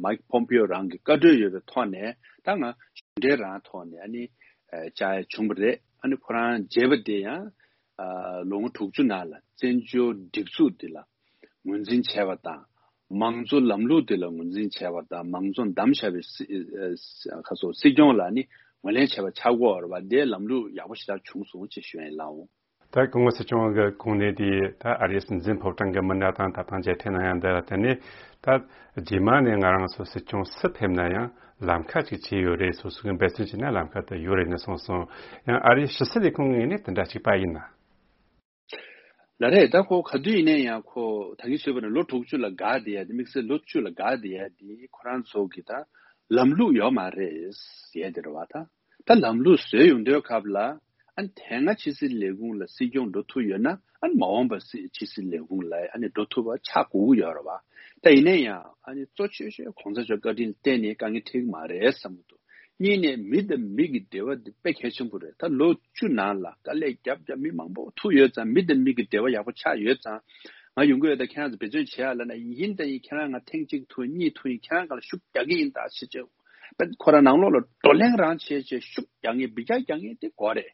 མའིག་པོམ་པིའོ་རང་གི་བཀའ་འཁྲོལ་ཡོད་པའི་ཐོག་ནས། ད་ང་གཞུང་འབྲེལ་རང་ཐོག་ནས་ཨ་ནི་བཅར་ཡ་བྱུང་བ་རེད། ཨ་ནི་ཁོ་རང་མཇལ་བ་དེ་ཡང་ལོ་ངོ་དྲུག་ཅུ་ནང་ལ་བཙན་བྱོལ་སྒྲིག་འཛུགས་འདི་ལ་ངོས་འཛིན་བྱས་པ་དང་། མང་གཙོ་ལམ་ལུགས་དེ་ལ་ངོས་འཛིན་བྱས་པ་དང་། མང་གཙོ་བདམས་བཞག་པའི་སྲིད་ཨ་ཁ་སོ་སྲིད་སྐྱོང་ལ་ནི་ངོས་ལེན་བྱས་པ་ཆགས་ཀྱི་ཡོད་རེད་བ། དེའི་ལམ་ལུགས་ཡག་པོ་ཞེ་དྲག་བྱུང་སོང་ཅེས་ཞུ་ཡ་ཡིན་ལགས། ད་སྐུ་ངོ་སྲིད་སྐྱོང་གི་གོང་ནས་དེ་ད་ཨ་རིའི་སྲིད་འཛིན་ཕོ་བྲང་གི་མི་སྣ་དང་ད་ཐེངས་མཇལ་འཕྲད་གནང་ཡ་འདི་ལ་བརྟེན་ནས། ད་རྗེས་མ་ནས་ང་རང་ཚོ་སྲིད་སྐྱོང་སུ་ཕེབས་ན་ཡང་ལམ་ཁ་ཅིག་ཕྱེ་ཡོད་རེད། སོ་སོ་གི་འབད་བརྩོན་བྱས་ན་ལམ་ཁ་དེ་ཡོད་རེད་ནས་གསུངས་སོང་། ཡང་ཨ་རིའི་ཕྱི་སྲིད་ལས་ཁུངས་ངོས་ནས་དེ་འདྲ་གཅིག་པ་ཡིན་ན། ལགས་རེད། ད་ཁོ་ག་དུས་ཡིན་ན་ཡང་ཁོ་ད་གིན་ཞུས་པ་ནང་ལོ་དྲུག་ཅུ་ལ་འགག་བསྡད་ཡ་དེ། དམིགས་བསལ་ལོ་བཅུ་ལ་འགག་བསྡད་ཡ་དེ་ཁོ་རང་ཚོ་གི་ད་ལམ་ལུགས་ཡོད་མ་རེད་ཟེར་ཡ་དེ་རེད་བ། ད་ད་ལམ་ལུགས་བཟོས་ཡོང་དུས་སྐབས་ལ་ཨ་ནི་དེ་སྔ་ཕྱི་སྲིད་ལས་ཁུངས་ལ་སྲིད་སྐྱོང་འགྲོ་ཐུབ་ཡོད་ན། ཨ་ནི་མ་འོངས་པ་སྲིད་ཕྱི་སྲིད་ལས་ཁུངས་ལ་ཨ་ནི་འགྲོ་ཐུབ་པ་ཆགས་དགོས་ཀྱི་ཡོད་རེད་བ། ད་ཡིན་ན་ཡང་ཨ་ནི་གཙོ་ཆེ་ཤོས་གོང་ས་མཆོག་བཀའ་དྲིན་ལ་བརྟེན་ནས་དཀའ་ངལ་འཕྲད་ཀྱི་མ་རེད་བསམ་གྱི་འདུག་གཉིས་ནས་མི་དང་མི་གི་འབྲེལ་བ་འདི་དཔེ་གལ་ཆེན་པོ་རེད། ད་ལོ་བཅུ་ནང་ལ་དཀའ་ལས་རྒྱབ་རྒྱབ་མི་མང་པོ་ཐུག་ཡོད་ཙང་། མི་དང་མི་གི་འབྲེལ་བ་ཡག་པོ་ཆགས་ཡོད་ཙང་། ང་ཡོང་གི་ཡོད། ད་ཁྱེད་རང་ཚོ་འབད་བརྩོན་བྱེད་ཡ་ལབ་ན་ཡིན། ད་ཡིན་ཁྱེད་རང་ང་ཐེངས་གཅིག་ཐུག་གཉིས་ཐུག་ཡིན། ཁྱེད་རང་སྒང་ལ་ཤུགས་རྒྱག་གི་ཡིན་ད་ཞེས་བྱས། ཁོ་རང་ནང་ལོགས་ལ་བགྲོ་གླེང་རང་བྱས་བྱས་ཤུགས་རྒྱག་མཁན་འབུད་རྒྱག་རྒྱག་མཁན་དེ་དགོས་རེད།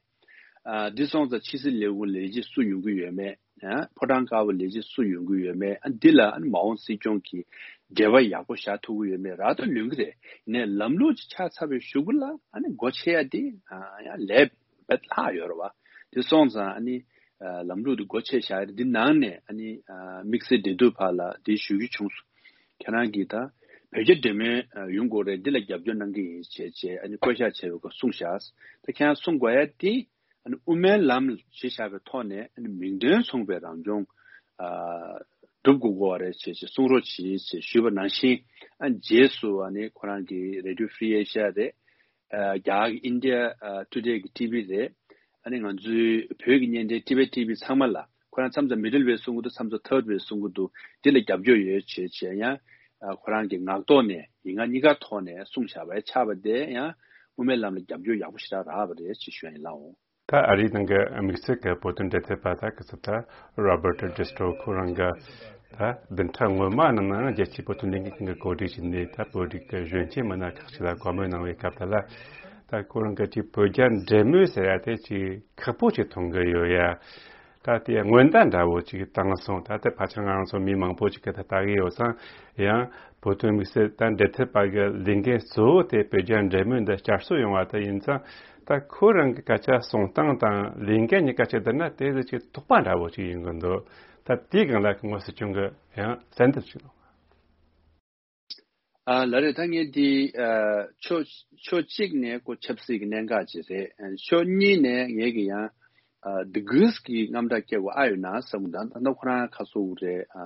ཨ་འདི་སོང་ཙང་ཕྱི་སྲིད་ལས་ཁུངས་ལས་བྱེད་སུ་ཡོང་གི་ཡོད་མེད། ཨ་ཕོ་བྲང་དཀར་པོ་ལས་བྱེད་སུ་ཡོང་གི་ཡོད་མེད། ཨ་འདི་ལ་ཨ་ནི་མ་འོངས་སྲིད་སྐྱོང་གི་འབྲེལ་བ་ཡག་པོ་བཞག་ཐུབ་ཀྱི་ཡོད་མེད་རག་ཏུ་ལོན་གྱི་རེད། ནས་ལམ་ལུགས་ཅིག་ཆགས་ཚར་བའི་གཞུག་གུ་ལ་ཨ་ནི་སྒོ་ཕྱེ་ཡ་དེ་ཨ་ཡང་ལས་བེད་ལྷག་ཡོད་རེད་བ། དེ་སོང་ཙང་ཨ་ནི་ཨ་ལམ་ལུགས་དེ་སྒོ་ཕྱེ་བཞག་ཡ་རེད། འདི་ནང་ནས་ཨ་ནི་ཨ་དམིགས་བསལ་འབྲེལ་མཐུད་པ་ལ་དེ་ཞུ་རྒྱུ་བྱུང་སོང་། ཁྱེད་རང་གིས་ད་བོད་རྒྱ་འབྲེལ་མོལ་ཨ་ཡོང་དགོས་རེད། འདི་ལ་རྒྱབ་སྐྱོར་གནང་གི་ཡིན་བྱས་བྱས་ཨ་ནི་བསྐོ་བཞག་བྱས་པའི་སྐོར་གསུངས་བཞག། ད་ཁྱེད་རང་གསུང་དགོས་ཡ་དེ། ཨ་ནི་དབུ་མའི་ལམ་ཞེས་བྱ་བའི་ཐོག་ནས་ཨ་ནི་མིང་དོན་མཚུངས་པའི་རང་སྐྱོང་ ཨ་སྒྲུབ་དགོས་ཀྱི་ཡོད་རེད་ཅེས་ཅེས་གསུང་རོགས་གྱིས་ཅེས་ཞུས་པ་ནང་བཞིན། ཨ་རྗེས་སུ་ཨ་ནི་ཁོ་རང་གི་Radio Free Asia་རེད། ཨ་རྒྱ་གར་གྱི་India Today་གི་TV་རེད། ཨ་ནི་ང་ཚོའི་བོད་ཀྱི་བརྙན་འཕྲིན་Tibet TV་ཚང་མ་ལ། ཁོ་རང་མཚམས་མཚམས་Middle West་གསུང་གི་འདུག་མཚམས་མཚམས་Third West་གསུང་གི་འདུག་འདི་ལ་རྒྱབ་སྐྱོར་ཡོད་བྱས་བྱས་ཡང་། ཨ་ཁོ་རང་གི་ངག་ཐོག་ནས་ཡིག་ངག་གཉིས་ཀ་ཐོག་ནས་གསུངས་བཞག་པ་ཡང་ཆགས་པ་དེ་ཡང་དབུ་མའི་ལམ་ལ་རྒྱབ་སྐྱོར་ཡག་པོ་ཞེ་དྲག་རག་པ་རེད་ཅེས་ཞུ་ཡ་ཡིན་ལགས་འོང་། ད་ཨ་རིའི་ནང་གི་དམིགས་བསལ་གྱི་བོད་དོན་འབྲེལ་མཐུད་པ་ད་གི་ཚོད་ད་Robert Destro་ཁོ་རང་གི་ད་བདུན་ཕྲག་སྔོན་མ་ནང་ན་རྒྱལ་སྤྱིའི་བོད་དོན་ལས་འགུལ་ཁང་གི་གོ་སྒྲིག་བྱས་ནས་ད་བོད་རིགས་ཀྱི་གཞོན་སྐྱེས་མི་སྣ་ཁག་ཅིག་ལ་བཀའ་མོལ་གནང་བའི་སྐབས་དེ་ལ། ད་ཁོ་རང་གི་ཅིག་བོད་རྒྱ་འབྲེལ་མོལ་ཟེར་ཡ་དེ་ཅིག་ཁག་པོ་ཅིག་མཐོང་གི་ཡོད་ཡ། ད་དེ་སྔོན་བརྡ་འདྲ་བོ་ཅིག་བཏང་སོང་། ད་ལྟ་ཕལ་ཆེར་ང་རང་ཚོ་མི་མང་པོ་ཅིག་གིས་ད་ལྟ་གི་ཡོད་ཙང་ཡང་བོད་དོན་དམིགས་བསལ་ད་འབྲེལ་མཐུད་པ་གི་ལས་འགན་གཙོ་བོ་དེ་བོད་རྒྱ་འབྲེལ་མོལ་འདི་བསྐྱར་གསོ་ཡོང་བ་དེ་ཡིན་ཙང་། ད་ཁོ་རང་གི་སྐད་ཆ་གསུང་སྟངས་དང་ལས་འགན་གཉིས་ཀ་ཅིག་བསྡུར་ན་དེ་ཟིག་ཅིག་དོགས་པ་འདྲ་བོ་ཅིག་ཡིན་གི་འདུག་ད་དེའི་སྒང་ལ་ངོ་སྲིད་སྐྱོང་གི་ཡང་གསལ་འདེབས་ཅིག་གནང་། ཨ་ལགས་རེད། ད་ངས་འདི་ཨ་ཕྱོགས་ཕྱོགས་གཅིག་ནས་ཁོ་ཆབ་སྲིད་ཀྱི་གནད་འགག་ཅིག་རེད། ཨ་ཕྱོགས་གཉིས་ནས་ངས་ཀྱི་ཡང་ཨ་དེ་གུས་ཀྱི་རྔམ་སྐྲག་སྐྱེ་དགོས་ཨ་ཡོད་ན་བསམ་གི་འདུག་ད་ལྟ་ཁོ་རང་ཁ་སོ་བོ་རེད། ཨ་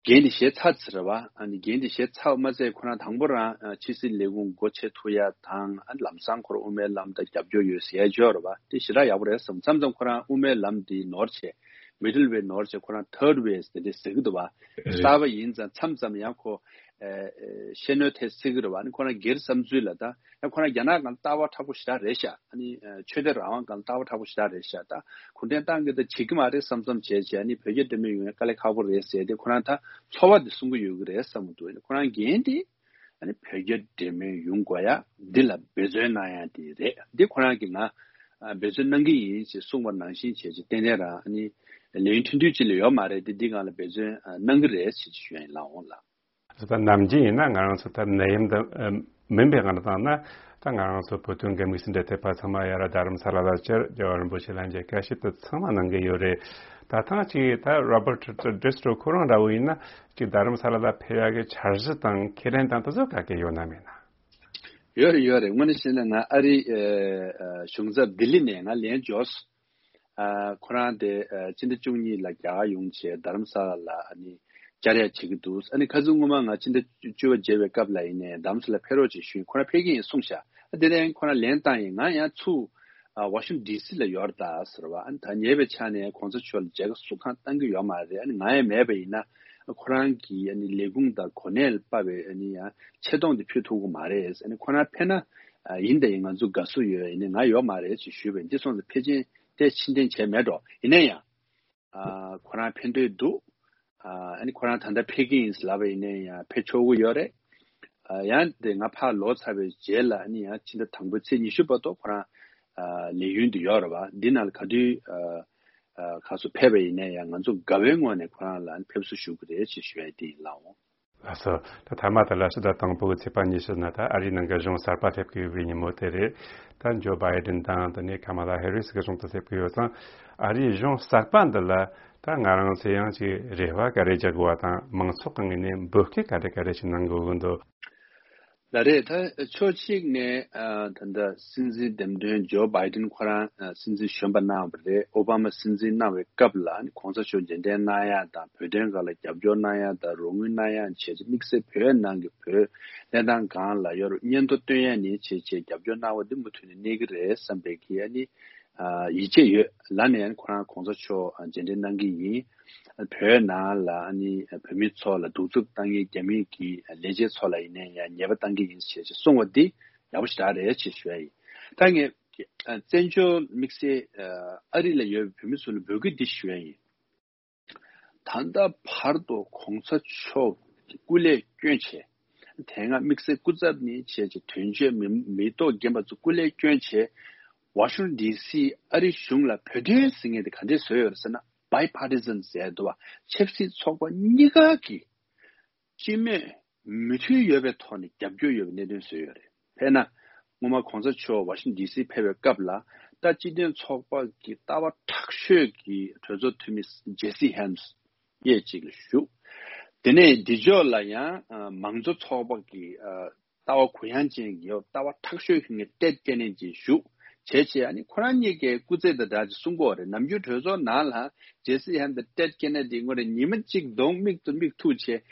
འགན་དེ་བཞེས་ཚར་ཚར་བ། ཨ་ནི་འགན་དེ་བཞེས་ཚར་མ་ཚད་ཁོ་རང་དང་པོ་རང་ཨ་ཕྱི་སྲིད་ལས་ཁུངས་སྒོ་ཕྱེ་ཐུབ་ཡ་དང་། ཨ་ལམ་སང་ཁོ་རང་དབུ་མའི་ལམ་དང་རྒྱབ་སྐྱོར་ཡོད་ཟེར་ཡ་ཅིག་ཡོད་རེད་བ། དེ་ཞེ་དྲག་ཡག་པོ་རེད་བསམ། མཚམས་མཚམས་ཁོ་རང་དབུ་མའི་ལམ་འདི་ནོར་བྱས། Middle Way་ནོར་བྱས་ཁོ་རང་Third Way་ཟེར་དེ་ཟེར་གི་འདུག་བ། རེད། གསར་པ་ཡིན་ཙང་མཚམས་མཚམས་ཡང་ཁོ་ཨེ་ཨེ་ཤེས་ནོར་ཐེབས་སྲིད་གི་རེད་བ། ཨ་ནི་ཁོ་རང་སྒེར་བསམ་ཚུལ་ལ་ད་ཡང་ཁོ་རང་རྒྱ་ནག་སྒང་ལྟ་བ་མཁྲེགས་པོ་ཞེ་དྲག་རེད་ཤག་ཨ་ནི་ཨེ་ཆོས་དད་རང་དབང་སྒང་ལ་ལྟ་བ་མཁྲེགས་པོ་ཞེ་དྲག་རེད་ཤག་ད་གུང་ཁྲན་ཏང་གིས་ད་བྱེད་ཀྱི་མ་རེད་བསམ་བསམ་བྱས་བྱས། ཨ་ནི་བོད་རྒྱ་འབྲེལ་མོལ་ཡོང་ཡ་དཀའ་ལས་ཁག་པོ་རེད་ཟེར་ཏེ་ཁོ་རང་ད་ཚོར་བ་དེ་གསུང་གི་ཡོད་གི་རེད་བསམ་གི་འདུག་ཨ་ནི་ཁོ་རང་འགན་དེ། ཨ་ནི་བོད་རྒྱ་འབྲེལ་མོལ་ཡོང་དགོས་ཡ་འདི་ལ་འབད་བརྩོན་གནང་ཡ་དེ་རེད། འདི་ཁོ་རང་གིས་ང་ཨ་འབད་བརྩོན་གནང་གི་ཡིན་ཞེས་གསུངས་པ་ནང་བཞིན་བྱས་ཅིག་ཏན་ཏན་རང་ཨ་ནི་ལས་ཡུན་ཐུང་ཐུང་ཅིག་ལས་ཡོད་མ་རེད་དེ། འདི་སྒང་ལ་འབད་བརྩོན་ཨ་གནང་གི་རེད་ཞེས་ཅིག་ཞུ་ཡ་ཡིན་ལགས་འོང་ལགས། ད་ནམ་རྒྱུན་ཡིན་ན་ང་རང་ཚོ་ད་ནད་ཡམས་འདི་ཨ་མིན་པའི་སྒང་ལ་བཏང་ན། ད་ང་རང་ཚོ་བོད་དོན་འགན་དམིགས་སུ་འབྲེལ་ཐེབས་པ་ཚང་མ་ཡར་རྡ་རམ་ས་ལ་ལ་བཅར། རྒྱལ་བ་རིན་པོ་ཆེ་ལ་མཇལ་ཁ་ཞིབ་ཏུ་ཚང་མ་གནང་གི་ཡོད་རེད། ད་ཐེངས་ཅིག་ད་Robert Destro་ཁོ་རང་འདྲ་བོ་ཡིན་ན་ཅིག་རྡ་རམ་ས་ལ་ལ་ཕེབས་ཡག་གི་འཆར་གཞི་དང་ཁས་ལེན་དང་དེ་ཚོ་ག་གེ་ཡོད་ན་མེད་ན། ཡོད་རེད་ཡོད་རེད། དངོས་གནས་བཤད་ན་ང་ཨ་རིའི་ཨ་ཨ་གཞུང་ཚབ་ལྡི་ལི་ནས་ང་ལན་འབྱོར་སོང་། ཨ་ཁོ་རང་དེ་ཨ་སྤྱི་ཟླ་བཅུ་གཉིས་ལ་རྒྱ་གར་ཡོང་བྱས་རྡ་རམ་ས་ལ་ལ་ཨ་ནི་བཅར་ཡ་བྱེད་ཀྱི་འདུག་ཨ་ནི་ཁ་སང་སྔོན་མ་ང་སྤྱི་ཟླ་བཅུ་པ་མཇལ་བའི་སྐབས་ལ་ཡིན་ནའི་རྡ་རམ་ས་ལ་ཕེབས་རོགས་བྱེད་ཞུས། ཁོ་རང་ཕེབས་ཀྱི་ཡིན་གསུངས་ཤག་ཨ་དེ་ནས་ཁོ་རང་ལན་བཏང་ཡིན། ང་ཡང་ཚུར་ཨ་ཝ་ཤིང་ཊོན་ཌི་སི་ལ་ཡོད་རེད་ད་ཟེར་བ། ཨ་ནི་ད་ཉེ་བའི་ཆ་ནས་གོང་ས་མཆོག་ལ་མཇལ་ཁ་སུ་གང་བཏང་གི་ཡོད་མ་རེད། ཨ་ནི་ང་ཡང་མེད་པ་ཡིན་ན་ཁོ་རང་གི་ཨ་ནི་ལས་ཁུངས་དང་གོ་གནས་ལ་དཔག་པའི་ཨ་ནི་ཡང་ཆེ་མཐོང་དེ་ཕུལ་ཐུབ་ཀྱི་མ་རེད། ཨ་ནི་ཁོ་རང་ཕེབས་ན་ཨ་ཡིན་ད་ཡིན་ང་ཚོ་དགའ་བསུ་ཡོད། ཡིན་ནའི་ང་ཡོད་མ་རེད་ཅེས་ཞུས་པས། འདི་སོང་ཙང་ཕལ་ཆེར་དེ་ཕྱིར་འཐེན་བྱས་མེད་འགྲོ། ཡིན་ན་ཡང་ཨ་ཁོ་རང་ཕེབས་འདོད་འདུག་ཨ་ཨ་ནི་ཁོ་རང་ད་ལྟ་ཕེབས་ཀྱི་ཡིན་ལབ་པ་ཡིན་ནའི་ཡང་ཕེབས་ཆོག་གི་ཡོད་རེད། ཨ་ཡང་དེ་ང་ཕར་ལོག་ཚར་བའི་རྗེས་ལ་ཨ་ནི་ཡང་ཕྱི་ཟླ་དང་པོའི་ཚེས་ཉི་ཤུ་བར་དུ་ཁོ་རང་ཨ་ལས་ཡུན་དུ་ཡོད་རེད་བ། འདི་ནང་ལ་ག་དུས་ཨ་ཨ་ཁ་སོ་ཕེབས་པ་ཡིན་ནའི་ཡང་ང་ཚོ་དགའ་བའི་ངོས་ནས་ཁོ་རང་ལ་ཨ་ནི་ཕེབས་བསུ་ཞུ་གི་རེད་ཅེས་ཞུ་ཡ་དེ་ཡིན་ལགས་འོང་། ལགས་སོ། ད་མཐའ་མ་དེ་ལ་ཕྱི་ཟླ་དང་པོ་གི་ཚེས་པ་ཉི་ཤུ་ན་ད་ཨ་རིའི་ནང་གི་གཞུང་གསར་པ་སླེབས་ཀྱི་ཡོད་པའི་ཉིན་མོ་དེ་རེད། ད་ཇོ་བྷའི་ཌེན་དང་དེ་ནས་ཁ་མ་ལ་ཧེ་རི་སི་གི་གཞུང་དུ་སླེབས་ཀྱི་ཡོད་ཙང་། ཨ་རིའི་གཞུང་གསར་པ་འདི་ལ་ད་ང་རང་ཚོས་ཡང་ཅིག་རེ་བ་ག་རེ་རྒྱག་དགོས་པ་དང་མང་ཚོགས་ཀྱི་ངོས་ནས་འབོད་སྐུལ་ག་རེ་ག་རེ་ཞིག་གནང་དགོས་ཀྱི་འདུག་ལགས་རེད། ད་ཕྱོགས་གཅིག་ནས་ཨ་ད་ལྟ་སྲིད་འཛིན་འདེམས་ཐོན་ཇོ་བྷའི་ཌེན་ཁོ་རང་ཨ་སྲིད་འཛིན་གཞོན་པ་གནང་བ་རེད། ཨོ་བྷ་མ་སྲིད་འཛིན་གནང་བའི་སྐབས་ལ་ཨ་ནི་གོང་ས་མཆོག་མཇལ་འཕྲད་གནང་ཡ་དང་བོད་དོན་སྒང་ལ་རྒྱབ་སྐྱོར་གནང་ཡ་དང་རོགས་དངུལ་གནང་ཡ་བྱས་ཏེ་དམིགས་བསལ་བོད་ནང་གི་བོད་གནས་སྟངས་སྒང་ལ་ཡོད་རུ་སྙན་ཐོ་སྟོན་ཡ་ནི་བྱས་བྱས་རྒྱབ་སྐྱོར་གནང་བ་འདི་མུ་མཐུད་ནས་གནས་ཀྱི་རེད་བསམ་པའི་གི་ཨ་ནི་ཨ་ཡིད་ཆེས་ཡོད། ལ་ནས་ཨ་ནི་ཁོ་རང་གོང་ས་མཆོག་ཨ་མཇལ་འཕྲད་གནང་གི་ཡིན། བོད་ནང་ལ་ཨ་ནི་བོད་མི་ཚོ་ལ་གདུག་རྩུབ་བཏང་མཁན་རྒྱ་མི་གི་ལས་བྱེད་ཚོ་ལ་ཡིན་ནའི་ཡང་ཉེས་པ་བཏང་གི་ཡིན་ཞེས་གསུངས་པ་འདི་ཡག་པོ་ཞེ་དྲག་རེད་ཅེས་ཞུ་ཡ་ཡིན། ད་ངས་བཙན་བྱོལ་དམིགས་བསལ་ཨ་རི་ལ་ཡོད་པའི་བོད་མི་ཚོ་ལ་འབོད་སྐུལ་འདི་ཞུ་ཡ་ཡིན། ད་ལྟ་བར་དུ་གོང་ས་མཆོག་གི་སྐུ་ལས་བསྐྱོན་བྱས། དེ་སྔ་དམིགས་བསལ་སྐུ་ཚབ་ནས་བྱས་ཀྱི་དོན་གཅོད་མི་མི་ཐོག་རྒན་པ་ཚོ་སྐུ་ལས་བསྐྱོན་བྱས། ཝ་ཤིང་ཊོན་ཌི་སི་ཨ་རི་གཞུང་ལ་བོད་དོན་ཟེར་མཁན་དེ་ག་འདྲས་བཟོས་ཡོད་རེད་ཟེར་ན། བྷའི་པར་ཊི་སན་ཟེར་འདུག་བ། ཆབ་སྲིད་ཚོགས་པ་གཉིས་ཀ་གི་སྤྱི་མོས་མོས་མཐུན་ཡོད་པའི་ཐོག་ནས་རྒྱབ་སྐྱོར་ཡོད་པའི་གནད་དོན་བཟོས་ཡོད་རེད། དཔེར་ན། སྔོན་མ་གོང་ས་མཆོག་ཝ་ཤིང་ཊོན་ཌི་སི་ཕེབས་པའི་སྐབས་ལ། ད་སྤྱི་མཐུན་ཚོགས་པ་གི་ལྟ་བ་དྲག་ཤོས་ཀྱི་གྲོས་ཚོགས་འཐུས་མི་ཇེ་སི་ཧན་སི་ཡས་གཅིག་ལ་བཞུགས། དེ་ནས་འདི་ཕྱོགས་ལ་ཡང་ཨ་མང་གཙོ་ཚོགས་པ་གི་ཨ་ལྟ་བ་གུ་ཡངས་ཅན་གྱི་ལྟ་བ་དྲག་ཤོས་ཀྱི་ངས་ཏེད་ཀེ་ནེ་ཌི་བཞུགས། བྱས་བྱས་ཨ་ནི་ཁོ་རང་གཉིས་ཀའི་སྐུ་ཚེ་དང་སྦྲགས་ཀྱི་གསུང་གི་ཡོད་རེད། ནམ་རྒྱུན་གྲོས་ཚོགས་ནང་ལ་ཇེ་སི་ཧན་དང་ཊེཌ་ཀེ་ནེ་ཌི་ངོ་རེ་ཉི་མ་གཅིག་གདོང་མིག་ཏུ་མིག་ཐུག་བྱས་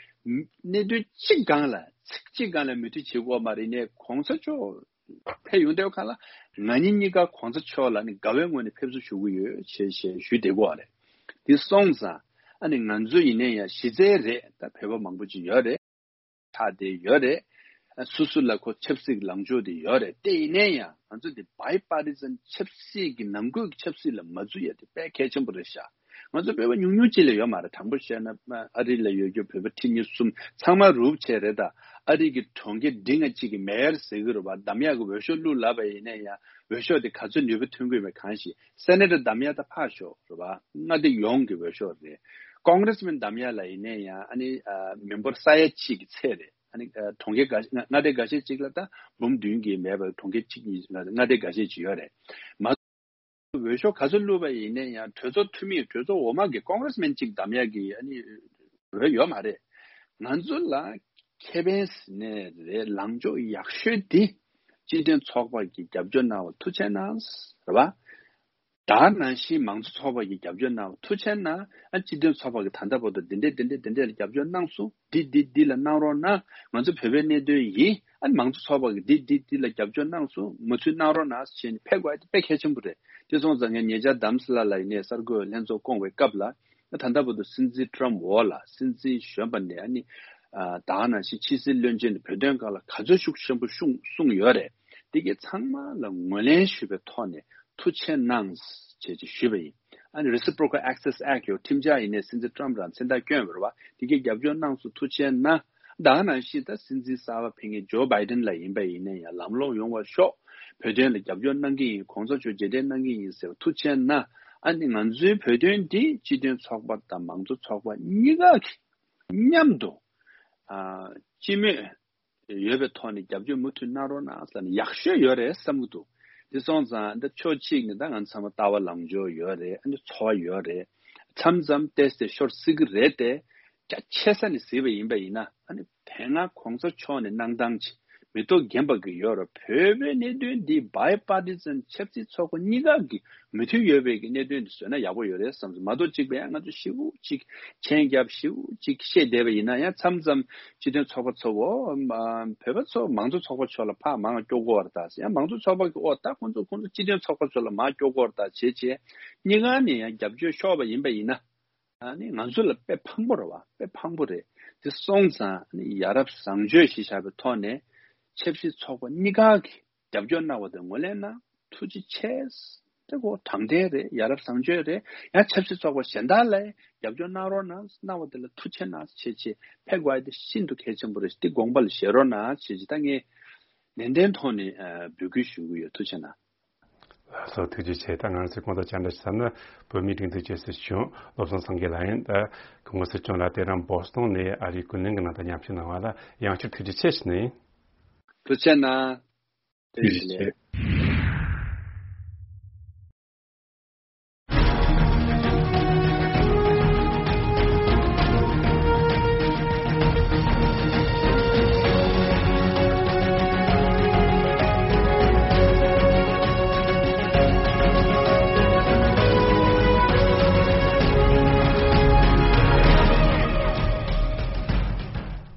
གནད་དོན་གཅིག་སྒང་ལ་ཚིག་གཅིག་སྒང་ལ་མོས་མཐུན་བྱེད་དགོས་མ་རེད། ནས་གོང་ས་མཆོག་ཕེབས་ཡོང་དུས་ཁ་ལ་ང་གཉིས་གཉིས་ཀ་གོང་ས་མཆོག་ལ་ནི་དགའ་བའི་ངོས་ནས་ཕེབས་བསུ་ཞུ་གི་ཡོད་ཅེས་ཞེས་ཞུས་བསྡད་ཀྱི་ཡོད་རེད། དེ་སོང་ཙང་ཨ་ནི་ང་ཚོ་ཡིན་ནའི་ཡང་གཞི་རྩའི་རེད། ད་བོད་པ་མང་པོ་ཅིག་ཡོད་རེད། ཆགས་བསྡད་ཡོད་རེད། སོ་སོ་ལ་ཁོ་ཆབ་སྲིད་ལངས་ཕྱོགས་དེ་ཡོད་རེད། དེ་ཡིན་ནའི་ཡང་ང་ཚོ་དེ་བའི་པར་ཊི་སན་ཆབ་སྲིད་ཀྱི་ནང་ཁུལ་གྱི་ཆབ་སྲིད་ལ་མ་འཛུལ་ཡ་དེ་དཔེ་གལ་ཆེན་པོ་རེད་ཤག་ང་ཚོ་བོད་པ་ཉུང་ཉུང་ཅིག་ལས་ཡོད་མ་རེད། དྲང་པོ་བཤད་ན་ཨ་རི་ལ་ཡོད་རྒྱུ་བོད་པ་ཁྲི་གཉིས་གསུམ་ཚང་མ་རུབ་བྱས་རེད། ད་ཨ་རི་གི་གྲོང་ཁྱེར་འབྲིང་ང་གཅིག་གི་མེ་ཡར་ཟེར་གི་རེད་པ། འདམ་ཡག་གི་འོས་ཤོག་བླུགས་ལབ་པ་ཡིན་ན་ཡང་འོས་ཤོག་དེ་ག་ཚོད་ནུས་པ་ཐོན་གི་ཡོད་མེད་གང་ཤེས། སེ་ནེ་ཊར་འདམ་ཡག་ད་ཕར་ཞོག་རེད་པ། མངའ་སྡེ་ཡོངས་ཀྱི་འོས་ཤོག་རེད། ཀོང་རེས་མན་འདམ་ཡག་ལ་ཡིན་ན་ཡང་ཨ་ནི་མི་འབོར་ས་ཡ་གཅིག་གི་ཚད་རེད། ཨ་ནི་གྲོང་ཁྱེར་འགའ་ཤས་མངའ་སྡེ་འགའ་ཤས་ཅིག་ལ་ད་འབུམ་བདུན་གྱི་མེད་པར་གྲོང་ཁྱེར་གཅིག་གཉིས་མངའ་སྡེ་འགའ་ཤས་ཅིག་ཡོད་རེད། མ་འོས་ཤོག་ག་ཚོད་བླུགས་པ་ཡིན་ན་ཡང་གྲོས་ཚོགས་འཐུས་མི་གྲོས་ཚོགས་འོག་མ་གི་ཀོང་རེས་མན་གཅིག་འདམ་ཡག་གི་ཨ་ནི་འོས་ཡོད་མ་རེད། ང་ཚོ་ལ་ཁེ་ཕན་ཟེར་ནས་རེད། ལངས་ཕྱོགས་ཡག་ཤོས་དེ་སྤྱི་མཐུན་ཚོགས་པ་གི་རྒྱབ་སྐྱོར་གནང་བ་ཐུགས་རྗེ་གནང་རེད་པ། ད་ནང་བཞིན་མང་གཙོ་ཚོགས་པ་གི་རྒྱབ་སྐྱོར་གནང་བ་ཐུགས་རྗེ་གནང་། ཨ་སྤྱི་མཐུན་ཚོགས་པ་གི་ད་ལྟ་བར་དུ་འདི་འདྲས་འདི་འདྲས་འདི་འདྲས་ལ་རྒྱབ་སྐྱོར་གནང་སོང་། འདི་འདི་འདི་ལ་གནང་རོགས་གནང་། ང་ཚོ་བོད་པའི་གནད་དོན་ཡིན། ཨ་མང་གཙོ་ཚོགས་པ་གི་འདི་འདི་འདི་ལ་རྒྱབ་སྐྱོར་གནང་སོང་། མུ་མཐུད་གནང་རོགས་གནང་ཟེར་ནས་ཕེབས་དགོས་ཡ་དེ་དཔེ་གལ་ཆེན་པོ་རེད། དེ་སོང་ཙང་ངས་ཉེ་ཆར་རྡ་རམ་ས་ལ་ལ་ཡིན་ནས་གསར་འགོད་ལྷན་ཚོགས་བསྐོང་བའི་སྐབས་ལ་ད་ལྟ་བར་དུ་སྲིད་འཛིན་ཊམ་འོག་ལ་སྲིད་འཛིན་གཞོན་པ་ནས་ཨ་ནི་ད་ག་ནང་བཞིན་ཕྱི་སྲིད་བློན་ཆེན་བོད་དོན་སྒང་ལ་ག་ཚོད་ཤུགས་ཆེན་པོ་གསུངས་གསུངས་ཡོད་རེད། དེ་གའི་ཚང་མ་ལ་ངོས་ལེན་ཞུས་པའི་ཐོག་ནས་ཐུགས་རྗེ་གནང་ཞེས་ཞུས་པ་ཡིན། ཨ་ནི་Reciprocal Access Act ཡོད་ཁྲིམས་འཆར་ཡིན་ནས་སྲིད་འཛིན་ཊམ་རང་མཚན་རྟགས་བསྐྱོན་པ་རེད་པ། དེ་གའི་རྒྱབ་སྐྱོར་གནང་སོང་། ཐུགས་རྗེ་གནང་། ད་ག་ནང་བཞིན་ད་སྲིད་འཛིན་གསར་པ་ཕེབས་མཁན་ཇོ་བྷའི་ཌེན་ལ་ཡིན་པ་ཡིན་ན་ཡང་ལམ་ལྷོང་ཡོང་བར་ཤོག་བོད་དོན་ལ་རྒྱབ་སྐྱོར་གནང་གི་ཡིན། གོང་ས་མཆོག་རྗེས་དྲན་གནང་གི་ཡིན་ཟེར་བ་ཐུགས་རྗེ་གནང་། ཨ་ནི་ང་ཚོའི་བོད་དོན་འདི་སྤྱི་མཐུན་ཚོགས་པ་དང་མང་གཙོ་ཚོགས་པ་གཉིས་ཀ་གིས་མཉམ་དུ་ཨ་སྤྱི་མོས་ཡོད་པའི་ཐོག་ནས་རྒྱབ་སྐྱོར་མུ་མཐུད་གནང་རོགས་གནང་ཟེར་ནས་ཡག་ཤོས་ཡོད་རེད་བསམ་གྱི་འདུག་དེ་སོང་ཙང་འདི་ཕྱོགས་གཅིག་ནས་ད་ང་ཚང་མ་ལྟ་བ་ལངས་ཕྱོགས་ཡོད་རེད། ཨ་ནི་ཚོར་བ་ཡོད་རེད། མཚམས་མཚམས་ཏོག་ཙམ་ཤོར་སྲིད་ཀྱི་རེད་དེ། རྒྱ་ཆེ་ས་ནས་གཟིགས་པ་ཡིན་པ་ཡིན་ན་ཨ་ནི་དེ་སྔ་གོང་ས་མཆོག་ནས་གནང་སྟངས་ཅིག་མི་ཐོག་རྒན་པ་གི་ཡོད་རེད། བོད་པའི་གནད་དོན་འདི་བའི་པར་ཊི་སན་ཆབ་སྲིད་ཚོགས་པ་གཉིས་ཀ་གི་མོས་མཐུན་ཡོད་པའི་གི་གནད་དོན་འདི་བཟོས་ན་ཡག་པོ་ཡོད་རེད་བསམ་སོང་། མ་གཏོགས་གཅིག་པ་ཡང་ང་ཚོ་ཞེ་པོ་ཅིག་མཆན་རྒྱབ་ཞེ་པོ་ཅིག་བཤད་བསྡད་པ་ཡིན་ན་ཡང་མཚམས་མཚམས་སྤྱི་མཐུན་ཚོགས་པ་ཚོ་བོད་པ་ཚོ་མང་གཙོ་ཚོགས་པ་ཚོ་ལ་ཕར་མང་སྐྱོ་གོ་བར་ད་ཡང་མང་གཙོ་ཚོགས་པ་གི་ཨོ་ད་ཁོང་ཚོ་ཁོང་ཚོ་སྤྱི་མཐུན་ཚོགས་པ་ཚོ་ལ་མང་སྐྱོ་གོ་བར་ད་བྱེད་བྱེད་གཉིས་ཀ་ནས་ཡང་རྒྱབ་སྐྱོར་ཤོར་བ་ཡིན་པ་ཡིན་ན། ཨ་ནི་ང་ཚོ་ལ་དཔེ་ཕངས་པོ་རེད་བ། དཔེ་ཕངས་པོ་རེད། དེ་སོང་ཙང་ཨ་ནི་ཡ་རབས་བཟང་སྤྱོད་ཞེས་བྱ་བའི་ཐོག་ནས་ཆབ་སྲིད་ཚོགས་པ་གཉིས་ཀ་གིས་རྒྱབ་སྐྱོར་གནང་བ་དེ་ངོས་ལེན་གནང་། ཐུགས་རྗེ་ཆེ། དེ་ཁོ་དྲང་བདེན་རེད། ཡ་རབས་བཟང་སྤྱོད་རེད། ཡང་ཆབ་སྲིད་ཚོགས་པ་གཞན་དག་ལ་རྒྱབ་སྐྱོར་གནང་རོགས་གནང་། གནང་བ་དེ་ལ་ཐུགས་རྗེ་གནང་བྱས་བྱས་ཕེབས་དགོས་ཡ་དེ་ཤིན་ཏུ་གལ་ཆེན་པོ་རེད། དེ་དགོངས་པ་ལ་བཞེས་རོགས་གནང་བྱས་བྱས་ད་ངས་ནན་ཏན་ཐོག་ནས་ཨ་འབོད་སྐུལ་ཞུ་གི་ཡོད། ཐུགས་རྗེ་གནང་། ལགས་སོ། ཐུགས་རྗེ་ཆེ། ད་ང་ཚོས་གོང་དུ་བཅར་འདྲི་ཞུ་ས་ནི་བོད་མིའི་སྒྲིག་འཛུགས་ཀྱི་སྲིད་སྐྱོང་བློ་བཟང་སེང་གེ་ལགས་ཡིན། ད་སྐུ་ངོ་སྲིད་སྐྱོང་ལགས་དེ་རིང་བོ་སི་ཊོན་ནས་ཨ་རིའི་ཀུན་གླེང་གི་ནང་དུ་མཉམ་ཞུགས་གནང་བ་ལ་ཡང་བསྐྱར་ཐུགས་རྗེ་ཆེ་ཞུ་ནི་ཡིན། ཐུགས་རྗེ་གནང་། ཐུགས་རྗེ་ཆེ།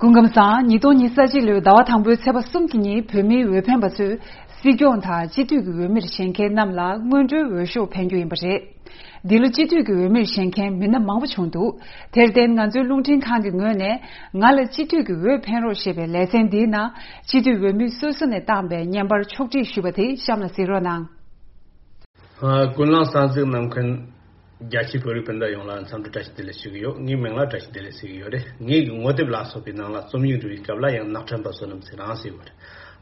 སྐུ་ཁམས་བཟང་། ཉིས་སྟོང་ཉི་ཤུ་རྩ་གཅིག་ལོའི་ཟླ་བ་དང་པོའི་ཚེས་པ་གསུམ་གྱི་ཉིན་བོད་མིའི་འོས་འཕེན་པ་ཚོས་སྲིད་སྐྱོང་དང་སྤྱི་འཐུས་ཀྱི་འོས་མིར་བཞེངས་མཁན་རྣམས་ལ་སྔོན་འགྲོའི་འོས་ཤོག་འཕེན་རྒྱུ་ཡིན་པ་རེད། འདི་ལོ་སྤྱི་འཐུས་ཀྱི་འོས་མིར་བཞེངས་མཁན་མི་སྣ་མང་པོ་བྱུང་འདུག་དེར་བརྟེན་ང་ཚོའི་རླུང་འཕྲིན་ཁང་གི་ངོས་ནས་ང་ལ་སྤྱི་འཐུས་ཀྱི་འོས་འཕེན་རོགས་ཞེས་པའི་ལེ་ཚན་འདིའི་ནང་སྤྱི་འཐུས་འོས་མི་སོ་སོ་ནས་བཏང་པའི་བརྙན་པར་ཕྱོགས་སྒྲིག་ཞུས་པ་དེ་གཤམ་ལ་གཟིགས་རོགས་གནང་། ཀུན་གླེང་གསན་གཟིགས་གནང་མཁན་རྒྱ་ཆེའི་བོད་རིགས་སྤུན་ཟླ་ཡོངས་ལ་འཚམས་འདྲི་བཀྲ་ཤིས་བདེ་ལེགས་ཞུ་གི་ཡོད། ངའི་མིང་ལ་བཀྲ་ཤིས་བདེ་ལེགས་ཟེར་གི་ཡོད་རེད། ངའི་ངོ་དེབ་ལ་སོགས་པའི་ནང་ལ་རྩོམ་ཡིག་འབྲི་བའི་སྐབས་ལ་ཡང་ནག་ཕྲན་པ་བསོད་ནམས་ཟེར་རང་ཟེར་བ་རེད།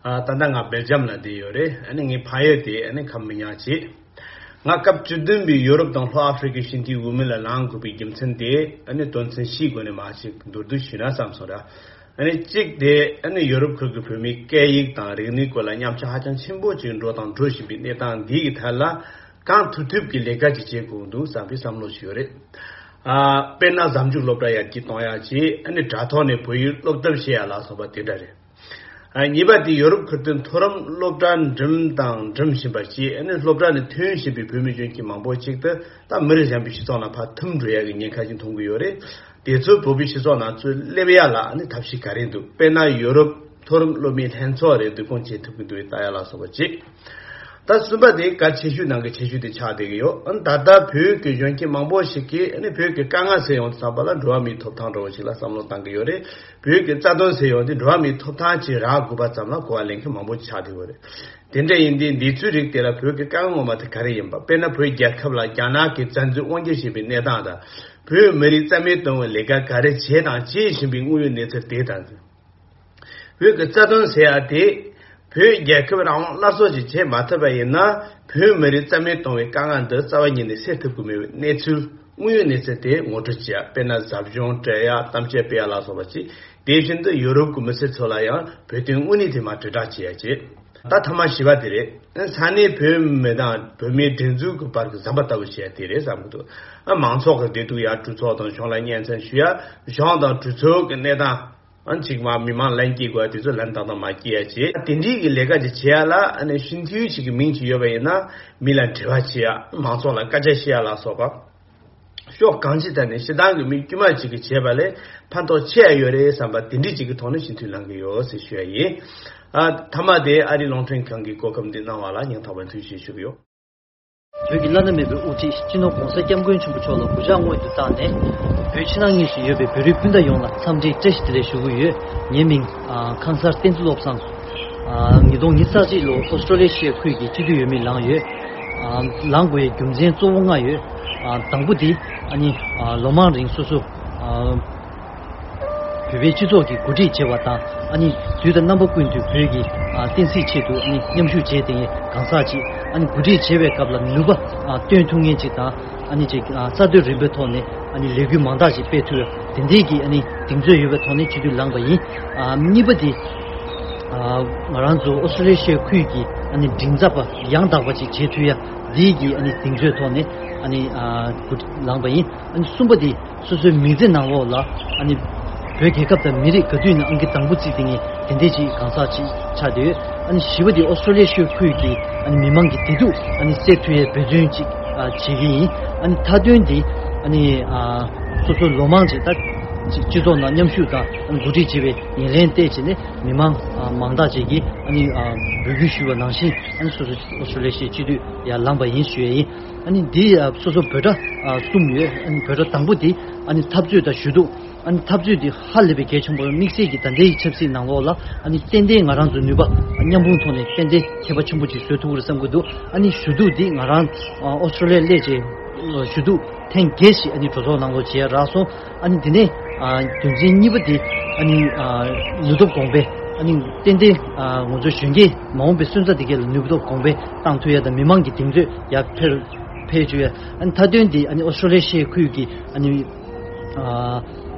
ཨ་ད་ལྟ་ང་སྦེལ་ཇམ་ལ་བསྡད་ཡོད་རེད། ཨ་ནི་ངའི་ཕ་ཡུལ་དེ་ཨ་ནི་ཁམས་མི་ཉག་བྱེད། ང་སྐབས་བཅུ་བདུན་པའི་ཡོ་རོབ་དང་ལྷོ་ཨ་ཧྥེ་རི་ཁའི་སྤྱི་འཐུས་འོས་མི་ལ་ལངས་དགོས་པའི་རྒྱུ་མཚན་དེ་ཨ་ནི་དོན་ཚན་བཞིའི་སྒོ་ནས་མར་ཅིག་མདོར་བསྡུས་ཞུས་ན་བསམ་སོང་ར། ཨ་ནི་གཅིག་དེ་ཨ་ནི་ཡོ་རོབ་ཁུལ་གྱི་བོད་མིའི་སྐད་ཡིག་དང་རིག་གནས་སྐོར་ལ་ཉམས་ཆག་ཧ་ཅང་ཆེན་པོ་ཅིག་འགྲོ་དང་འགྲོ་བཞིན་པའི་གནས་སྟངས་འདི་ཡི་ཐད་ལ་གང་ཐུབ་ཐུབ་ཀྱི་ལས་ཀ་ཅིག་བྱེད་དགོས་འདུག་བསམ་པའི་བསམ་བློ་ཞིག་ཡོད་རེད། ཨ་དཔེར་ན་གཟའ་མཇུག་སློབ་གྲྭ་ཡར་རྒྱས་གཏོང་ཡག་ཅིག་ཨ་ནི་དྲ་ཐོག་ནས་བོད་ཡིག་སློབ་དེབ་བཤད་ཡག་ལ་སོགས་པ་དེ་འདྲ་རེད། ཨ། གཉིས་པ་དེ་ཡོ་རོབ་ཁུལ་དུ་མཐོ་རིམ་སློབ་གྲྭ་འགྲིམ་དང་འགྲིམ་བཞིན་པ་བཅས། ཨ་ནི་སློབ་གྲྭ་ནས་ཐོན་བཞིན་པའི་བོད་མི་གཞོན་སྐྱེས་མང་པོ་ཅིག་ཏུ་ད་མི་རིགས་གཞན་པའི་སྤྱི་ཚོགས་ནང་ཕར་ཐིམ་འགྲོ་ཡ་གི་ཉེན་ཁ་ཞིག་མཐོང་གི་ཡོད་རེད། དེ་ཚོ་བོད་པའི་སྤྱི་ཚོགས་ནང་ཚུར་སླེབས་ཡ་ལ་ཨ་ནི་ཐབས་ཤེས་ག་རེ་འདུག་དཔེར་ན་ཡོ་རོབ་མཐོ་རིམ་སློབ་མའི་ལྷན་ཚོགས་རེ་བསྡུ་སྐོང་བྱེད་ཐུབ་ཀྱི་འདུག་ལྟ་ཡ་ལ་སོགས་པ་བཅས། ད་གསུམ་པ་དེ་གལ་ཆེ་ཤོས་ནང་གི་ཆེ་ཤོས་དེ་ཆགས་བསྡད་ཀྱི་ཡོད། ཨ་ནི་ད་ལྟ་བོད་ཀྱི་གཞོན་སྐྱེས་མང་པོ་ཞིག་གིས་ཨ་ནི་བོད་ཀྱི་དཀའ་ངལ་སེལ་ཡོང་དུས་ཙམ་པ་ལ་འགྲོ་བ་མིའི་ཐོབ་ཐང་འདྲ་བོ་ཞིག་ལ་བསམ་བློ་བཏང་གི་ཡོད་རེད། བོད་ཀྱི་རྩ་དོན་སེལ་ཡོང་དུས་འགྲོ་བ་མིའི་ཐོབ་ཐང་ཅིག་རག་དགོས་པ་ཙམ་ལ་གོ་བ་ལེན་མཁན་མང་པོ་ཆགས་བསྡད་ཡོད་རེད། དེ་འདྲ་ཡིན་དུས་འདི་ཚོའི་རིགས་དེ་ལ་བོད་ཀྱི་དཀའ་ངལ་ངོ་མ་དེ་ག་རེ་ཡིན་པ། དཔེར་ན་བོད་རྒྱལ་ཁབ་ལ་རྒྱ་ནག་གིས་བཙན་འཛུལ་དབང་སྒྱུར་བྱས་པའི་གནས་སྟངས་དང་། བོད་མི་རིགས་རྩ་མེད་གཏོང་བའི་ལས་ཀ་ག་རེ་བྱས་དང་བྱེད་བཞིན་པའི་དངོས་ཡོད་གནས་ཚུལ་དེ་དང་། བོད་ཀྱི་རྩ་དོན་ཟེར་ཡ་དེ། བོད་རྒྱལ་ཁབ་རང་དབང་སླར་གསོ་ཅིག་བྱེད་མ་ཐུབ་པ་ཡིན་ན། བོད་མི་རིགས་རྩ་མེད་གཏོང་བའི་དཀའ་ངལ་འདི་རྩ་བ་ཉིད་ནས་སེལ་ཐུབ་ཀྱི་མེད་པའི་གནས་ཚུལ། དངོས་ཡོད་གནས་ཚུལ་དེ་ངོ་སྤྲོད་བྱེད་ཡ། དཔེར་ན་ཟབ་སྦྱོང་སྤྲད་ཡ། གཏམ་བཤད་སྤེལ་ཡ་ལ་སོགས་པ་བྱས། དེ་བཞིན་དུ་ཡོ་རོབ་ཀྱི་མི་སེར་ཚོ་ལ་ཡང་བོད་དོན་དངོས་གནས་དེ་མར་དྲིལ་བསྒྲགས་བྱེད་ཡ་བྱས། ད་ཐ་མ་བཞི་པ་དེ་རེད། ས་གནས་བོད་མི་དང་བོད་མིའི་སྒྲིག་འཛུགས་ཀྱི་བར་གྱི་ཟམ་པ་ལྟ་བུ་བྱེད་ཡ་དེ་རེད་བསམ་གྱི་འདུག་ཨ། མང་ཚོགས་ཀྱི་བདེ་སྡུག་ཡར་གྲོས་ཚོགས་དང་གཞུང་ལ་སྙན་སེང་ཞུ་ཡ། གཞུང་དང་གྲོས་ཚོགས་ཀྱི་གནས་སྟངས། ཨ། གཅིག་མ་མི་མང་ལན་སྐྱེལ་དགོས་པ་དེ་ཚོ་ལན་ཏག་ཏག་མ་སྐྱེལ་ཡ་བྱེད། དེ་འདྲའི་གི་ལས་ཀ་ཅིག་བྱེད་ཡ་ལ་ཨ་ནི་སྤྱི་འཐུས་ཅིག་གི་མིང་ཅིག་ཡོད་པ་ཡིན་ན་མི་ལ་འབྲེལ་བ་བྱེད་ཡ། མང་ཚོགས་ལ་སྐད་ཆ་བཤད་ཡ་ལ་སོགས་པ། ཕྱོགས་གང་ཅིའི་ཐད་ནས་སྤྱིར་བཏང་གི་མི་དཀྱུས་མ་ཅིག་གིས་བྱས་པ་ལས་ཕན་ཐོགས་ཆེ་ཡ་ཡོད་རེད་བསམ་པ་དེ་འདྲའི་ཅིག་གི་ཐོག་ནས་སྤྱི་འཐུས་ལངས་ཀྱི་ཡོད་ཟེར་ཞུ་ཡ་ཡིན། ཨ། མཐའ་མ་དེ་ཨ་རིའི་རླུང་འཕྲིན་ཁང་གི་གོ་སྐབས་འདི་གནང་བ་ལ་སྙིང་ཐག་པ་ནས་ཐུགས་རྗེ་ཆེ་ཞུ་གི་ཡོད། བོད་ཀྱི་བླ་ན་མེད་པའི་དབུ་ཁྲིད་སྤྱི་ནོར་༸གོང་ས་༸སྐྱབས་མགོན་ཆེན་པོ་མཆོག་ལ་གུས་ཕྱག་སྔོན་དུ་བཏང་ནས། བོད་ཕྱི་ནང་གཉིས་སུ་ཡོད་པའི་བོད་རིགས་སྤུན་ཟླ་ཡོངས་ལ་འཚམས་འདྲིའི་བཀྲ་ཤིས་བདེ་ལེགས་ཞུ་གི་ཡོད། ངའི་མིང་ཨ་ཁང་གསར་བསྟན་འཛིན་བློ་བཟང་། ཨ། ཉིས་སྟོང་ཉི་ཤུ་རྩ་གཅིག་ལོར་ཨོ་སི་ཀྲོ་ལི་ཤི་ཡའི་ཁུལ་གྱི་སྤྱི་འཐུས་འོས་མི་ལངས་ཡོད། ཨ། ལངས་དགོས་པའི་རྒྱུ་མཚན་གཙོ་བོ་ལྔ་ཡོད། ཨ། དང་པོ་དེ་ཨ་ནི་ཨ་ལོ་མང་རིང་སོ་སོ་ཨ་བོད་པའི་སྤྱི་ཚོགས་ཀྱི་འགོ་ཁྲིད་བྱས་པ་དང་། ཨ་ནི་དུས་དང་རྣམ་པ་ཀུན་ཏུ་བོད་ཀྱི་ཨ་བསྟན་སྲིད་ཆེད་དུ་ཨ་ནི་མཉམ་ཞུགས་བྱས་ཏེ་གང་ཟག་ཅིག་ཨ་ནི་འགོ་ཁྲིད་བྱེད་པའི་སྐབས་ལ་ནུས་པ་ཨ་བཏོན་ཐུབ་མཁན་ཅིག་དང་། ཨ་ནི་ཅིག་ཨ་གསར་གཏོད་རིམ་པའི་ཐོག་ནས་ཨ་ནི་ལས་འགུལ་མང་དག་ཅིག་སྤེལ་ཐུབ་ཡ། དེ་འདྲའི་གི་ཨ་ནི་གདེང་ཚོད་ཡོད་པའི་ཐོག་ནས་སྤྱི་འཐུས་ལངས་པ་ཡིན། ཨ། གཉིས་པ་དེ། ཨ། ང་རང་ཚོ་ཨོ་སི་ཀྲོ་ལི་ཤི་ཡའི་ཁུལ་གྱི་ཨ་ནི་མགྲིན་ཚབ་པ་ཡང་དག་པ་ཅིག་བྱེད་ཐུབ་ཡ། འདིའི་གི་ཨ་ནི་གདེང་ཚོད་ཐོག་ནས་ཨ་ནི་ཨ་འགོ་ཁྲིད་ལངས་པ་ཡིན། ཨ་ནི་གསུམ་པ་དེ་སོ་སོའི་མི་ཚེ་ནང་ལོགས་ལ་ཨ་ནི་བོད་རྒྱལ་ཁབ་དང་མི་རིགས་ག་དུས་ནས་ཨང་ཀི་དང་པོ་བརྩིས་ཏེ་ངས་དེ་འདྲའི་ཅིག་གང་ཟག་ཅིག་ཆགས་བསྡད་ཡོད། ཨ་ནི་བཞི་པ་དེ་ཨོ་སི་ཀྲོ་ལི་ཤི་ཡའི་ཁུལ་གྱི་ཨ་ནི་མི་མང་གི་བདེ་སྡུག་ཨ་ནི་སེལ་ཐུབ་ཡའི་འབད་བརྩོན་ཅིག་ཨ་བྱེད་ཀྱི་ཡིན། ཨ་ནི་མཐའ་དོན་དེ་ཨ་ནི་ཨ་སོ་སོ་ལོ་མང་ཅིག་ད་སྤྱི་ཚོགས་ནང་མཉམ་ཞུགས་དང་འགོ་ཁྲིད་བྱེད་པའི་ཉེར་ལེན་བལྟས་བྱས་ནས་མི་མང་ཨ་མང་དག་ཅིག་གིས་ཨ་ནི་ཨ་འབོད་སྐུལ་ཞུས་པ་ནང་བཞིན། ཨ་ནི་སོ་སོ་ཨོ་སི་ཀྲོ་ལི་ཤི་ཡའི་སྤྱི་འཐུས་ཡར་ལངས་པ་ཡིན་ཞུ་ཡས་ཡིན། ཨ་ནི་འདི་ཨ་སོ་སོ་འབོད་སྒྲ་ཨ་གསུམ་ཡོད། ཨ་ནི་འབོད་སྒྲ་དང་པོ་དེ་ཨ་ནི་འཐབ་རྩོད་དང་ཞུ་གཏུག་ཨ་ནི་འཐབ་རྩོད་འདི་ཧ་ལས་པའི་གལ་ཆེན་པོ། དམིགས་བསལ་གྱི་ད་ལྟའི་ཆབ་སྲིད་ནང་ལོགས་ལ་ཨ་ནི་ཏན་ཏན་ང་རང་ཚོ་ནུས་པ་མཉམ་སྤུངས་ཐོག་ནས་ཏན་ཏན་ཁྱད་པར་ཆེན་པོ་ཅིག་བཟོ་ཐུབ་ཀྱི་རེད་བསམ་གྱི་འདུག་ཨ་ནི་ཞུ་གཏུག་འདི་ང་རང་ཨ་ཨོ་སི་ཀྲོ་ལི་ཡར་སླེབས་རྗེས་ཞུ་གཏུག་ཐེངས་བརྒྱད་ཞིག་ཨ་ནི་གྲོས་ཚོགས་ནང་ལོགས་བྱས་རག་སོང་། ཨ་ནི་འདི་ནས་ཨ་རྒྱུ་མཚན་གཉིས་པ་འདི་ཨ་ནི་ཨ་ནུས་སྟོབས་གོང་འཕེལ། ཨ་ནི་ཏན་ཏན་ཨ་ང་ཚོ་གཞོན་སྐྱེས་མ་འོངས་པའི་སོན་རྩ་འདི་གས་ལ་ནུས་སྟོབས་གོང་འཕེལ་བཏང་ཐུབ་ཡ་དང་མི་མང་གི་གདེང་ཚོད་ཡར་འཕེལ་འཕེལ་བཅུག་ཡ། ཨ་ནི་མཐའ་དོན་འདི་ཨ་ནི་ཨོ་སི་ཀྲོ་ལི་ཤི་ཡའི་ཁུལ་གྱི་ཨ་ནི་ཨ་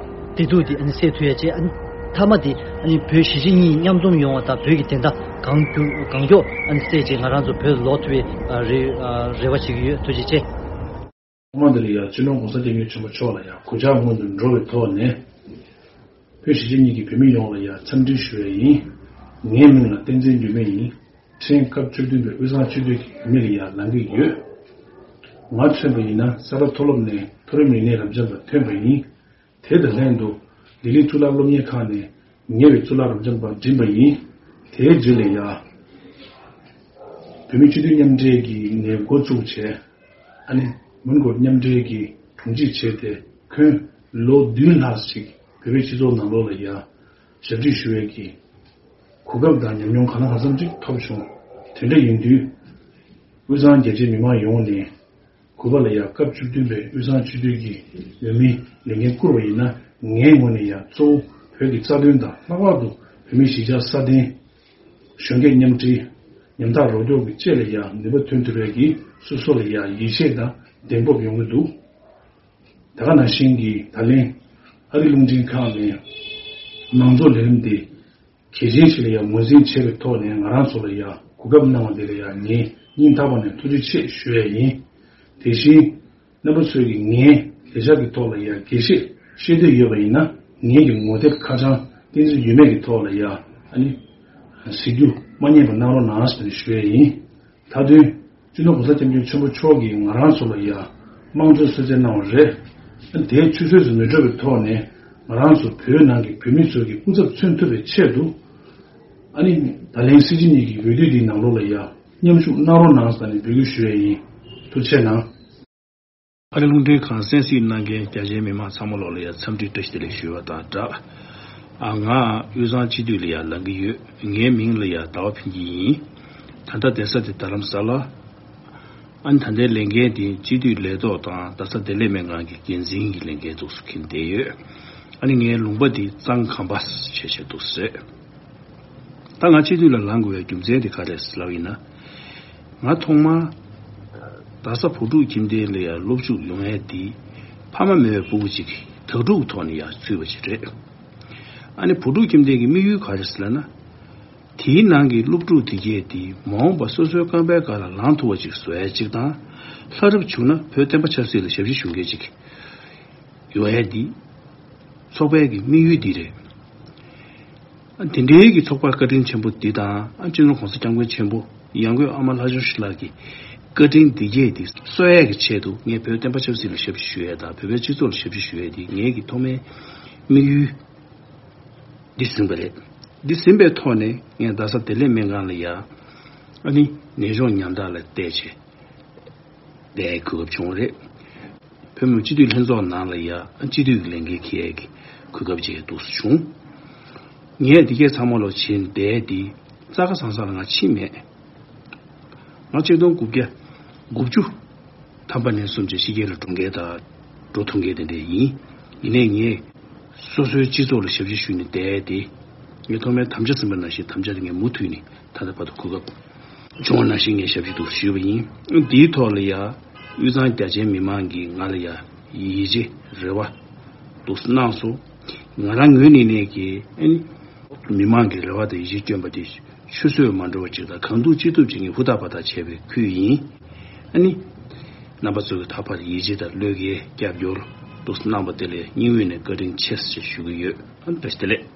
བདེ་སྡུག་འདི་ཨ་ནི་སེལ་ཐུབ་ཡ་བྱས། ཨ་ནི་མཐའ་མ་འདི་ཨ་ནི་བོད་གཞིས་བྱེས་གཉིས་མཉམ་འཛོམས་ཡོང་བ་དང་བོད་ཀྱི་བདེན་མཐའ་གང་མགྱོགས་གང་མགྱོགས་ཨ་ནི་སེལ་བྱས་ང་རང་ཚོ་བོད་ལ་ལོག་ཐུབ་པའི་ཨ་རེ་ཨ་རེ་བ་བྱེད་ཀྱི་ཡོད། ཐུགས་རྗེ་ཆེ། ཐོག་མ་འདི་ལ་ཡང་སྤྱི་ནོར་༸གོང་ས་༸སྐྱབས་མགོན་ཆེན་པོ་མཆོག་ལ་ཡང་གུས་ཕྱག་སྔོན་དུ་འགྲོ་བའི་ཐོག་ནས། བོད་གཞིས་བྱེས་གཉིས་ཀྱི་བོད་མི་ཡོངས་ལ་ཡང་འཚམས་འདྲི་ཞུ་ཡས་ཡིན། ངའི་མིང་ལ་བསྟན་འཛིན་འགྱུར་མེད་ཡིན། ཕྲན་སྐབས་བཅུ་བདུན་པའི་དབུས་གཙང་སྤྱི་འཐུས་ཀྱི་འོས་མི་ལ་ཡང་ལངས་ཀྱི་ཡོད། ང་མཚོན་པ་ཡིན་ན་ས་རཱ་མཐོ་སློབ་ནས་མཐོ་རིམ་རིག་གནས་རབ་འབྱམས་པ་ཐོན་པ་ཡིན། དེ་དང་ལྷན་དུ་ལྡི་ལི་གཙུག་ལག་སློབ་གཉེར་ཁང་ནས་ཉེ་བའི་གཙུག་ལག་རབ་འབྱམས་པ་འགྲིམས་པ་ཡིན། དེའི་རྗེས་ལ་ཡང་བོད་མི་སྤྱི་འཐུས་མཉམ་འབྲེལ་གྱི་ནས་འགོ་བཙུགས་བྱས། ཨ་ནི་མོན་གྷོ་མཉམ་འབྲེལ་གྱི་དྲུང་ཆེ་བྱས་ཏེ། ཁོང་ལོ་བདུན་ལྷག་ཅིག་བོད་པའི་སྤྱི་ཚོགས་ནང་ལོགས་ལ་ཡང་ཞབས་ཕྱི་ཞུ་བའི་གི་གོ་སྐབས་དང་ཉམས་མྱོང་གང་ལ་གང་འཚམ་ཅིག་ཐོབ་བྱུང་། དེ་འདྲ་ཡིན་དུས། དབུས་གཙང་རྒྱ་ཆེའི་མི་མང་ཡོངས་ནས་གུས་པ་ལ་ཡང་སྐབས་བཅུ་བདུན་པའི་དབུས་གཙང་སྤྱི་འཐུས་ཀྱི་འོས་མིའི་ལས་འགན་བསྐུར་བ་ཡིན་ན། ངའི་ངོས་ནས་ཡང་གཙོ་བོ་བོད་ཀྱི་རྩ་དོན་དང་། ལྷག་པར་དུ་བོད་མིའི་གཞིས་ཆགས་སྲ་བརྟན། གཞོན་སྐྱེས་མཉམ་འབྲེལ། ཉམ་ཐག་རོགས་སྐྱོར་གྱི་ཅེས་ལ་ཡང་ནུས་པ་ཐོན་ཐུབ་པའི་གི་སོ་སོ་ལ་ཡང་ཡིད་ཆེས་དང་གདེང་སྤོབས་ཡོང་གི་འདུག་ད་ག་ནང་བཞིན་གྱི་ད་ལན་ཨ་རི་རླུང་འཕྲིན་ཁང་ནས་མང་གཙོ་ལས་རིམ་འདི་གལ་ཆེན་ཞིག་ལ་ཡང་ངོས་འཛིན་བྱས་པའི་ཐོག་ནས་ང་རང་ཚོ་ལ་ཡང་གོ་སྐབས་གནང་བ་འདི་ལ་ཡང་ངས་སྙིང་ཐག་པ་ནས་ཐུགས་རྗེ་ཆེ་ཞུ་ཡས་ཡིན། དེ་བཞིན། རྣམ་པ་ཚོས་ཀྱིས་ངའི་ལས་འཆར་གྱི་ཐོག་ལ་ཡང་དགྱེས་བཞེས་ཤེས་འདོད་ཡོད་པ་ཡིན་ན། ངེད་ཀྱི་ངོ་དེབ་ཁ་བྱང་བསྟན་འཛིན་འགྱུར་མེད་ཀྱི་ཐོག་ལ་ཡང་ཨ་ནི་ གཟིགས་རྒྱུ་མ་བསྙེལ་བ་གནང་རོགས་གནང་ཟེར་ནས་ཞུ་ཡས་ཡིན། མཐའ་དོན་སྤྱི་ནོར་༸གོང་ས་༸སྐྱབས་མགོན་ཆེན་པོ་མཆོག་གིས་ང་རང་ཚོ་ལ་ཡ་དམངས་གཙོའི་གསོལ་སྩལ་གནང་བ་རེད། དེའི་ཆུད་ཟོས་སུ་མི་འགྲོ་བའི་ཐོག་ནས་ང་རང་ཚོ་བོད་ནང་གི་བོད་མི་ཚོ་གི་སྐུ་ཚབ་མཚོན་ཐུབ་པའི་ཆེད་དུ། ཨ་ནི་ད་ལན་སྲིད་སྤྱི་གཉིས་ཀྱི་འོས་བསྡུ་འདིའི་ནང་ལོགས་ལ་ཡ་མཉམ་ཞུགས་གནང་རོགས་གནང་ཟེར་ནས་འབོད་སྐུལ་ཞུ་ཡས་ཡིན། ཐུགས་རྗེ་གནང་། ཨ་རི་རླུང་འཕྲིན་ཁང་གསན་གཟིགས་གནང་མཁན་རྒྱ་ཆེའི་མི་མང་ཚང་མ་ལོག་ལ་ཡ་འཚམས་འདྲི་བཀྲ་ཤིས་བདེ་ལེགས་ཞུ་བ་དང་སྦྲགས། ཨ་ང་དབུས་གཙང་སྤྱི་འཐུས་ལ་ཡ་ལངས་ཀྱི་ཡོད། ངའི་མིང་ལ་ཡ་ཟླ་བ་ཕུན་སྐྱིད་ཡིན། ད་ལྟ་བསྡད་ས་དེ་རྡ་རམ་ས་ལ། ཨ་ནི་ད་ལྟའི་ལས་འགན་དེ་སྤྱི་འཐུས་ལས་ཐོག་དང་རྡ་ས་བདེ་ལེགས་སྨན་ཁང་གི་འགན་འཛིན་གྱི་ལས་འགན་ཐོག་སུ་འཁྱེར་བསྡད་ཡོད། ཨ་ནི་ངའི་ལུང་པ་དེ་གཙང་ཁམས་པ་བྱས་བྱས་འདུག་ཟེར། ད་ང་སྤྱི་འཐུས་ལ་ལངས་དགོས་པའི་རྒྱུ་མཚན་དེ་ག་རེད་ལབ་ཡིན་ན། ང་ཐོག་མར་རྡ་ས་བུ་ཕྲུག་ཁྱིམ་སྡེ་ལ་ཡང་སློབ་ཞུགས་ཡོང་ཡས་དེ་ཕ་མ་མེད་པའི་ཕྲུ་གུ་ཅིག་གིས་དྭ་ཕྲུག་གི་ཐོག་ནས་ཡང་ཚུད་པ་ཅིག་རེད། ཨ་ནི་བུ་ཕྲུག་ཁྱིམ་སྡེ་གི་དམིགས་ཡུལ་ག་རེ་ཟེར་ལབ་ན། དེའི་ནང་གི་སློབ་ཕྲུག་དེ་གས་དེ་མ་འོངས་པ་སོ་སོའི་རྐང་པའི་སྒང་ལ་ལངས་ཐུབ་པ་ཅིག་བཟོ་ཡས་ཅིག་དང་། ལྷ་རབ་བྱུང་ན་བོད་བསྟན་པ་ཆབ་སྲིད་ལ་ཞབས་ཕྱི་ཞུ་མཁན་ཅིག་ཡོང་ཡས་དེ་ཚོགས་པའི་གི་དམིགས་ཡུལ་འདི་རེད། དེ་འདྲའི་གི་ཚོགས་པ་བཀའ་དྲིན་ཆེན་པོ་འདི་དང་ཨ་སྤྱི་ནོར་༸གོང་ས་༸སྐྱབས་མགོན་ཆེན་པོ་ཡང་སྒོས་ཨ་མ་ལྷ་བྱུང་ཞུ་ལགས་ཀྱི་བཀའ་དྲིན་འདི་གས་དེ་གསོ་ཡས་ཀྱི་ཆེད་དུ་ངས་བོད་བསྟན་པ་ཆབ་སྲིད་ལ་ཞབས་ཕྱི་ཞུ་ཡས་དང་བོད་པའི་སྤྱི་ཚོགས་ལ་ཞབས་ཕྱི་ཞུ་ཡས་དེ་ངའི་གི་ཐོག་མའི་དམིགས་ཡུལ་འདི་ཟིན་པ་རེད། འདི་ཟིན་པའི་ཐོག་ནས་ངས་རྡ་ས་བདེ་ལེགས་སྨན་ཁང་ལ་ཡ་ཨ་ནི་ནད་གཞུང་ཉམ་ཐག་ལ་བལྟས་བྱས། བསྡད་གོ་སྐབས་བྱུང་བ་རེད། བོད་མི་སྤྱི་འཐུས་ལྷན་ཚོགས་ནང་ལ་ཡ་སྤྱི་འཐུས་ཀྱི་ལས་འགན་འཁྱེར་ཡས་ཀྱི་གོ་སྐབས་ཅིག་འདུག་སེ་བྱུང་། ངས་འདི་གས་ཚང་མ་ལོ་བྱིན་བསྡད་དེ་རྩ་ཁ་ཚང་ས་ལ་ང་ཕྱིན་མེད། ང་ཆིག་སྟོང་དགུ་བརྒྱ་དགུ་བཅུ་ཐམ་པ་ནས་བཟུང་བྱས་ཕྱི་རྒྱལ་ལ་འགྲོ་མཁན་དང་འགྲོ་ཐུབ་མཁན་དེ་འདྲ་ཡིན། ཡིན་ནའི་ངས་སོ་སོའི་སྤྱི་ཚོགས་ལ་ཞབས་ཕྱི་ཞུས་ནས་བསྡད་དེ། ངས་ཐོག་མའི་དམ་བཅའ་ཟིན་པ་ནང་བཞིན་དམ་བཅའ་དེ་ངས་མུ་མཐུད་ནས་ད་ལྟ་བར་དུ་གོ་སྐབས་བྱུང་བ་ནང་བཞིན་ངས་ཞབས་ཕྱི་འདུག་ཞུས་པ་ཡིན། འདིའི་ཐོག་ལ་ཡ་དབུས་གཙང་རྒྱ་ཆེའི་མི་མང་གིས་ང་ལ་ཡ་ཡིད་ཆེས་རེ་བ་འདུག་གནང་སོང་། ང་རང་ངོས་ནས་ནས་ཀྱི་ཨ་ནི་མི་མང་གི་རེ་བ་དང་ཡིད་ཆེས་བསྐྱོན་པ་དེ་ཆུད་ཟོས་མ་འགྲོ་བ་ཅིག་དང་གང་ཐུབ་ཅི་ཐུབ་ཅིག་ངས་ཧུར་ཐག་འབད་ཐག་བྱས་པའི་ཁུལ་ཡིན། ཨ་ནི་རྣམ་པ་ཚོ་གི་ད་བར་ཡིད་ཆེས་དང་བློས་འགེལ་རྒྱབ་སྐྱོར་འདུག་གནང་པ་དེ་ལ་སྙིང་དབུས་ནས་བཀའ་དྲིན་ཆེ་ཞེས་ཞུ་གི་ཡོད། ཨ་ནི་བཀྲ་ཤིས་བདེ་ལེགས།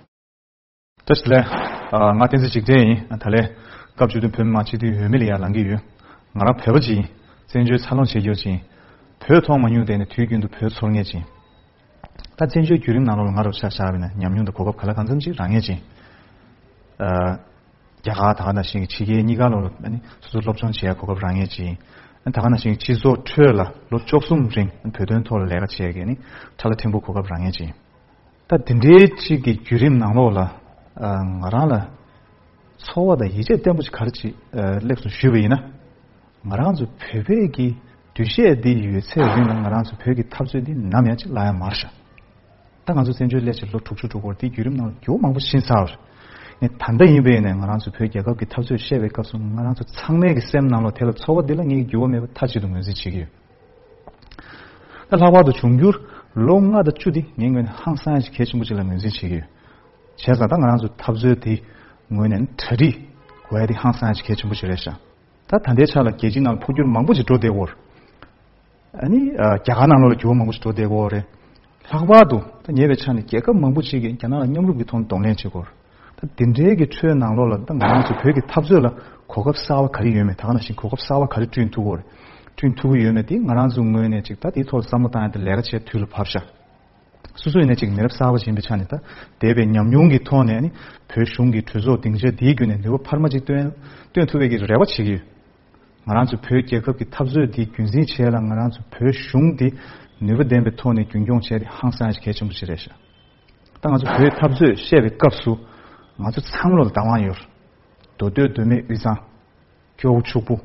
བཀྲ་ཤིས་བདེ་ལེགས། ཨ། ང་བསྟན་འཛིན་འཇིགས་བྲལ་ཡིན། ད་ལན་སྐབས་བཅུ་བདུན་བོད་མི་མང་སྤྱི་འཐུས་འོས་མི་ལ་ཡར་ལངས་ཀྱི་ཡོད། ང་རང་བོད་པ་ཅིག་ཡིན། བཙན་བྱོལ་འཚར་ལོངས་བྱེད་རྒྱུ་ཅིག་ཡིན། བོད་མཐོང་མ་མྱོང་དེ་ནི་དུས་རྒྱུན་དུ་བོད་ཚོར་མཁན་ཅིག་ཡིན། ད་བཙན་བྱོལ་བརྒྱུད་རིམ་ནང་ལོགས་ལ་ང་རང་ཆ་བཞག་པ་ཡིན་ན་ཉམས་མྱོང་དང་གོ་སྐབས་ག་ལ་གང་འཚམ་ཅིག་རག་མཁན་ཅིག་ཡིན། ཨ། རྒྱ་གར་ད་ག་ནང་བཞིན་གྱི་ཕྱི་རྒྱལ་གཉིས་ཀ་ལོགས་ལ་ཨ་ནི་སོ་སོ་སློབ་སྦྱོང་བྱེད་ཡ་གོ་སྐབས་རག་མཁན་ཅིག་ཡིན། ཨ་ནི་ད་ག་ནང་བཞིན་གྱི་སྤྱི་ཚོགས་ཁྲོད་ལ་ལོ་བཅུ་གསུམ་རིང་བོད་དོན་ཐོག་ལ་ལས་ཀ་བྱེད་ཡ་གི་ཨ་ནི་ཁྲ་ལ་ཕྲན་བུ་གོ་སྐབས་རག་མཁན་ཅིག་ཡིན། ད་དེ་འདྲའི་གཅིག་གི་བརྒྱུད་རིམ་ནང་ལོགས་ལ། ཨ། ང་རང་ལ་ཚོར་བ་དང་ཡིད་ཆེས་བརྟན་པོ་ཅིག་ག་རེ་ཅིག་ཨ། སླེབས་སོང་ཞུས་པ་ཡིན་ན། ང་རང་ཚོ་བོད་པའི་གི་འདུ་ཤེས་འདི་ཡོད་ཚད་རིང་ལ་ང་རང་ཚོ་བོད་ཀྱི་འཐབ་རྩོད་འདི་ནམ་ཡང་ཅིག་ལྷག་ཡ་མ་རེད་ཤག་ད་ང་ཚོ་བཙན་བྱོལ་སླེབས་བྱས་ལོ་དྲུག་ཅུ་འགྲོ་གི་ཡོད་རེད། དེའི་བརྒྱུད་རིམ་ནང་ལ་འགྱུར་བ་མང་པོ་ཕྱིན་ཚར་བ་རེད། ངས་ད་ལྟ་ཡིན་པ་ཡིན་ནའི་ང་རང་ཚོ་བོད་རྒྱལ་ཁབ་ཀྱི་འཐབ་རྩོད་བཤད་པའི་སྐབས་སུ་ང་རང་ཚོ་ཚང་མའི་གི་སེམས་ནང་ལོགས་དེ་ལ་ཚོར་བ་འདི་ལ་ངས་འགྱུར་བ་མེད་པ་མཐའ་གཅིག་ཏུ་ངོས་འཛིན་བྱེད་ཀྱི་ཡོད། ད་ལྷག་པར་དུ་འབྱུང་འགྱུར་ལོ་ལྔ་དང་བཅུ་འདི་ངའི་ངོས་ནས་ཧང་སང་ཡ་ཞིག་གལ་ཆེན་པོ་ཅིག་ལ་ངོས་འཛིན་བྱེད་ཀྱི་ཡོད། བྱས་ཙང་ད་ང་རང་ཚོ་འཐབ་རྩོད་དེ་ངོས་ནས་གྲ་སྒྲིག་དགོས་ཡ་དེ་ཧང་སང་ཡ་ཞིག་གལ་ཆེན་པོ་ཅིག་རེད་ཤག་ད་ད་ལྟའི་ཆ་ལ་རྒྱལ་སྤྱིའི་ནང་ལ་འཕོ་འགྱུར་མང་པོ་ཅིག་འགྲོ་བསྡད་ཡོད་རེད། ཨ་ནི་ཨ། རྒྱ་གར་ནང་ལོགས་ལ་འགྱུར་བ་མང་པོ་ཞིག་འགྲོ་བསྡད་ཀྱི་ཡོད་རེད། ལྷག་པར་དུ་ད་ཉེ་བའི་ཆ་ནས་རྒྱལ་ཁབ་མང་པོ་ཅིག་གིས་རྒྱ་ནག་ལ་མཉམ་རུབ་ཀྱི་ཐོག་ནས་གདོང་ལེན་བྱེད་ཀྱི་ཡོད་རེད། ད་འདི་འདྲའི་གི་ཁྲོད་ནང་ལོགས་ལ་ད་ང་རང་ཚོ་བོད་ཀྱི་འཐབ་རྩོད་ལ་གོ་སྐབས་གསར་པ་ག་རེ་ཡོད་མེད། ད་ག་ནང་བཞིན་གོ་སྐབས་གསར་པ་ག་རེ་བསྐྲུན་ཐུབ་ཀྱི་ཡོད་རེད། བསྐྲུན་ཐུབ་ཀྱི་ཡོད་མེད་དེ་ང་རང་ཚོའི་ངོས་ནས་ཅིག་ད་དེའི་ཐོག་ལ་བསམ་བློ་བཏང་ཡ་དེ་ལས་ཀ་བྱེད་དུས་ལ་བབས་ཤག་སོ་སོ་ཡིན་ན་ཅིག་མི་རབས་གསར་པ་ཞིག་ཡིན་པའི་ཆ་ནས་ད་འདས་པའི་ཉམས་མྱོང་གི་ཐོག་ནས་ནི་བོད་གཞུང་གི་གྲོས་ཚོགས་སྡིངས་ཆ་འདིའི་བརྒྱུད་ནས་ནུས་པ་འཕར་མ་ཅིག་བཏོན་བཏོན་ཐུབ་པའི་གི་རེ་བ་བྱེད་ཀྱི་ཡོད། ང་རང་ཚོ་བོད་རྒྱལ་ཁབ་ཀྱི་འཐབ་རྩོད་འདི་རྒྱུན་འཛིན་བྱེད་ཡ་ལ་ང་རང་ཚོ་བོད་གཞུང་འདི་ནུས་པ་ལྡན་པའི་ཐོག་ནས་རྒྱུན་འཁྱོངས་བྱས་ཏེ་ཧང་སང་ཞིག་གལ་ཆེན་པོ་ཞིག་རེད་ཤག་ད་ང་ཚོ་བོད་འཐབ་རྩོད་བཤད་པའི་སྐབས་སུ་ང་ཚོ་ཚང་མ་ལ་བདག་དབང་ཡོད། མདོ་སྟོད་མདོ་སྨད་དབུས་གཙང་། སྐྱོ་བོ་ཕྱུག་པོ།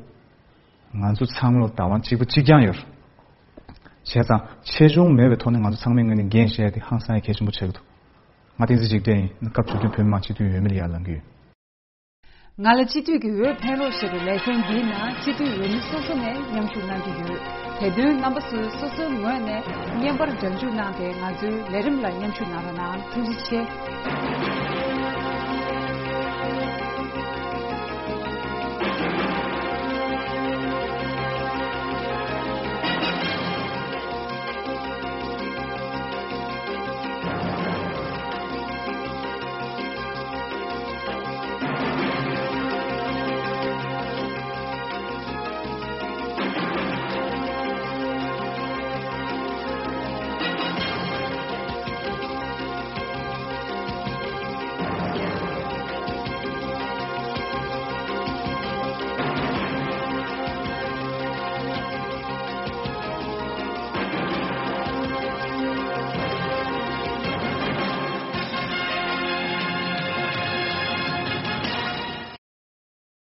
ང་ཚོ་ཚང་མ་ལ་བདག་དབང་གཅིག་པ་གཅིག་རྐྱང་ཡོད། བྱས་ཙང་ཆེ་ཆུང་མེད་པའི་ཐོག་ནས་ང་ཚོ་ཚང་མའི་ངོས་ནས་འགན་བཞེས་ཏེ་ཧང་སང་ཡ་གལ་ཆེན་པོ་ཆགས་ཀྱི་འདུག་ང་བསྟན་འཛིན་འཇིགས་བྲལ་ཡིན། སྐབས་བཅུ་བདུན་བོད་མི་མང་སྤྱི་འཐུས་འོས་མི་ལ་ཡར་ལངས་ཀྱི་ཡོད། ང་ལ་སྤྱི་འཐུས་ཀྱི་འོས་འཕེན་རོགས་ཞེས་པའི་ལེ་ཚན་འདིའི་ནང་སྤྱི་འཐུས་འོས་མི་སོ་སོ་ནས་མཉམ་ཞུགས་གནང་གི་ཡོད། དེ་དོན་རྣམ་པ་ཚོས་སོ་སོའི་ངོས་ནས་བརྙན་པར་སྒྲ་འཇུག་གནང་སྟེ་ང་ཚོའི་ལས་རིམ་ལ་མཉམ་ཞུགས་གནང་རོགས་གནང་། ཐུགས་རྗེ་ཆེ།